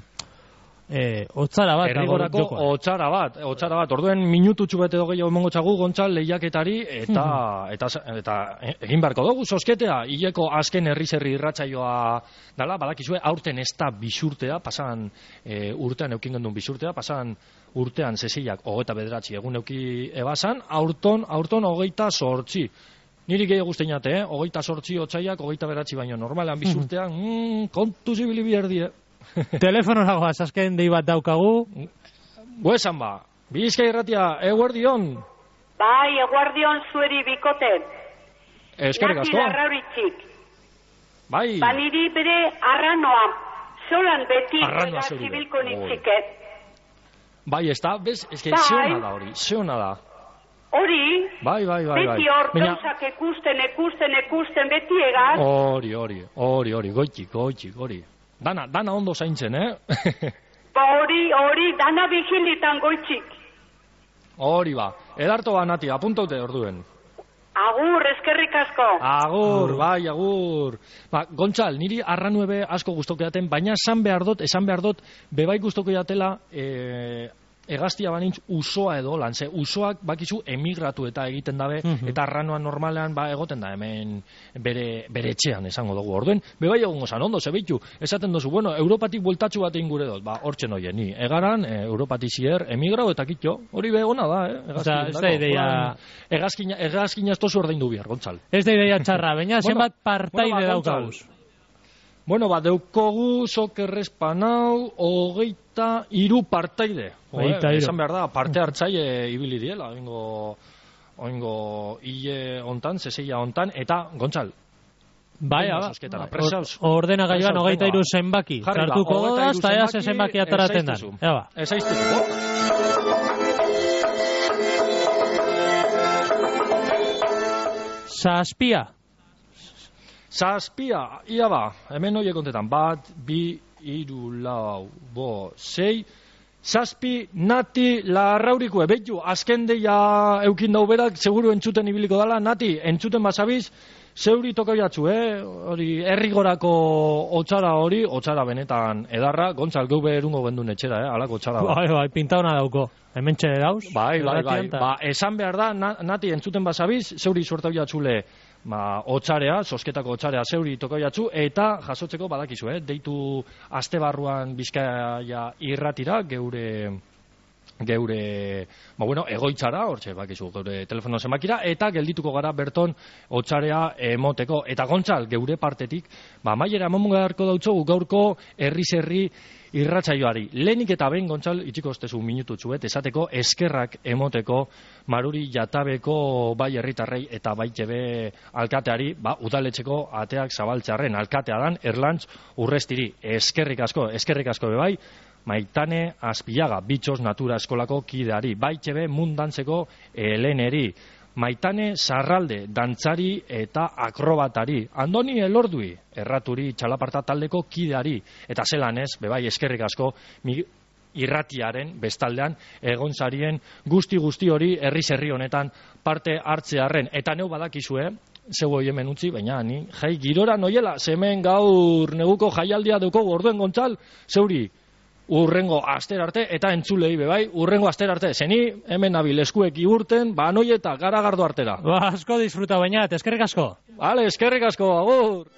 eh, otzara bat. dago Errigorako jokoan. otzara bat, otzara bat. Orduen minututxu bete dogei hau emongo txagu Gontzal lehiaketari eta, eta, eta egin beharko dugu sosketea. Hileko azken herriz herri irratsaioa dala, badakizue aurten ez da bisurtea, pasan e, urtean eukin gendun bisurtea, pasan urtean zeseiak hogeita bederatzi egun euki ebasan, aurton, aurton hogeita sortzi. Niri gehiago guzteinate, eh? Hogeita sortzi otzaiak, hogeita beratzi baino normalan bisurtean, mm, kontu zibili bierdi, eh? Telefono nagoaz, azken dei bat daukagu. Guesan ba, Bizkai irratia, eguerdion. Bai, eguardion zueri bikote. Eskerrik Nati asko. larrauritxik. Bai. Baniri bere arranoa. Zolan beti Arranoa eta zeuri be. zibilko Oi. nitxike. Bai, ez da, bez, ez que Bai. zeona da hori, zeona da. Hori, Bai, bai, bai, bai. beti hor Baina, gauzak ikusten, ikusten, ikusten, beti egan. hori, hori, hori, hori, goitik, goitik, hori. Dana, dana ondo zaintzen, eh? Ba hori, hori, dana vigilitan goitxik. Hori ba. Edarto ba, Nati, apuntaute orduen. Agur, eskerrik asko. Agur, bai, agur. Ba, Gontzal, niri arranuebe asko gustoko jaten, baina esan behar dut, esan behar dut, bebai gustoko jatela, e, egaztia banintz usoa edo lan, ze usoak bakizu emigratu eta egiten dabe, eta arranoa normalean ba egoten da hemen bere, bere etxean esango dugu. Orduen, bebai egongo zan, ondo, zebeitu, esaten duzu, bueno, Europatik bueltatxu bat egin gure dut, ba, hortzen oie, ni, egaran, e, Europatik zier, emigrau eta kitxo, hori be ona da, eh? Osea, ez da ideia- Egazkina, egazkina ez tozu ordaindu bihar, Gontzal. Ez da ideia txarra, baina Bueno, zenbat partaide bueno, ba, daukaguz. Bueno, ba, deukogu sokerrespanau, hogeita iru partaide. Jo, Hogeita eh, hiru. esan behar da, parte hartzaile ibili diela, oingo, oingo hile hontan, zeseia hontan, eta, Gontzal, Bai, venga, ba, sosketara, presauz. ordenagailuan Presauz, hogeita venga. iru zenbaki. Jarri ba, Sartuko hogeita da, hiru eta ea ze zenbaki ataraten da. esaiztuzu. Ea ba. Esaiztuzu. Zazpia. Zazpia, ia ba, hemen horiek kontetan, bat, bi, iru, lau, bo, sei, zazpi, Nati, larraurikue, behitu, azken deia eukin dau berak, seguru entzuten ibiliko dala, Nati, entzuten basabiz, zeuri tokoiatzu, eh? Hori, herrigorako otsara hori, otsara benetan edarra, Gontzal geube erungo gendun etxera, eh? Alako otsara da. Bai, bai, pinta hona dauko. Hemen txere dauz. Bai, bai, bai. Ba, esan behar da, na, nati entzuten basabiz, zeuri suertabiatzule, ba, otsarea, sosketako otsarea zeuri tokoiatzu, eta jasotzeko badakizu, eh? Deitu aste barruan Bizkaia irratira, geure... geure, ba bueno, egoitzara, hortxe, bakizu, geure telefono zenbakira, eta geldituko gara berton otsarea emoteko. Eta Gontzal, geure partetik, ba, maiera eman beharko dautzogu gaurko herri-zerri irratsaioari. Lehenik eta behin, Gontzal, itxiko ostezu minututzuet, esateko eskerrak emoteko Maruri Jatabeko bai herritarrei eta bai tebe alkateari, ba, udaletxeko ateak zabaltzearen alkatea dan, Erlantz Urrestiri. Eskerrik asko, eskerrik asko bebai, Maitane Azpiaga, Bitxos Natura Eskolako kideari, baitxebe mundantzeko heleneri, Maitane Sarralde, dantzari eta akrobatari, Andoni Elordui, erraturi txalaparta taldeko kideari, eta zelan ez, bebai eskerrik asko, mi, irratiaren bestaldean egon zarien guzti guzti hori herri-zerri honetan parte hartzearren, eta neu badakizue, zeu hoi hemen utzi, baina ni jai girora noiela, zemen gaur neguko jaialdia duko orduen Gontzal, zeuri, urrengo aster arte, eta entzulei bebai, urrengo aster arte, zeni hemen nabil eskuek iurten, ba noi eta garagardo artera. Ba, asko disfruta baina, eskerrik asko. Vale, eskerrik asko, agur.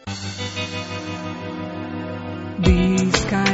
Bizkaia